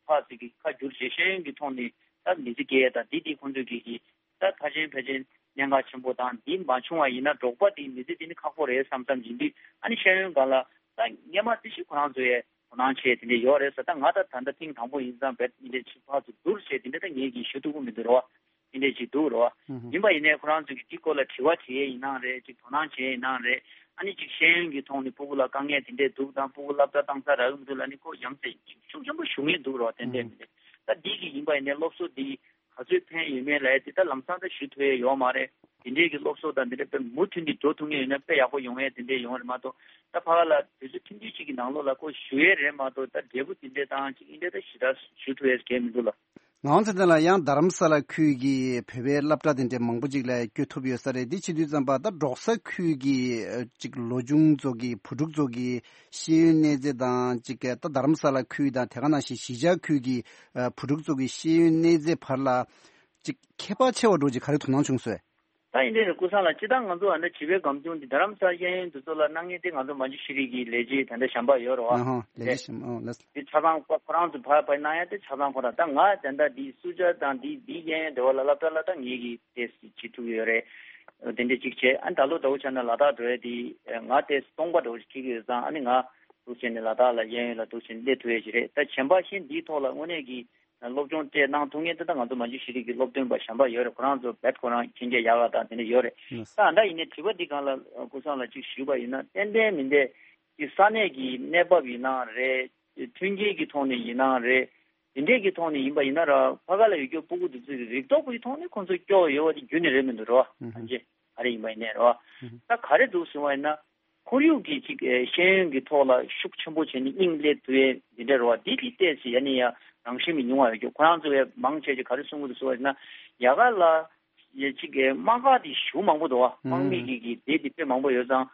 ཕར་ཚུར་གི་ཁ་བསྒྱུར་བྱས་ཤེས་ཡོན་གི་ཐོག་ནས་ད་མི་ཚེ་སྐྱེལ་ཡ་ད་འདི་འདི་ཁོང་ཚོས་གི་གི་ད་ཕལ་ཆེར་ཕལ་ཆེར་གནད་འགག་ཆེན་པོ་དང་འདི་མ་བྱུང་བ་ཡིན་ན་འབྲོག་པ་དེ་མི་ཚེ་འདི་ནི་ཁག་པོ་རེད་བསམ་བསམ་ཡིན་དུས་ཨ་ནི་ཤེས་ཡོན་སྒང་ལ་ད་སྔས་མ་དེ་ཞིག་ཁོ་རང་ཚོ་ཡས་དོ་སྣང་བྱས་དེ་འདྲས་ཡོད་རེད་ཟེར། ད་ང་ད་ད་ལྟ་ཐེངས་དང་པོ་ཡིན་ཙང་བེད་འདི་འདྲས་ཕྱི་ཕག་ཚོ་བསྡུར་བྱས་དེ་འདྲས་ད་ངས་ཀྱིས་ཞུ་ཐུབ་ཀྱི་མི་འདུག་རོ། དེ་འདྲས་ཅིག་འདུག་རོ། ཡིན་པ་ཡིན་ནའི་ཁོ་རང་ཚོ་གི་དེ་སྐོར་ལ་དྲི་བ་དྲི་ཡས་ཡིན་ནའང་རེད། ཅིག་དོ་སྣང་བྱས་ཡིན་ནའང་རེད། ཨ་ནི་ཅིག་ཤེས་ཡོན་གྱི་ཐོག་ནས་ཕྲུ་གུ་ལ་དཀའ་ངལ་དེ་འདྲས་འདུག་དང་ཕྲུ་གུ་སློབ་གྲྭ་བཏང་ས་རག་གི་མི་འདུག་ལ་ནི་ཁོ་ཡ་མཚན་ཤུགས་ཆེན་པོ་ཞུ་མཁན་འདུག་རོ། ཏན་ཏན་མི་འདུག་ད་འདི་གི་ཡིན་པ་ཡིན་ནའི་སློབ་གསོ་འདི་ག་ཚོད་ཕན་ཡོད་མེད་ལ་ཡ་དེ་ད་ལམ་སང་ད་ཞུ་ཐུབ་ཡས་ཡོད་མ་རེད། དེ་འདྲས་ཀྱི་སློབ་གསོ་དང་དེ་འདྲས་དཔེ་མུ་མཐུད་ནས་འགྲོ་ཐུབ་མཁན་ཡོད་ན་དཔེ་ཡག་པོ་ཡོང་ཡས་དེ་འདྲས་ཡོང་རེད་མ་གཏོགས་ད་ཕ་ག་ལ་དུས་ཚོད་ཐུང་ཐུང་ཅིག་གི་ནང་ལོགས་ལ་ཁོ་ཞུ་ཡས་རེད་མ་གཏོགས་ད་འབྲས་བུ་དེ་འདྲས་བཏང་ཅིག་ཨིན་འདྲས་ད་ཞེ་དྲག་ཞུ་ཐུབ་ཡས་གང་མི་འདུག་ལ། ངག་དབང་ཚེ་བརྟན་ལགས། ཡང་རྡ་རམ་ས་ལ་ཁུལ་གྱི་བོད་པའི་སློབ་གྲྭ་དེ་འདྲའི་མང་པོ་ཅིག་ལ་བསྐྱོད་ཐུབ་ཡོད་ས་རེད། འདི་བྱེད་དུས་ཙམ་པ་ད་འབྲོག་ས་ཁུལ་གྱི་ཨ་ཅིག་ལོ་ཆུང་ཚོ་གི་བུ་ཕྲུག་ཚོ་གི་ཤེས་ཡོན་གནས་ཚད་དང་ཅིག་ད་རྡ་རམ་ས་ལ་ཁུལ་དང་དེ་ག་ནང་བཞིན་གཞིས་ཆགས་ཁུལ་གྱི་ཨ་བུ་ཕྲུག་ཚོ་གི་ཤེས་ཡོན་གནས་ཚད་བར་ལ་ཅིག་ཁྱད་པར་ཆེ་བ་འདྲ་ཅིག་ག་རེ་དོ་སྣང་བྱུང་སོང་། ད་ཡིན་དེ་རེད་ཀུན་བཟང་ལགས། སྤྱིར་བཏང་ང་ཚོ་ཨ་འདྲ་བྱིས་པའི་སྒམ་ཆུང་འདི་རྡ་རམ་ས་ལ་ཤེས་ཡོན་འདི་ཚོ་ལ་གནང་མཁན་དེ་ང་ཚོ་མ་ཇུ་ཤི་རི་གི་ལས་བྱེད་དེ་འདྲ་གཞན་པ་ཡོད་རེད་བ། ཨ་ཧོ། ལས་བྱེད་གཞན་པ། ཨོ་ལགས། དེ་ཆ་ཚང་ཁོ་ཁོ་རང་ཚོ་ཕར་ཕར་གནང་ཡ་དེ་ཆ་ཚང་ཁོ་རང་། ད་ང་དེ་འདྲ་འདི་སུ་ཇཱ་དང་འདི་འདི་ཤེས་ཡོན་འདི་བ་ལ་སློབ་གྲྭ་ལ་ད་ངེད་ཀྱིས་ཏོག་ཙམ་བྱེད་ཐུབ་ཡོད་རེད། དེ་འདྲ་ཅིག་བྱས། ཨ་ད་ལོ་ཟླ་བོ་ཆ་ན་ལ་དྭགས་འགྲོ་ཡ་དེ་ང་ཏོག་ཙམ་སྟོང་པ་འདྲ་བོ་ཞིག་འཁྱེར་གྱི་ཡོད་ཙང་། ཨ་ནི་ང་འདུག་བྱས་ནས་ལ་དྭགས་ལ་ཤེས་ཡོན་ལ་འདུག་བྱས་ནས་སླེབས་ཐུབ་ཡ་ཞིག་རེད། ད་གཞན་པ་ཤེས་འདིའི་ཐོག་ལ་དངོས་གནས་ཀྱི་སློབ་སྦྱོང་སྤྲད་གནང་ཐུབ་མཁན་དེ་ད་ང་ཚོ་མ་ཇུ་ཤི་རི་གི་སློབ་སྟོན་པ་གཞན་པ་ཡོད་རེད། ཁོ་རང་ཚོ་རྦད་ཁོ་རང་མཁྱེན་རྒྱ་ཡག་ག་དང་དེ་འདྲ་ཡོད་རེད། ད་ཨ་འདྲ་ཡིན་ནའི་དྲི་བ་འདི་སྒང་ལ་ཀུན་བཟང་ལགས་ཅིག་ཞུས་པ་ཡིན་ན། ཏན་ཏན་མི་འདྲ་གི་ས་གནས་ཀྱི་གནས་བབ་ཡིན་ནའང་རེད། མཐུན་རྐྱེན་གྱི་ཐོག་ནས་ཡིན་ནའང་རེད། དེ་འདྲས་ཀྱི་ཐོག་ནས་ཡིན་པ་ཡིན་ན་ར་ཕ་ག་ལ་ཡོད་རྒྱུ་སྤུ་གུ་དེ་ཚོ་གི་རིག་སྟོབས་ཀྱི་ཐོག་ནས་ཁོང་ཚོ་སྐྱོ་ཡོད་པ་དེ་རྒྱུན་ནས་རེད་མི་འདུག་རེད་བ། ཨུ་ཧུ། ཐམས་ཅད་ག་རེ་ཡིན་པ་ཡིན་ནའི་རེད་བ། ཨུ་ཧུ། ད་ག་རེ་འདུག་ཟེར་བ་ཡིན་ན། ཁོར་ཡུག་གི་ཅིག་ཨེ་ཤེས་ཡོན་གྱི་ཐོག་ལ་ཤུགས་ཆེན་པོ་བྱས་ནས་དབྱིངས་སླེབས་ཐུབ་ཡས་འདི་འདྲ་རེད་བ། འདི་དེ་ཏོག་ཙམ་ཡ་ནས་ཡ་རང་བཞིན་གྱི་ཉུང་བ་ཡོད་རྒྱུ། ཁོ་རང་ཚོ་ཡ་མང་ཆེ་ཆེ་ག་རེ་གསུང་གི་འདུག་ཟེར་བ་ཡིན་ན། ཡ་ག་ལ་ཡ་ཅིག་ཨེ་དམག་སྒར་དེ་ཞེ་པོ་མང་པོ་འདུག་བ། ཨུ་ཧུ། དམག་མི་གི་གི་སྡེ་དེ་དཔེ་མང་པོ་ཡོད་ཙང་།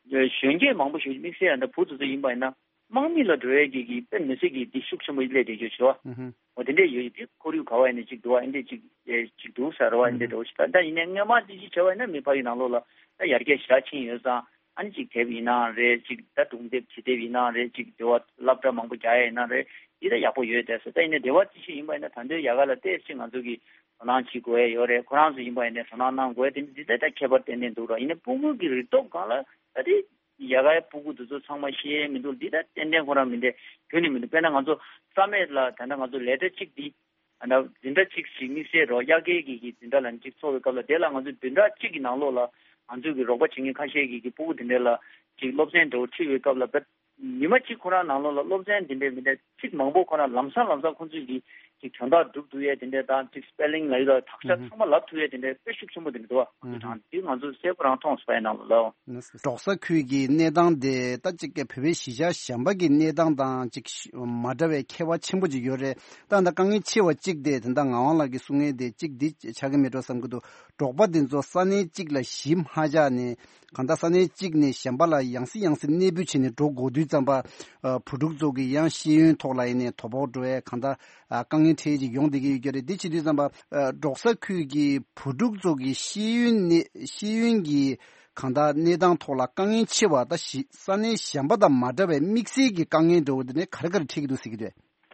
གཞོན་སྐྱེས་མང་པོ་ཞིག་དམིགས་བསལ་ཡང་ད་བུ་དེ་ཚོ་ཡིན་པ་ཡིན་ན། དམག་མི་ལ་འགྲོ་ཡས་ཀྱི་གི་དཔེ་མི་སྲིད་ཀྱི་འདི་ཤུགས་ཆེན་པོ་སླེབས་བསྡད་རྒྱུ་ཞིག་བ། ཨུ་ཧུ། འོ་དེ་འདྲས་ཡོད་ཡོད། དེ་ཁོར་ཡུག་ག་བ་ཡིན་ནའི་ཅིག་འདུག་བ། ཨེ་འདྲས་ཅིག་ཨེ་ཅིག་འདུག་ཟེར་བ། ཨེ་འདྲས་འགྲོ་ཞིག་ད་ད་ཡིན་ནའི་སྔོན་མ་དེ་ཅིག་བྱས་པ་ཡིན་ན་མི་ཕ་ཡུལ་ནང་ལོགས་ལ་ད་ཡར་རྒྱས་ཞེ་དྲག་ཕྱིན་ཡོད་ཙང་། ཨ་ནི་ཅིག་དེབ་ཡིན་ནའང་རེད། ཅིག་ད་སྒྲུང་དེབ་བྱེད་དེབ་ཡིན་ནའང་རེད། ཅིག་དེ་བ་སློབ་གྲྭ་མང་པོ་རྒྱག་ཡ་ཡིན་ནའང་རེད། འདི་ད་ཡག་པོ་ཡོད་བསྡད་སོང་། ད་ཡིན་ནའི་དེ་བ་ཅི་ཞིག་ཡིན་པ་ཡིན་ན་ད་དུང་ཡ་ག་ལ་ཏོག་ཙམ་ང་ཚོ་གིས་དོ་སྣང་བྱེད་དགོས་ཡ་ཡོད་རེད། ཁོ་རང་ཚོ་ཡིན་པ་ཡིན་ནའི་དོ་སྣང་གནང་དགོས་ཡ་དེ་འདི་ད་ད་ཁྱད་པར་ཏན་ཏན་འདུག་ར། ཡིན་ནའི་སྤུ་གུ་གི་རིག་སྟོབས་སྒང་ལ་ད་དེ། ཡ་གའི་སྤུ་གུ་དེ་ཚོ་ཚང་མ་ཤེས་ཡས་མི་འདུག་འདི་ད་ཏན་ཏན་ཁོ་རང་མི་འདྲ་ཁྱོན་ནས་མི་འདུག་དཔེར་ན་ང་ཚོ་ས་མེད་ལ་ད་ལྟ་ང་ཚོ་ལས་གྲྭ་གཅིག་འདི་ཨ་ན་འཛིན་གྲྭ་གཅིག་ཞིག་དམིགས་བསལ་རོགས་དབྱར་ཁའི་གི་གི་འཛིན་གྲྭ་ལ་གཅིག་ཚོགས་པའི་སྐབས་ལ། དེ་ལ་ང་ཚོ་བདུན་ཕྲག་གཅིག་གི་ནང་ལོགས་ལ་ང་ཚོ་གི་རོགས་པ་བྱེད་མཁན་ཁ་ཤས་ཀྱི་གི་སྤུ་གུ་དེ་འདྲ་ལ་གཅིག་སློབ་ཚན་འདྲ་བོ་ཁྲིད་པའི་སྐབས་ལ་བེད་ཉི་མ་གཅིག་ཁོ་རང་ནང་ལོགས་ལ་སློབ་ཚན་དེ་འདྲའི་མི་འདྲ་ཚིག་མང་པོ་ཁོ་རང་ལམ་སང་ལམ་སང་ཁོ་ཚོས་ཀྱི་ཅིག་དོན་དག་སྒྲུབ་ཐུབ་ཡས་དེ་འདྲ་དང་། ཅིག་སྤེ་ལིང་ལབ་ཡས་དང་དག་ཆ་ཚང་མ་ལབ་ཐུབ་ཡས་དེ་འདྲ་དཔེ་ཤུགས་ཆེན་པོ་དེ་འདྲ་འདུག་བ། ཁོ་ཚོ་དང་དེ་ང་ཚོ་གསལ་པོ་རང་མཐོང་སོང་ཡ་ནང་ལ་ལབ། འབྲོག་ས་ཁུལ་གྱི་གནས་སྟངས་དེ་ད་ཅིག་བོད་པའི་གཞིས་ཆགས་གཞན་པ་གི་གནས་སྟངས་དང་ཅིག་མ་འདྲ་བའི་ཁྱད་པར་ཆེན་པོ་ཅིག་ཡོད་རེད། ད་ད་དཀའ་ངལ་ཆེ་བ་གཅིག་དེ་ད་ལྟ་ངག་དབང་ལགས་ཀྱིས་གསུང་མཁན་དེ་གཅིག་འདི་ཆགས་ཀྱི་མེད་འགྲོ་བསམ་གྱི་འདུག་འབྲོག་པ་འདི་ཚོ་ས་གནས་གཅིག་ལ་གཞིས་མ་ཆགས་ནས། གང་ལྟར་ས་གནས་གཅིག་ནས་གཞན་པ་ལ་ཡང་སེ་ཡང་སེ་གནས་སྤོས་བྱས་ནས་འགྲོ་དགོས་དུས་ཙམ་པ། ཨ་བུ་ཕྲུག་ཚོ་གི་ཡང་ཤེས་ཡོན་ཐོག་ལ་ཡིན་ནའི་དོ་ཕོག་འགྲོ་ཡས་གང་ལྟར་ཨ་དཀའ་ངལ་འཕྲད་ཡས་ཅིག་ཡོང་བསྡད་ཀྱི་ཡོད་ཀྱི་རེད། འདི་བྱེད་དུས་ཙམ་པ་ཨ་འབྲོག་ས་ཁུལ་གྱི་བུ་ཕྲུག་ཚོ་གི་ཤེས་ཡོན་ནི་ཤེས་ཡོན་གྱི་གང་ལྟར་གནས་སྟངས་ཐོག་ལ་དཀའ་ངལ་ཆེ་བ། ད་གཞི་ས་གནས་གཞན་པ་དང་མ་འདྲ་བའི་དམིགས་བསལ་གྱི་དཀའ་ངལ་འདྲ་བོ་འདི་ནས་ག་རེ་ག་རེ་འཕྲད་ཀྱི་འདུག་ཟེར་གྱི་འདུག་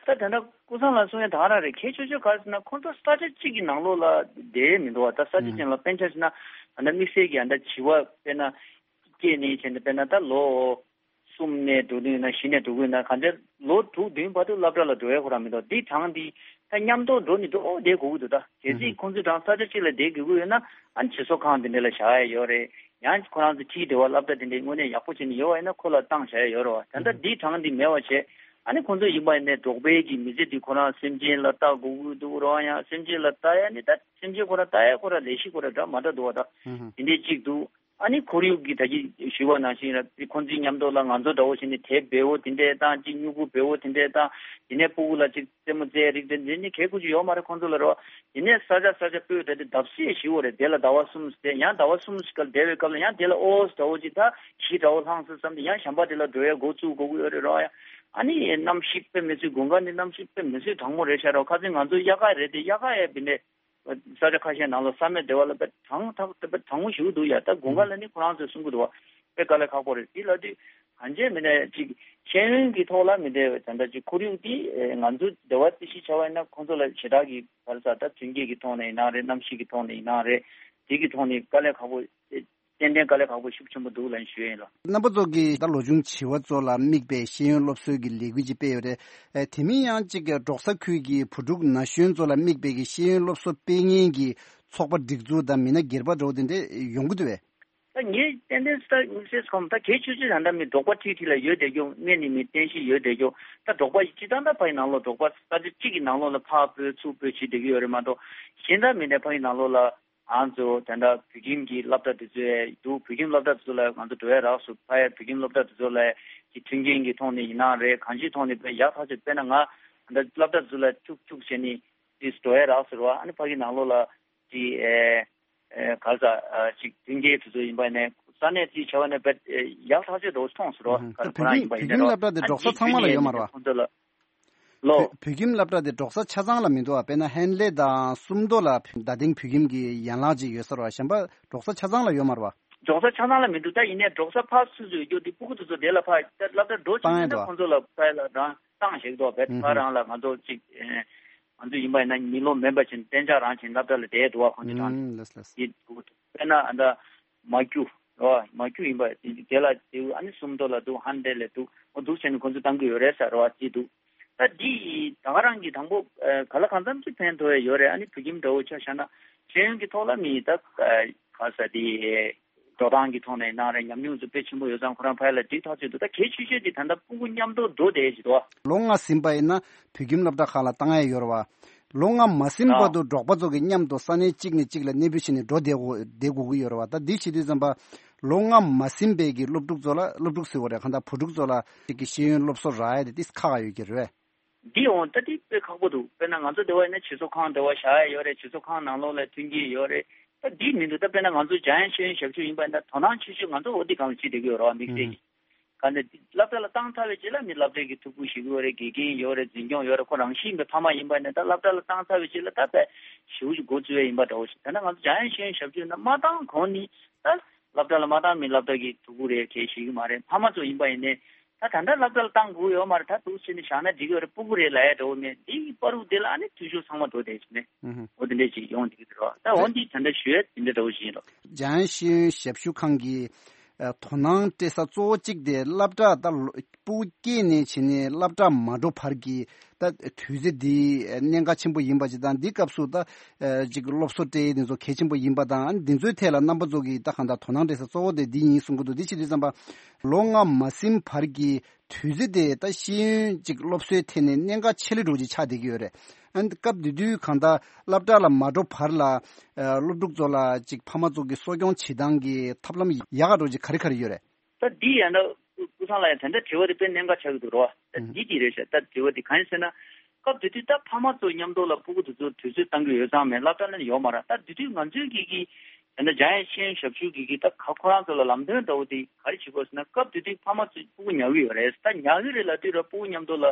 ད་ད་ལྟ་ཀུན་བཟང་ལགས་གསུང་ཡ་ད་ག་རང་རེད། གལ་ཆེ་ཤོས་ག་རེ་ཟེར་ན་ཁོང་ཚོ་ས་ཆ་གཅིག་གི་ནང་ལོགས་ལ་བསྡད་མི་འདུག་བ། ད་ས་ཆ་ཅན་ལ་དཔེ་ཆ་བཞག་ན་ད་ལྟ་དམིགས་བསལ་གྱི་ཨ་ད་བྱིས་པ་དཔེར་ན་སྐྱེས་ནས་བྱས་ནས་དཔེར་ན་ད་ལོ་གསུམ་ནས་འགྲོ་གི་ཡོད་ན་བཞི་ནས་འགྲོ་གི་ཡོད་ན་གང་ལྟར་ལོ་དྲུག་བདུན་བར་དུ་སློབ་གྲྭ་ལ་འགྲོ་ཡ་ཁོ་རང་མི་འདུག་འདི་གྲངས་འདི་ད་མཉམ་དུ་འགྲོ་ནི་འགྲོ་བསྡད་དགོས་ཀྱི་འདུག་ད་གལ་སྲིད་ཁོང་ཚོའི་གྲངས་ས་ཆ་གཅིག་ལ་བསྡད་དགོས་ཀྱི་ཡོད་ན་ཨ་ནི་བྱིས་གསོ་ཁང་དེ་འདྲ་ལ་བཞག་ཡ་ཡོད་རེད། ཡང་ཁོ་རང་ཚོ་ཁྲིད་བདེ་བ་སློབ་གྲྭ་དེ་འདྲའི་དངོས་གནས་ཡག་པོ་བྱས་ནས་ཡོད་པ་ཡིན་ན་ཁོ་ལ་བཏང་བཞག་ཡ་ཡོད་རེད་བ། ད་ལྟ་འདིའི་གྲངས་འདི་མེད་པ་བྱས། ཨ་ནི་ཁོང་ཚོ་ཡིན་པ་ཡིན་ནའི་འབྲོག་པའི་གི་མི་ཚེ་འདི་ཁོ་རང་སེམས་ཅན་ལ་ལྟ་དགོས་ཀྱི་འདུག་རེད་བ། ཡང་སེམས་ཅན་ལ་ལྟ་ཡ་ནི་ད་སེམས་ཅན་ཁོ་རང་ལྟ་ཡ་ཁོ་རང་ལས་གཞི་ཁོ་རང་འདྲ་མ་འདྲ་འདུག་བ། ད་དེ་འདྲའི་གཅིག་འདུག་ཨ་ནི་ཁོར་ཡུག་གི་ད་གིན་ཞུས་པ་ནང་བཞིན་ར་ཁོང་ཚོའི་མཉམ་དུ་ལ་ང་ཚོ་འདྲ་བོ་བྱས་ནས་དེབ་འབེལ་པོ་དེ་འདྲས་དང་ཅིག་སྨྱུ་གུ་འབེལ་པོ་དེ་འདྲས་དང་དེ་ནས་སྤུ་གུ་ལ་ཅིག་རྩེད་མོ་རྩེ་རིགས་དེ་འདྲས་ནི་གལ་ཁུར་ཅིག་ཡོད་མ་རེད་ཁོང་ཚོ་ལ་རེད་བ། དེ་ནས་ས་ཆ་ས་ཆ་སྤོས་ད་དེ་བརྡབ་གསིག་ཞིག་འོ་རེད། དེ་ལ་ཟླ་བ་གསུམ་ཟེར་ཡང་ཟླ་བ་གསུམ་ཞིག་ག་བསྡད་པའི་སྐབས་ལ་ཡང་དེ་ལ་ཨོ་ཟླ་བོ་ཅིག་ད་གཞི་འདྲ་བོ་ལྷང་སོང་བསམ་སྟེ་ཡང་གཞན་པ་དེ་ལ་འགྲོ་ཡ་འགོ་བཙུགས་དགོས་ཀྱི་ཡོད་རེད་རེད་བ། ཡ་ཨ་ནི་གནམ་གཤིས་དཔེ་མི་སྲིད་དགུན་ཁ་ནི་གནམ་གཤིས་དཔེ་མི་སྲིད་གྲང་མོ་རེད་ཤག་རེད་བ། ཁ་སང་ང་ཚོ་དབྱར་ཁ་རེད་དེ་དབྱར་ཁ་ཡ་བི་ནས། ས་ཆ་ཁ་ཤས་ནང་ལ་ས་མེད་བདེ་བ་ལ་དཔེ་གྲང་ཐག་དཔེ་གྲང་མོ་ཞིག་འདུག་ཡ། ད་དགུན་ཁ་ལ་ནི་ཁོ་རང་ཚོས་གསུང་གི་འདུག་བ། དཔེ་དཀའ་ལས་ཁག་པོ་རེད། དེ་ལ་དུས་གང་ཅི་མིན་ན་ཅིག་ཤེས་ཡོན་གྱི་ཐོག་ལ་མི་བདེ་བའི་ད་ལྟ་ཅིག་ཁོར་ཡུག་དེ་ང་ཚོ་བདེ་བ་རྩི་གཞི་བྱ་བ་ཡིན་ན་ཁོང་ཚོ་ལ་ཞེ་དྲག་གི་བར་ས་ད་མཐུན་རྐྱེན་གྱི་ཐོག་ནས་ཡིན་ན་རེད། གནམ་གཤིས་ཀྱི་ཐོག་ནས་ཡིན་ན་རེད། དེ་གི་ཐོག་ནས་དཀའ་ལས་ཁག་པོ་ཏན་ཏན་དཀའ་ལས་ཁག་པོ་ཤུགས་ཆེན་པོ་འདུག་ལབ་ཞུ་ཡ་ཡིན་ལ། རྣམ་པ་ཚོ་གིས་ད་ལོ་ཆུང་བྱིས་པ་ཚོ་ལ་དམིགས་པའི་ཤེས་ཡོན་སློབ་གསོའི་གི་ལས་འགུལ་ཅིག་སྤེལ་ཡོད་རེད། ཨེ་དེ་མིན་ཡང་གཅིག་གི་འབྲོག་ས་ཁུལ་གྱི་བུ་ཕྲུག་ན་གཞོན་ཚོ་ལ་དམིགས་པའི་གི་ཤེས་ཡོན་སློབ་གསོ་སྤེལ་མཁན་གྱི་ཚོགས་པ་སྒྲིག་འཛུགས་དང་མི་སྣ་སྒེར་པ་འདྲ་བོ་དེ་འདྲ་ཡོང་གི་འདུག་བས། ད་ངས་ཏན་ཏན་ས་དམིགས་བསལ་ཁོམ་ད་གལ་ཆེ་ཆེ་ད་ལྟ་མི་འབྲོག་པ་ཁྲིད་ཁྲིད་ལ་ཡོད་བསྡད་རྒྱུ་དངོས་གནས་མི་རྟེན་གཞི་ཡོད་བསྡད་རྒྱུ། ད་འབྲོག་པ་སྤྱི་བཏང་ད་ཕ་ཡི་ནང་ལོགས་འབྲོག་པ་ས་ཆ་གཅིག་གི་ནང་ལོགས་ལ་ཕར་སྤོས་ཚུར་སྤོས་བྱེད་བསྡད་ཀྱི་ཡོད་རེད་མ་གཏོགས་གཞན་ད་མི་འདྲ་ཕ་ཡི་ནང་ལོགས་ལ། ང་ཚོ་ད་ལྟ་བོད་ཁྱིམ་གྱི་སློབ་གྲྭ་དེ་ཚོ་ཡ་འདུག་བོད་ཁྱིམ་སློབ་གྲྭ་དེ་ཚོ་ལ་ང་ཚོ་འགྲོ་ཡ་རག་སོང་། ཕ་ཡ་བོད་ཁྱིམ་སློབ་གྲྭ་དེ་ཚོ་ལ་ཀྱི་མཐུན་རྐྱེན་གྱི་ཐོག་ནས་ཡིན་ནའང་རེད། གང་ཅིའི་ཐོག་ནས་དཔེ་ཡག་ཐག་ཆོད། དཔེར་ན་ང་ད་ལྟ་སློབ་གྲྭ་དེ་ཚོ་ལ་ཐུག་ཐུག་བྱས་ནས་ དེ་འགྲོ་ཡ་རག་ཟེར་བ། ཨ་ནི་ཕ་གི་ནང་ལོགས་ལ་དེ་ཨེ་ཨེ་ག་རེ་ཟ་ཨ་ཅིག་མཐུན་རྐྱེན་དེ་ཚོ་ཡིན་པ་ནས་ས་གནས་དེ་བྱ་བ་ནས་བེད་ཡག་ཐག་ཆོད་འགྲོ་མཐོང་ཟེར་བ། ཨུ་ཧུ། ག་རེ་ད་ཁོ་རང་ཡིན་པ་ཡིན་ན་རོ། ད་བོད་ཁྱིམ་བོད་ཁྱིམ་སློབ་གྲྭ་དེ་འགྲོ་ས་ཚང་མ་ལ་ཡོད་མ་རེད་བ། ཁོང་ཚོ་ལ་ལོ། བོད་བོད་ཁྱིམ་སློབ་གྲྭ་དེ་འགྲོ་ས་ཆ་ཚང་ལ་མི་འདུག་བ། དཔེར་ན་ཧན་ལེ་དང་སུམ་མདོ་ལ་བོད་རྡ་སྟེང་བོད་ཁྱིམ་གྱི་ཡན་ལག་ཅིག་ཡོད་ས་རེད་བ། གཞན་པ་འགྲོ་ས་ཆ་ཚང་ལ་ཡོད་མ་རེད་བ། འགྲོ་ས་ཆ་ཚང་ལ་མི་འདུག་ད་ཡིན་ནའི་འགྲོ་ས་ཕར་སུ་ཚོད་ཡོད་དེ་སྤུ་གུ་དེ་ཚོ་དེ་ལ་ཕར་ད་སློབ་གྲྭ་འགྲོ་ཕྱིན་བཏང་ཡ་ན་འདུག་བ། ཁོང་ཚོ་ལ་ཕར་ལ་རང་བཏང་ཞིག་འདུག་བེད་ཨུ་ཕར་ཧུ། རང་ལ་ང་ཚོ་ཅིག་ཨེ་ང་ཚོ་ཡིན་པ་ཡིན་ན་མི་ལོ་མེད་པ་ཅིག་གཏན་འཇགས་རང་བྱས་སློབ་གྲྭ་ལ་བསྡད་འདུག་བ། ཁོང་ཚོ་རང་ཨུ་ལགས་ལགས། དེ་སྤུ་གུ་དེ་དཔེར་ན་ཨ་ད་མ་རྒྱུ་རོ། མ་རྒྱུ་ཡིན་པ་དེ་ལ་དེ་ཨ་ནི་སུམ་མདོ་ལ་འདུག་ཧན་ལེ་ལ་འདུག་འོ་འདུག་བྱས་ནས་ཁོང་ཚོ་བཏང་གི་ཡོད་རེད་ཟེར་བ་ཅིག་འདུག་ད་འདི་ད་ག་རང་གི་དང་པོ་ཨ་ག་ལ་གང་འཚམ་ཅིག་ཕན་ཐོགས་ཡ་ཡོད་རེད། ཨ་ནི་བོད་ཁྱིམ་འདྲ་བོ་ཆ་བཞག་ན་ཤེས་ཡོན་གྱི་ཐོག་ལ་མི་ད་ཨ་ག་ས་དེ་འགྲོ་སྟངས་ཀྱི་ཐོག་ནས་ཡིན་ན་རེད། ཉམས་མྱོང་ཚོ་དཔེ་ཆེན་པོ་ཡོད་ཙང་ཁོ་རང་ཕ་ཡུལ་ལ་འགྲིག་ཐག་ཆོད་འདུག་ད་གལ་ཆེ་ཤོས་དེ་ད་ལྟ་སྤུ་གུ་མཉམ་དུ་འགྲོ་བསྡད་ཀྱི་འདུག་ལོ་ལྔ་ཟིན་པ་ཡིན་ན་བོད་ཁྱིམ་སློབ་གྲྭ་ཁག་ལ་བཏང་ཡ་ཡོད་རེད་བ། ལོ་ལྔ་མ་ཟིན་བར་དུ་འབྲོག་པ་ཚོ་གི་མཉམ་དུ་ས་གནས་གཅིག་ནས་གཅིག་ལ་གནས་སྤོས་བྱས་ནས་འགྲོ་བསྡད་དགོས་བསྡད་དགོས་ཀྱི་ཡོད་རེད་བ། ད་འདི་བྱེད་དུས་ཙམ་པ་ལོ་ལྔ་མ་ཟིན་པའི་གི་སློབ་ཕྲུག་ཚོ་ལ་སློབ་ཕྲུག་ཟེར་བ་རེད། གང་ལྟར་བུ་ཕྲུག་ཚོ་ལ་གཅིག་གི་ཤེས་ཡོན་སློབ་གསོ་རག་ཡ་དེ་ཏིས་ཁག་ཡོད་ཀྱི་རེད། འདི་འོང་ད་འདི་དཔེ་ཁག་པོ་འདུག་དཔེར་ན་ང་ཚོ་འདི་བ་ཡིན་ན་སྤྱི་ཚོགས་ཁང་འདི་བ་བཞག་ཡ་ཡོད་རེད། སྤྱི་ཚོགས་ཁང་ནང་ལོགས་ལ་མཐུན་རྐྱེན་ཡོད་རེད། ད་འདི་མི་འདུག་ད་དཔེར་ན་ང་ཚོ་འཇམ་དབྱངས་ཤེས་ཡོན་ཞབས་ཞུ་ཡིན་པ་ཡིན་ན་དོ་སྣང་ཆེ་ཤོས་ང་ཚོ་འོ་འདི་སྒང་ལ་བྱེད་བསྡད་ཀྱི་ཡོད་རེད་བ། དམིགས་བསལ་གྱི་ག་ནས་སློབ་གྲྭ་ལ་བཏང་ཚར་བའི་རྗེས་ལ་མི་སློབ་གྲྭའི་གི་ཐུགས་ཁུར་ཞུ་གི་ཡོད་རེད། དགེ་རྒན་ཡོད་རེད། འཛིན་སྐྱོང་ཡོད་རེད། ཁོ་རང་བཞིན་གྱི་ཕ་མ་ཡིན་པ་ཡིན་ན་ད་སློབ་གྲྭ་ལ་བཏང་ཚར་བའི་རྗེས་ལ་ད་དཔེ་ཞེ་པོ་ཅིག་འགོ་བཙུགས་ཡ་ཡིན་པ་འདྲ་བོ་ཞིག་ད་ནི་ང་ཚོ་འཇམ་དབྱངས་ཤེས་ཡོན་ཞབས་ཞུ་ཡིན་ན་མ་བཏང་གོང་ནས་ད་སློབ་གྲྭ་ལ་མ་བཏང་མི་སློབ་གྲྭ་གི་ཐུགས་ཁུར་རེད་གལ་ཞིག་གི་མ་རེད། ཕ་མ་ཚོ་ཡིན་པ་ཡིན་ནའི་ད་ད་ལྟ་སློབ་གྲྭ་ལ་བཏང་དགོས་ཡོད་མ་རེད། ད་འདུག་སེ་ནས་བཞག་ན་འགྲིག་གི་ཡོད་རེད། སྤུ་གུ་རེད་ལབ་ཡ་འདྲ་བོ་མེད། འདི་ཡི་བར་དུ་དེ་ལ་ཨ་ནི་འཐུས་ཤོར་ཚང་མ་འགྲོ་བསྡད་ཀྱི་མེད། ཨུ་ཧུ། འོ་དེ་འདྲས་ཅིག་ཡོང་བསྡད་ཀྱི་འདུག་རོགས། ད་འོ་འདི་ད་ལྟ་ཞུ་ཡ་དེ་འདྲས་འདྲ་བོ་ཞིག་ཡིན་རོགས། འཇམ་དབྱངས་ཤེས་ཡོན་ཞབས་ཞུ་ཁང་གི་ཨ་དོ་སྣང་སྤྲད་ས་གཙོ་བོ་གཅིག་དེ་སློབ་གྲྭ་ད་ལོ་སྤུ་གུ་སྐྱེས་ནས་བྱས་ནས་སློབ་གྲྭ་མ་འགྲོ་བར་གྱི་ད་དུས་ཚོད་འདི་གནད་འགག་ཆེན་པོ་ཡིན་པ་ཅིག་དང་། འདི་སྐབས་སུ་ད་ཨ་ཅིག་སློབ་གསོ་སྤྲད་ཡས་འདི་ཚོ་གལ་ཆེན་པོ་ཡིན་པ་དང་། ཨ་ནི་འདི་ཚོའི་ཐད་ལ་རྣམ་པ་ཚོ་གིས་ད་གང་ལྟར་དོ་སྣང་སྤྲད་ས་གཙོ་བོ་དེ་འདི་ཡིན་གསུང་གི་འདུག་འདི་བྱེད་དུས་ཙམ་པ་ལོ་ལྔ་མ་ཟིན་བར་གྱི་དུས་ཚོད་དེ་ད་ཤེས་ཡོན་ཅིག་སློབ་གསོའི་ཐད་ནས་གནད་འགག་ཆེ་ལེ་འགྲོ་ཅིག་ཆགས་བསྡད་ཀྱི་ཡོད་རེད། ཨ་ནི་སྐབས་དེ་དུས་གང་ལྟར་སློབ་གྲྭ་ལ་མ་འགྲོ་བར་ལ་ཨ་སློབ་ཕྲུག་ཚོ་ལ་ཅིག་ཕ་མ་ཚོ་གི་གསོ་སྐྱོང་བྱེད་སྟངས་ཀྱི་ཐབས་ལམ་ཡག་ག་འགྲོ་ཅིག་ག་རེ་ག་རེ་ཡོད་རེད། ད་འདི་ཡང་ན་སྐུ་ཐང་ལ་ཡང་ད་ལྟ་དྲི་བ་དེ་དཔེ་གནད་འགག་ཆགས་ཀྱི་འདུག་རོ། ད་འདི་འདི་རེད་ཤག་ད་དྲི་བ་དེ་གང་ཡིན་ཟེར་ན། སྐབས་དེ་དུས་ད་ཕ་མ་ཚོ་མཉམ་དུ་ལ་སྤུ་གུ་དེ་ཚོ་དུས་ཚོད་བཏང་གི་ཡོད་ཙང་མེད། སློབ་གྲྭ་ལ་ཡོད་མ་རེད། ད་དེ་དུས་ང་ཚོའི་གི་གི་ད་ལྟ་འཇམ་དབྱངས་ཤེས་ཡོན་ཞབས་ཞུ་གི་གི་ད་ཁ་ཁོ་རང་ཚོ་ལ་ལམ་སྟོན་འདྲ་བོ་དེ་ག་རེ་བྱེད་དགོས་ཟེར་ན། སྐབས་དེ་དུས་ཕ་མ་ཚོ་སྤུ་གུ་ཉར་གི་ཡོད་རེད། ད་ཉར་གི་རེད་ལབ་དུས་ར་སྤུ་གུ་མཉམ་དུ་ལ་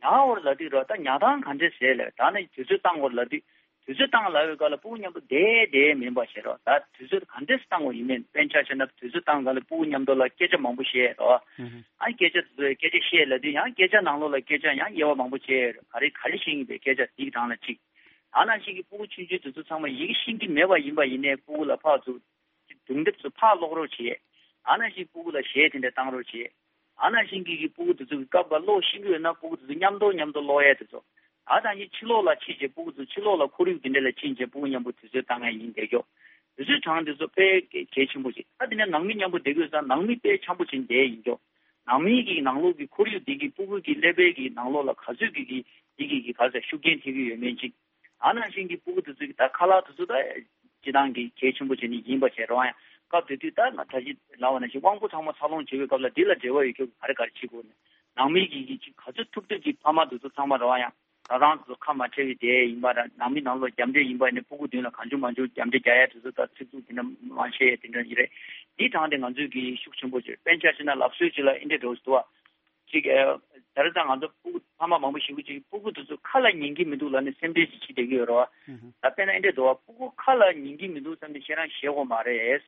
ཉར་བར་ལབ་དུས་ར་ད་ཉར་སྟངས་ག་འདྲས་བྱས་ལབ། ད་ནི་དུས་ཚོད་བཏང་བར་ལབ་དུས། དུས་ཚོད་བཏང་ལབ་པའི་སྐབས་ལ་སྤུ་གུ་མཉམ་དུ་བསྡད་བསྡད་མིན་པ་བྱས་རོགས། ད་དུས་ཚོད་ག་འདྲས་སེ་བཏང་དགོས་ཡིན་མིན། དཔེར་ན་ཆ་བཞག་ན་དུས་ཚོད་བཏང་སྐབས་ལ་སྤུ་གུ་མཉམ་དུ་ལ་སྐད་ཆ་མང་པོ་བཤད་རོགས། ཨ་སྐད་ཆ་དེ་ཚོ་སྐད་ཆ་བཤད་ལབ་དུས་ཡང་སྐད་ཆ་ནང་ལོགས་ལ་སྐད་ཆ་ཡང་དབྱེ་བ་མང་པོ་བྱས་རོགས། ག་རེ་ག་རེ་བཤད་ཡིན་པའི་སྐད་ཆ་དེའི་གྲས་ལ་གཅིག་ད་ནང་བཞིན་གྱི་སྤུ་གུ་ཆུང་ཆུང་དེ་ཚོ་ཚང་མ་ཡི་གེ་ཤེས་ཀྱི་མེད་པ་ཡིན་པ་ཡིན་ནའི་སྤུ་གུ་ལ་ཕར་ཚུར་སྒྲུང་དེབ་ཚོ་ཕར་ཀློག་རོགས་བྱེད། ད་ནང་བཞིན་སྤུ་གུ་ལ་གཞས་དེ་འདྲ་བཏང་རོགས་བྱེད། ཨ་ནང་བཞིན་གྱི་གི་སྤུ་གུ་དེ་ཚོ་གི་སྐབས་ཀ་ཀློག་ཤེས་ཀྱི་ཡོད་ན་སྤུ་གུ་དེ་ཚོ་མཉམ་དུ་མཉམ་དུ་ཀློག་ཡས་དེ་ཚོ། ད་ད་ནི་ཕྱི་ལོགས་ལ་ཕྱིན་བྱས་སྤུ་གུ་ཚོ་ཕྱི་ལོགས་ལ་ཁོར་ཡུག་དེ་འདྲ་ལ་ཕྱིན་བྱས་སྤུ་གུ་མཉམ་པོ་དུས་ཚོད་བཏང་ཡས་ཡིན་བསྡད་ཀྱོག་དུས་ཚོད་གྲངས་དེ་ཚོ་དཔེ་གལ་ཆེན་པོ་ཞིག་ད་དེ་ནས་ནང་མི་མཉམ་པོ་བསྡད་ཀྱི་ཡོད་ཙང་ནང་མི་དཔེ་འཆམ་པོ་བྱས་བསྡད་ཡིན་ཀྱོག་ནང་མི་གི་ནང་ལོགས་ཀྱི་ཁོར་ཡུག་དེ་གི་སྤུ་གུ་གི་ཀླད་པའི་གི་ནང་ལོགས་ལ་ག་ཚོད་ཀྱི་གི་དེ་གི་གི་ག་ཚོད་ཤུགས་རྐྱེན་ཐེབས་ཀྱི་ཡོད་མེད་ཅིག་ཨ་ནང་བཞིན་གྱི་སྤུ་གུ་དེ་ཚོ་གི་ད་ཁ་ལག་དེ་ཚོ་ད་སྤྱི་བཏང་གི་གལ་ཆེན་པོ་བྱས་ནས་ཡིན་པ་བྱས་རོགས་ཡང་། སྐབས་དེ་དུས་ད་ང་ད་ཅི་ལབ་པ་ནང་བཞིན་དབང་པོ་ཚང་མ་འཚར་ལོངས་བྱེད་པའི་སྐབས་ལ་འདི་ལ་འབྲེལ་བ་ཡོད་ཀྱོག་ག་རེ་ག་རེ་བྱེད་དགོས་ནས་ནང་མི་གི་གི་ཅིག་ག་ཚོད་ཐུབ་ཐུབ་ཀྱི་ཕ་མ་དེ་ཚོ་ཚང་མ་རོགས་ཡང་ད་རང་དེ་ཚོ་ཁ་མ་ཕྲལ་བའི་དེ་ཡིན་པ་ར་ནང་མི་ནང་ལོགས་རྒྱབ་འདྲེ་ཡིན་པ་ནས་སྤུ་གུ་མདུན་ལ་གང་བྱུང་མང་བྱུང་རྒྱབ་འདྲེ་རྒྱག་ཡ་དེ་ཚོ་ད་ཚིག་རྩུབ་དེ་འདྲ་མ་བཤད་ཡ་དེ་འདྲ་ཡིན་རེད། འདི་དྲངས་ཏེ་ང་ཚོས་གི་ཤུགས་ཆེན་པོ་བྱས་དཔེར་ན་ཆ་བཞག་ན་ལབ་སྲོལ་ཅིག་ལ་ཨིན་འདྲེ་འགྲོ་སྲིད་དོ། ཅིག་ཨེ། ད་རེས་ཙང་ང་ཚོ་སྤུ་གུ་ཕ་མ་མང་པོ་ཞིག་གིས་ཅིག་སྤུ་གུ་དེ་ཚོ་ཁ་ལ་ཉན་གྱི་མི་འདུག་ལབ་ནས་སེམས་ཁྲལ་ཅིག་བྱེད་ཀྱི་ཡོད་རེད་བ། ཨུ་ཧུ། ད་དཔེར་ན་ཨེ་འདྲས་འདུག་བ། སྤུ་གུ་ཁ་ལ་ཉན་གྱི་མི་འདུག་བསམ་ནས་ཁྱེད་རང་ཞེད་དགོས་མ་རེད།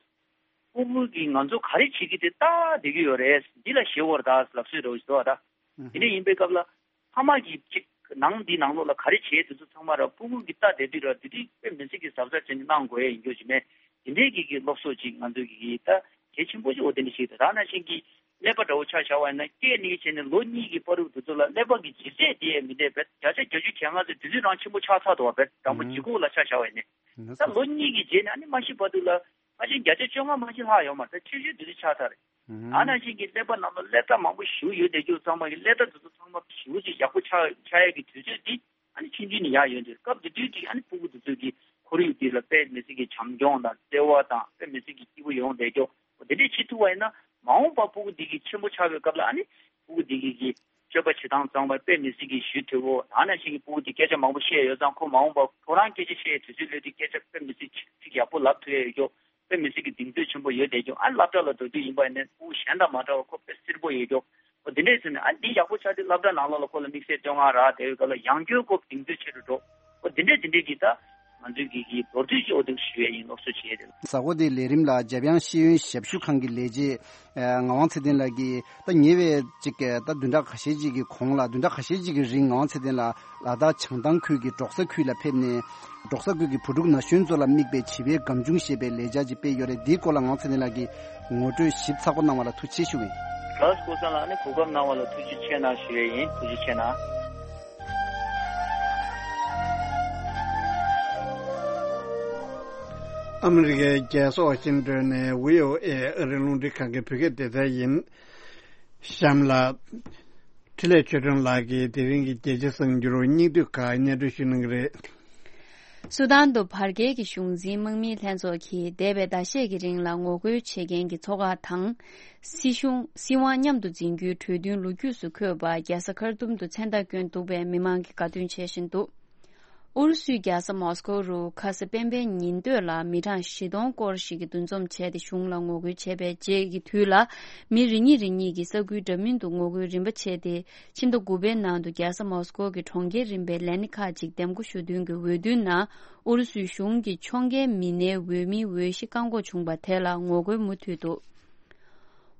སྤུ་གུ་གིས་ང་ཚོ་ག་རེ་བྱེད་ཀྱི་དེ་ལྟ་བསྡད་ཀྱི་ཡོད་རེད། འདི་ལ་ཞེད་དགོས་རེད་ད་ལབ་སྲོལ་རེད་བ་ཞིག་འདུག་བ་ད། ཨུ་ཧུ། དེ་འདྲ་ཡིན་པའི་སྐབས་ལ་ཕ་མ་གིས་ཅིག་ནང་འདི་ནང་ལོགས་ལ་ག་རེ་བྱེད་དེ་ཚོ་ཚང་མ་ར་སྤུ་གུ་གིས་ལྟ་བསྡད་དུས་ར་དེ་དུས་དཔེ་མི་སྲིད་ཀྱི་གཟབ་གཟབ་བྱས་ནས་གནང་དགོས་ཡ་ཡིན་རྒྱུ་ཞིག་མེད། དེ་འདྲས་ཀྱི་གི་སློབ་གསོ་ཅིག་ང་ཚོས་ཀྱི་ད་གལ་ཆེན་པོ་ཅིག་འོ་དེ་འདྲ་ཞིག་ད་ནང་བཞིན་གྱི་ཀླད་པ་འདྲ་བོ་ཆ་བཞག་པ་ཡིན་ན་སྐྱེས་ནས་བྱས་ནས་ལོ་གཉིས་ཀྱི་བར་དུ་དེ་ཚོ་ལ་ཀླད་པ་གི་ལྗིད་ཚད་དེ་ཡང་མི་འདྲ་བས། བརྒྱ་ཆ་བརྒྱད་ཅུ་གྱ་ལྔ་ཚོ་དེ་དུས་རང་ཆེན་པོ་ཆགས་ཚར་འདུག་བ། བེད་དང་པོ་ཨང་། ལྗིད་ཁོག་ལ་ཆ་བཞག་པ་ཡིན་ནས་ད་ལོ་གཉིས་ཀྱི་རྗེས་ནས་ཨ་ནི་མ་ཤི་བར་དུ་ལ་ཕལ་ཆེར་བརྒྱ་ཆ་བཅོ་ལྔ་མ་ཤི་ལྷག་ཡོད་མ་རེད། ད་ཆེ་ཤོས་དེ་དུས་ཆགས་ཚར་རེད། ཨང་། ཨ་ནང་བཞིན་གྱི་ཀླད་པ་ནང་ལ་ཀླད་རྟགས་མང་པོ་ཞིག་ཡོད་བསྡད་རྒྱུ་ཚང་མ་གི་ཀླད་རྟགས་དེ་ཚོ་ཚང་མ་ཞེ་པོ་ཅིག་ཡག་པོ་ཆགས་ཆགས་ཡས་ཀྱི་དུས་ཚོད་འདི་ཨ་ནི་ཆུང་ཆུང་ནས་ཡར་ཡོང་དུས་སྐབས་དེ་དུས་ཀྱི་ཨ་ནི་སྤུ་གུ་དེ་ཚོ་གི་ཁོར་ཡུག་འདི་ལ་དཔེ་མི་སྲིད་ཀྱི་བྱམས་སྐྱོང་དང་བརྩེ་བ་དང་དཔེ་མི་སྲིད་ཀྱི་སྐྱིད་པོ་ཡོང་བསྡད་རྒྱུ་འོ་དེ་འདྲས་བྱེད་ཐུབ་པ་ཡིན་ན་མ་འོངས་པ་སྤུ་གུ་འདི་གི་ཆེན་པོ་ཆགས་པའི་སྐབས་ལ་ཨ་ནི་སྤུ་གུ་འདི་གི་གི་ སྤྱོད་པ་བྱེད་སྟངས་གཙང་མ་དཔེ་མི་སྲིད་ཀྱི་ཞུ་ཐུབ་བོ། ད་ནང་བཞིན་གྱི་ཕྲུ་གུ་དེ་སྐད་ཆ་མང་པོ་བཤད་ཡོད་ཙང་ཁོ་མ་འོངས་པ་ཁོ་རང་སྐད་ཆ་བཤད་དུས་ཚོད་ལོས་དེ་སྐད་ཆ་དཔེ་མི་སྲིད་ཚིག་ཡག་པོ་ལབ་ཐུབ་ཡ་ཡོད་ཀྱོག་དཔེ་མི་སྲིད་ཀྱི་གདེང་ཚོད་ཆེན་པོ་ཡོད་བསྡད་ཀྱོག་ཨ་སློབ་གྲྭ་ལ་འགྲོ་དུས་ཡིན་པ་ཡིན་ནའི་ཕྲུ་གུ་གཞན་དང་མ་འདྲ་བ་ཁོ་དཔེ་བསིལ་པོ་ཡོད་ཀྱོག་འོ་དེ་འདྲས་ཟེར་ནས་ཨ་འདི་ཡག་པོ་ཆགས་དུས་སློབ་གྲྭ་ནང་ལོགས་ལ་ཁོ་ལ་དམིགས་བསལ་བསྟོད་བསྔགས་རག་དེ་བའི་སྐབས་ལ་ཡང་བསྐྱར་ཁོ་གདེང་ཚོད་ཆེ་རུ་འགྲོ། འོ་དེ་འདྲས་དེ་འདྲས་ཀྱི་ད་ང་ཚོའི་གི་གི་མདོར་བསྡུས་ཀྱི་འོ་དེ་ཞུ་ཡས་ཡིན། སློབ་གསོ་བྱེད་ཡས་དེ་ལ། གཟའ་འཁོར་འདིའི་ལས་རིམ་ལ་འཇམ་དབྱངས་ཤེས་ཡོན་ཞབས་ཞུ་ཁང་གི་ལས་བྱེད་ཨ་ངག་དབང་ཚེ་བརྟན་ལགས་ཀྱིས་ད་ཉེ་བའི་ཅིག་ད་བདུན་ཕྲག་ཁ་ཤས་ཅིག་གི་གོང་ལ་བདུན་ཕྲག་ཁ་ཤས་ཅིག་གི་རིང་ངག་དབང་ཚེ་བརྟན་ལགས་ལ་དྭགས་བྱང་ཐང་ཁུལ་གྱི་འབྲོག་ས་ཁུལ་ལ་ཕེབས་ནས་འབྲོག་ས་ཁུལ་གྱི་བུ་ཕྲུག་ན་གཞོན་ཚོ་ལ་དམིགས་པའི་བྱིས་པའི་སྒམ་ཆུང་ཞེས་པའི་ལས་འཆར་ཅིག་སྤེལ་ཡོད་རེད། འདིའི་སྐོར་ལ་ངག་དབང་ཚེ་བརྟན་ལགས་ཀྱིས་ངོ་སྤྲོད་ཞིབ་ཚགས་པོ་གནང་བ་ལ་ཐུགས་རྗེ་ཆེ་ཞུ་གི་ཡིན། ག་སྐུ་ཚང་ལགས་ནི་གོ་སྐབས་གནང་བ་ལ་ཐུགས་རྗེ་ཆེ་གནང་ཞུ་ཡས་ཡིན། ཐུགས་རྗེ་ཆེ་གནང་། ཨ་མི་རི་ཀའི་རྒྱལ་ས་ཝ་ཤིང་ཏོན་ནས་བྷི་ཨོ་ཨེ་ཨ་རིའི་རླུང་འཕྲིན་ཁང་གི་བོད་སྐད་སྡེ་ཚན་ཡིན། གཤམ་ལ། འཕྲིན་ལས་ཆོས་སྒྲོན་ལགས་ཀྱིས་དེ་རིང་གི་རྒྱལ་སྤྱིའི་གསར་འགྱུར་སྙིང་བསྡུས་ཁག་སྙན་སྒྲོན་ཞུ་གནང་གི་རེད། སུ་དཱན་དུ་བར་བརྒལ་གྱི་གཞུང་འཛིན་དམག་མིའི་ལྷན་ཚོགས་ཀྱིས་འདས་པའི་ཟླ་ཤས་ཀྱི་རིང་ལ་ངོ་རྒོལ་བྱེད་མཁན་གྱི་ཚོགས་ཁག་དང་། སྲིད་གཞུང་སྲིད་དབང་མཉམ་དུ་འཛིན་རྒྱུའི་གྲོས་མཐུན་ལོ་རྒྱུས་སུ་འཁོད་པ་རྒྱལ་ས་ཁར་ཏུམ་དུ་མཚན་རྟགས་བསྐྱོན་འདུག་པས་མི་མང་གིས་དགའ་སྟོན་བྱེད་བཞིན་འདུག་ཨུ་རུ་སུའི་རྒྱལ་ས་མོ་སི་ཀོ་རུ་ཁ་སང་སྤེན་པའི་ཉིན་སྟོད་ལ་མི་གྲངས་བཞི་སྟོང་སྐོར་ཞིག་གིས་འདུ་འཛོམས་བྱས་ཏེ་གཞུང་ལ་ངོ་རྒོལ་བྱས་པའི་རྗེས་ཀྱི་དུས་ལ། མི་རེ་གཉིས་རེ་གཉིས་ཀྱིས་ས་ཁུལ་འདྲ་མིན་དུ་ངོ་རྒོལ་རིམ་པ་བྱས་ཏེ། ཕྱི་ཟླ་དགུ་པའི་ནང་དུ་རྒྱལ་ས་མོ་སི་ཀོ་གི་གྲོང་ཁྱེར་རིམ་པའི་ལས་སྣེ་ཁག་ཅིག་འདེམས་བསྐོ་ཞུ་འདུན་གྱི་འོས་བསྡུའི་ནང་ཨུ་རུ་སུའི་གཞུང་གིས་ཕྱོགས་འགལ་མི་སྣའི་འོས་མིའི་འོས་གཞི་བཀག་འགོག་བྱུང་བ་དེ་ལ་ངོ་རྒོལ་མུ་མཐུད་འདུག་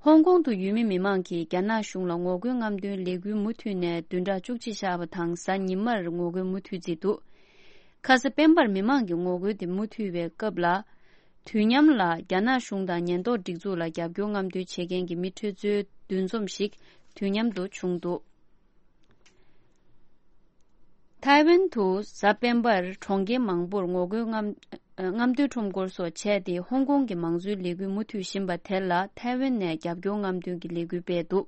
ཧོང་ཀོང་དུ་ཡུལ་མི་མི་མང་གིས་རྒྱ་ནག་གཞུང་ལ་ངོ་རྒོལ་རྔམ་སྟོན་ལས་འགུལ་མུ་མཐུད་ནས་བདུན་ཕྲག་བཅུ་གཅིག་བཞག་པ་དང་གཟའ་ཉི་མར་ངོ་རྒོལ་མུ་མཐུད་བརྩིས་འདུག་ཁ་སང་སྤེན་པར་མི་མང་གི་ངོ་རྒོལ་དེ་མུ་མཐུད་པའི་སྐབས་ལ། དུས་མཉམ་ལ་རྒྱ་ནག་གཞུང་དང་ཉེན་རྟོག་སྒྲིག་འཛུགས་ལ་རྒྱབ་སྐྱོར་རྔམ་སྟོན་བྱེད་མཁན་གྱི་མི་ཁྲི་ཚོའི་འདུ་འཛོམས་ཤིག་དུས་མཉམ་དུ་བྱུང་འདུག་ཐའེ་ཝན་དུ་གཟའ་སྤེན་པར་གྲོང་ཁྱེར་མང་པོར་ངོ་རྒོལ་རྔམ་རྔམ་སྟོན་ཁྲོམ་སྐོར་སོགས་བྱས་ཏེ་ཧོང་ཀོང་གི་མང་གཙོའི་ལས་འགུལ་མུ་མཐུད་བཞིན་པ་དེ་ལ་ཐའེ་ཝན་ནས་རྒྱབ་སྐྱོར་རྔམ་སྟོན་གྱི་ལས་འགུལ་སྤེལ་འདུག་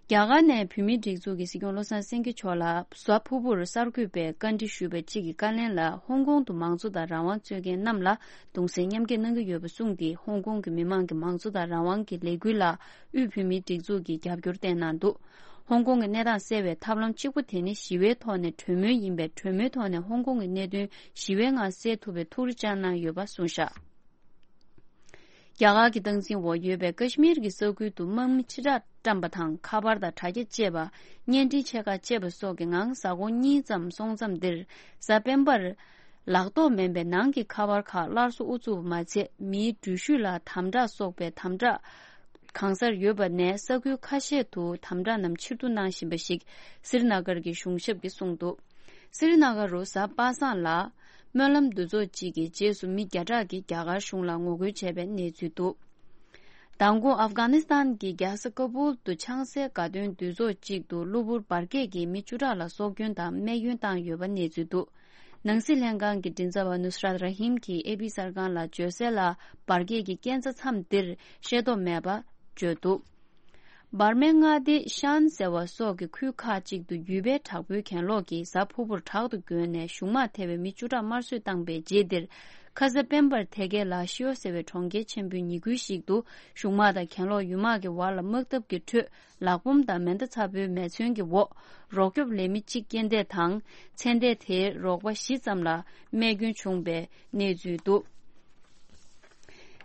རྒྱ་གར་ནས་བོད་མིའི་སྒྲིག་འཛུགས་ཀྱི་སྲིད་སྐྱོང་བློ་བཟང་སེང་གེ་མཆོག་ལ་གཟའ་ཕུར་བུར་གསར་འགོད་པས་བཀའ་འདྲི་ཞུས་པ་གཅིག་གི་བཀའ་ལན་ལ་ཧོང་ཀོང་དུ་མང་གཙོ་དང་རང་དབང་རྩོད་མཁན་རྣམས་ལ་གདུང་སེམས་མཉམ་སྐྱེད་གནང་གི་ཡོད་པ་གསུངས་ཏེ། ཧོང་ཀོང་གི་མི་མང་གི་མང་གཙོ་དང་རང་དབང་གི་ལས་འགུལ་ལ་དབུས་བོད་མིའི་སྒྲིག་འཛུགས་ཀྱིས་རྒྱབ་སྐྱོར་བསྟན་གནང་འདུག་ཧོང་ཀོང་གི་གནས་སྟངས་གསལ་བའི་ཐབས་ལམ་གཅིག་པུ་དེ་ནི་ཞི་བའི་ཐོག་ནས་གྲོས་མོལ་ཡིན་པས། གྲོས་མོལ་ཐོག་ནས་ཧོང་ཀོང་གི་གནད་དོན་ཞི་བའི་ངང་སེལ་ཐུབ་པའི་ཐུགས་རེ་བཅངས་གནང་ཡོད་པ་གསུངས་བཞག་རྒྱ་གར་གྱི་སྟངས་འཛིན་འོག་ཡོད་པའི་ཀ་ཤི་མིར་གྱི་ས་ཁུལ་དུ་དམག་མི་ཕྱིར་བསྒྲགས་བཀྲམ་པ་དང་། ཁ་པར་དང་དྲ་རྒྱ་བཅད་པ། བརྙན་འཕྲིན་ཆེ་ཁག་བཅད་པ་སོགས་ཀྱི་ངང་གཟའ་འཁོར་གཉིས་ཙམ་སོང་མཚམས་འདིར། གཟའ་སྤེན་པར་ལག་ཐོགས་མེད་པའི་ནང་གི་ཁ་པར་ཁག་སླར་གསོ་དབུ་ཚུགས་པ་མ་ཚད། མིའི་འགྲུལ་བཞུད་ལ་དམ་དྲག་སོགས་པའི་དམ་དྲག་གང་སར་ཡོད་པ་ནས། ས་ཁུལ་ཁ་ཤས་དུ་དམ་དྲག་རྣམས་ཕྱིར་བསྡུ་གནང་བཞིན་པ་ཞིག་སི་རི་ན་གར་གྱི་གཞུང་ཞབས་ཀྱིས་གསུངས་འདུག་སི་རི་ན་གར་རུ་གཟའ་པ་སངས་ལ་སྨོན་ལམ་འདུ་ཚོགས་གཅིག་གི་རྗེས་སུ་མི་བརྒྱ་ཕྲག་གིས་རྒྱ་གར་གཞུང་ལ་ངོ་རྒོལ་བྱས་པའི་གནས་ཚུལ་འདུག་མདང་དགོང་ཨབ་གྷ་ནི་སི་ཐན་གྱི་རྒྱལ་ས་ཀ་བུལ་དུ་ཆང་སའི་དགའ་སྟོན་འདུ་ཚོགས་གཅིག་ཏུ་གློ་བུར་འབར་གས་ཀྱིས་མི་བཅུ་ཕྲག་ལ་སྲོག་སྐྱོན་དང་རྨས་སྐྱོན་བཏང་ཡོད་པ་གནས་ཚུལ་འདུག་ནང་སྲིད་ལྷན་ཁང་གི་མགྲིན་ཚབ་པ་ནུ་སི་རཱད་ར་ཧིམ་གྱིས་ཨེ་པི་གསར་ཁང་ལ་བརྗོད་གསལ་ལ། འབར་གས་ཀྱི་རྐྱེན་རྩ་མཚམས་འདིར་ཤེས་རྟོགས་མེད་པ་བརྗོད་འདུག་འབར་མའི་མངའ་སྡེ་ཤན་ཟེར་བ་སོགས་ཀྱི་ཁུལ་ཁག་ཅིག་ཏུ་ཡུལ་པའི་དྲག་པོའི་གྱེན་ལོག་གིས་གཟའ་ཕུར་བུར་དྲག་ཏུ་རྒོལ་ནས་གཞུང་དམག་ཐེ་བའི་མི་བཅུ་ཕྲག་དམར་གསོད་བཏང་པའི་རྗེས་འདིར། ཁ་ས་སྤེན་པར་དེ་གའི་ལ་ཤིའོ་ཟེར་བའི་གྲོང་ཁྱེར་ཆེན་པོའི་ཉེ་ཁུལ་ཞིག་ཏུ་གཞུང་དམག་དང་གྱེན་ལོག་ཡུལ་དམག་གི་བར་ལ་དམག་འཐབ་ཀྱི་ཁྲོད། ལག་འབོམ་དང་མེ་མདའ་ཚ་པོའི་མེ་མཚོན་གྱི་འོག་རོགས་སྐྱོབ་ལས་མི་གཅིག་རྐྱེན་འདས་དང་། ཚེ་འདས་དེའི་རོགས་པ་བཞི་ཙམ་ལ་རྨས་སྐྱོན་བྱུང་བའི་གནས་ཚུལ་འདུག་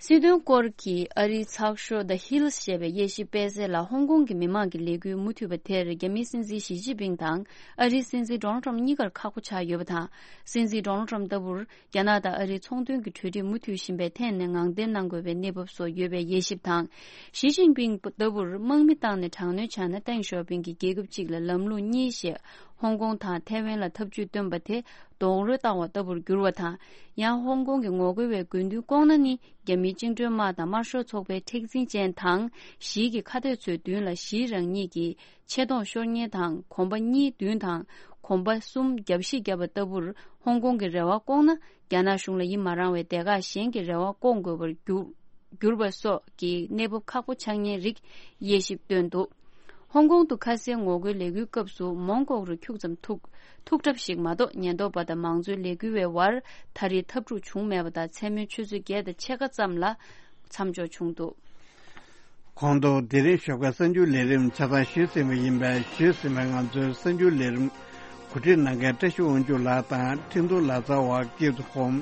སྲིད་དོན་སྐོར་གྱི་ཨ་རིའི་ཚགས་ཤོག་The Hills ཞེས་པའི་དབྱེ་ཞིབ་སྤེལ་གསལ་ལ། ཧོང་ཀོང་གི་མི་མང་གི་ལས་འགུལ་མུ་མཐུད་པ་དེར་རྒྱ་མིའི་སྲིད་འཛིན་ཞི་ཅིན་ཕིང་དང་ཨ་རིའི་སྲིད་འཛིན་ཌོ་ནལ་ཊམ་གཉིས་ཀར་ཁག་པོ་ཆགས་ཡོད་པ་དང་། སྲིད་འཛིན་ཌོ་ནལ་ཊམ་ལྟ་བུར། རྒྱ་ནག་དང་ཨ་རིའི་ཚོང་དོན་གྱི་གྲོས་འགྲིག་མུ་མཐུད་བཞིན་པའི་ཐད་ནས་ངང་བརྟན་གནང་དགོས་པའི་གནས་བབ་སོགས་ཡོད་པའི་དབྱེ་ཞིབ་དང་། ཞི་ཅིན་ཕིང་ལྟ་བུར་དམག་མི་བཏང་ནས་དྲག་གནོན་བྱས་ན། ཏེང་ཞའོ་ཕིང་གིས་རྒྱལ་ཁབ་གཅིག་ལ་ལམ་ལུགས་གཉིས་ཞེས་ཧོང་ཀོང་དང་ཐའེ་ཝན་ལ་འཐབ་ཇུས་བཏོན་པ་དེ་རྡོག་རོལ་བཏང་བ་ལྟ་བུར་གྱུར་བ་དང་། ཡང་ཧོང་ཀོང་གི་ངོ་རྒོལ་བའི་དགོས་འདུན་སྐོང་ན་ནི། རྒྱ་མིའི་བཅིངས་འགྲོལ་དམག་དང་དམར་ཤོག་ཚོགས་པའི་མཁྲེགས་འཛིན་ཅན་དང་། ཞིའི་གི་ཁ་གཏད་ཚོའི་མདུན་ལ་ཞིའི་རང་ཉིད་ཀྱི་ཆེ་མཐོང་ཤོར་ཉེན་དང་། གོམ་པ་གཉིས་བདུན་དང་། གོམ་པ་གསུམ་རྒྱབ་བཤིག་བརྒྱབ་པ་ལྟ་བུར་ཧོང་ཀོང་གི་རེ་བ་སྐོང་ན། རྒྱ་ནག་གཞུང་ལ་ཡིད་མ་རངས་བའི་སྡེ་ཁག་གཞན་གྱི་རེ་བ་སྐོང་དགོས་པར་གྱུར་གྱུར་པ་སོགས་ཀྱི་གནས་བབ་ཁག་པོ་ཆགས་ཉེན་རིགས་དབྱེ་ཞིབ་བཏོན་འདུག་ཧོང་ཀོང་དུ་ཁ་སའི་ངོ་རྒོལ་ལས་འགུལ་སྐབས་སུ་མོན་ལྐོག་རུ་ཁྱུག་ཙམ་ཐུག་ཐུག་གྲབས་ཤིག་མ་གཏོགས། ཉེན་རྟོག་པ་དང་མང་གཙོའི་ལས་འགུལ་བའི་བར་ད་རེས་འཐབ་འཁྲུག་བྱུང་མེད་པ་དང་། མཚན་མོའི་ཆུ་ཚོད་བརྒྱད་དང་ཕྱེད་ཀ་ཙམ་ལ་མཚམས་འཇོག་བྱུང་འདུག་གོང་དུ་དེ་རིང་ཞོགས་ཀའི་གསར་འགྱུར་ལས་རིམ་ཆ་ཚང་ཞུས་ཟིན་པ་ཡིན་པས། ཞུས་ཟིན་པའི་ང་ཚོའི་གསར་འགྱུར་ལས་རིམ་གོ་སྒྲིག་གནང་མཁན་བཀྲ་ཤིས་དབང་ཕྱུག་ལགས་དང་འཕྲིན་གཏོང་ལག་རྩལ་བ་ཀིརྟི་ཧོམ།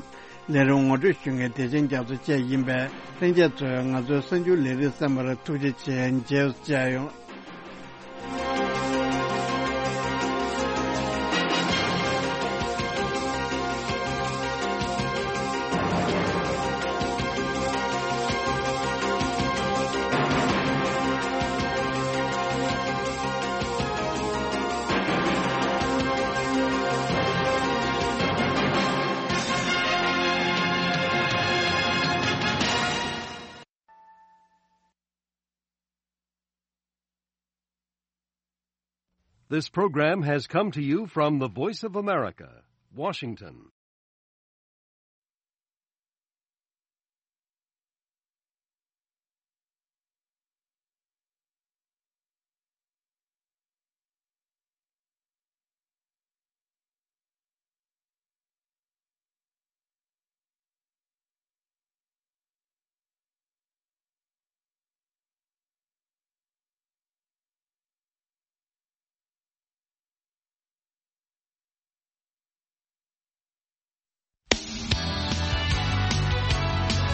ལས་རིམ་ངོ་སྤྲོད་ཞུ་མཁན་བདེ་ཆེན་རྒྱ་མཚོ་བཅས་ཡིན་པས། ལྷན་རྒྱས་ཚོས་ང་ཚོའི་གསར་འགྱུར་ལས་རིམ་གསན་པར་ཐུགས་རྗེ་ཆེ། མཇལ་བཅར་ཡོང་། This program has come to you from the Voice of America, Washington.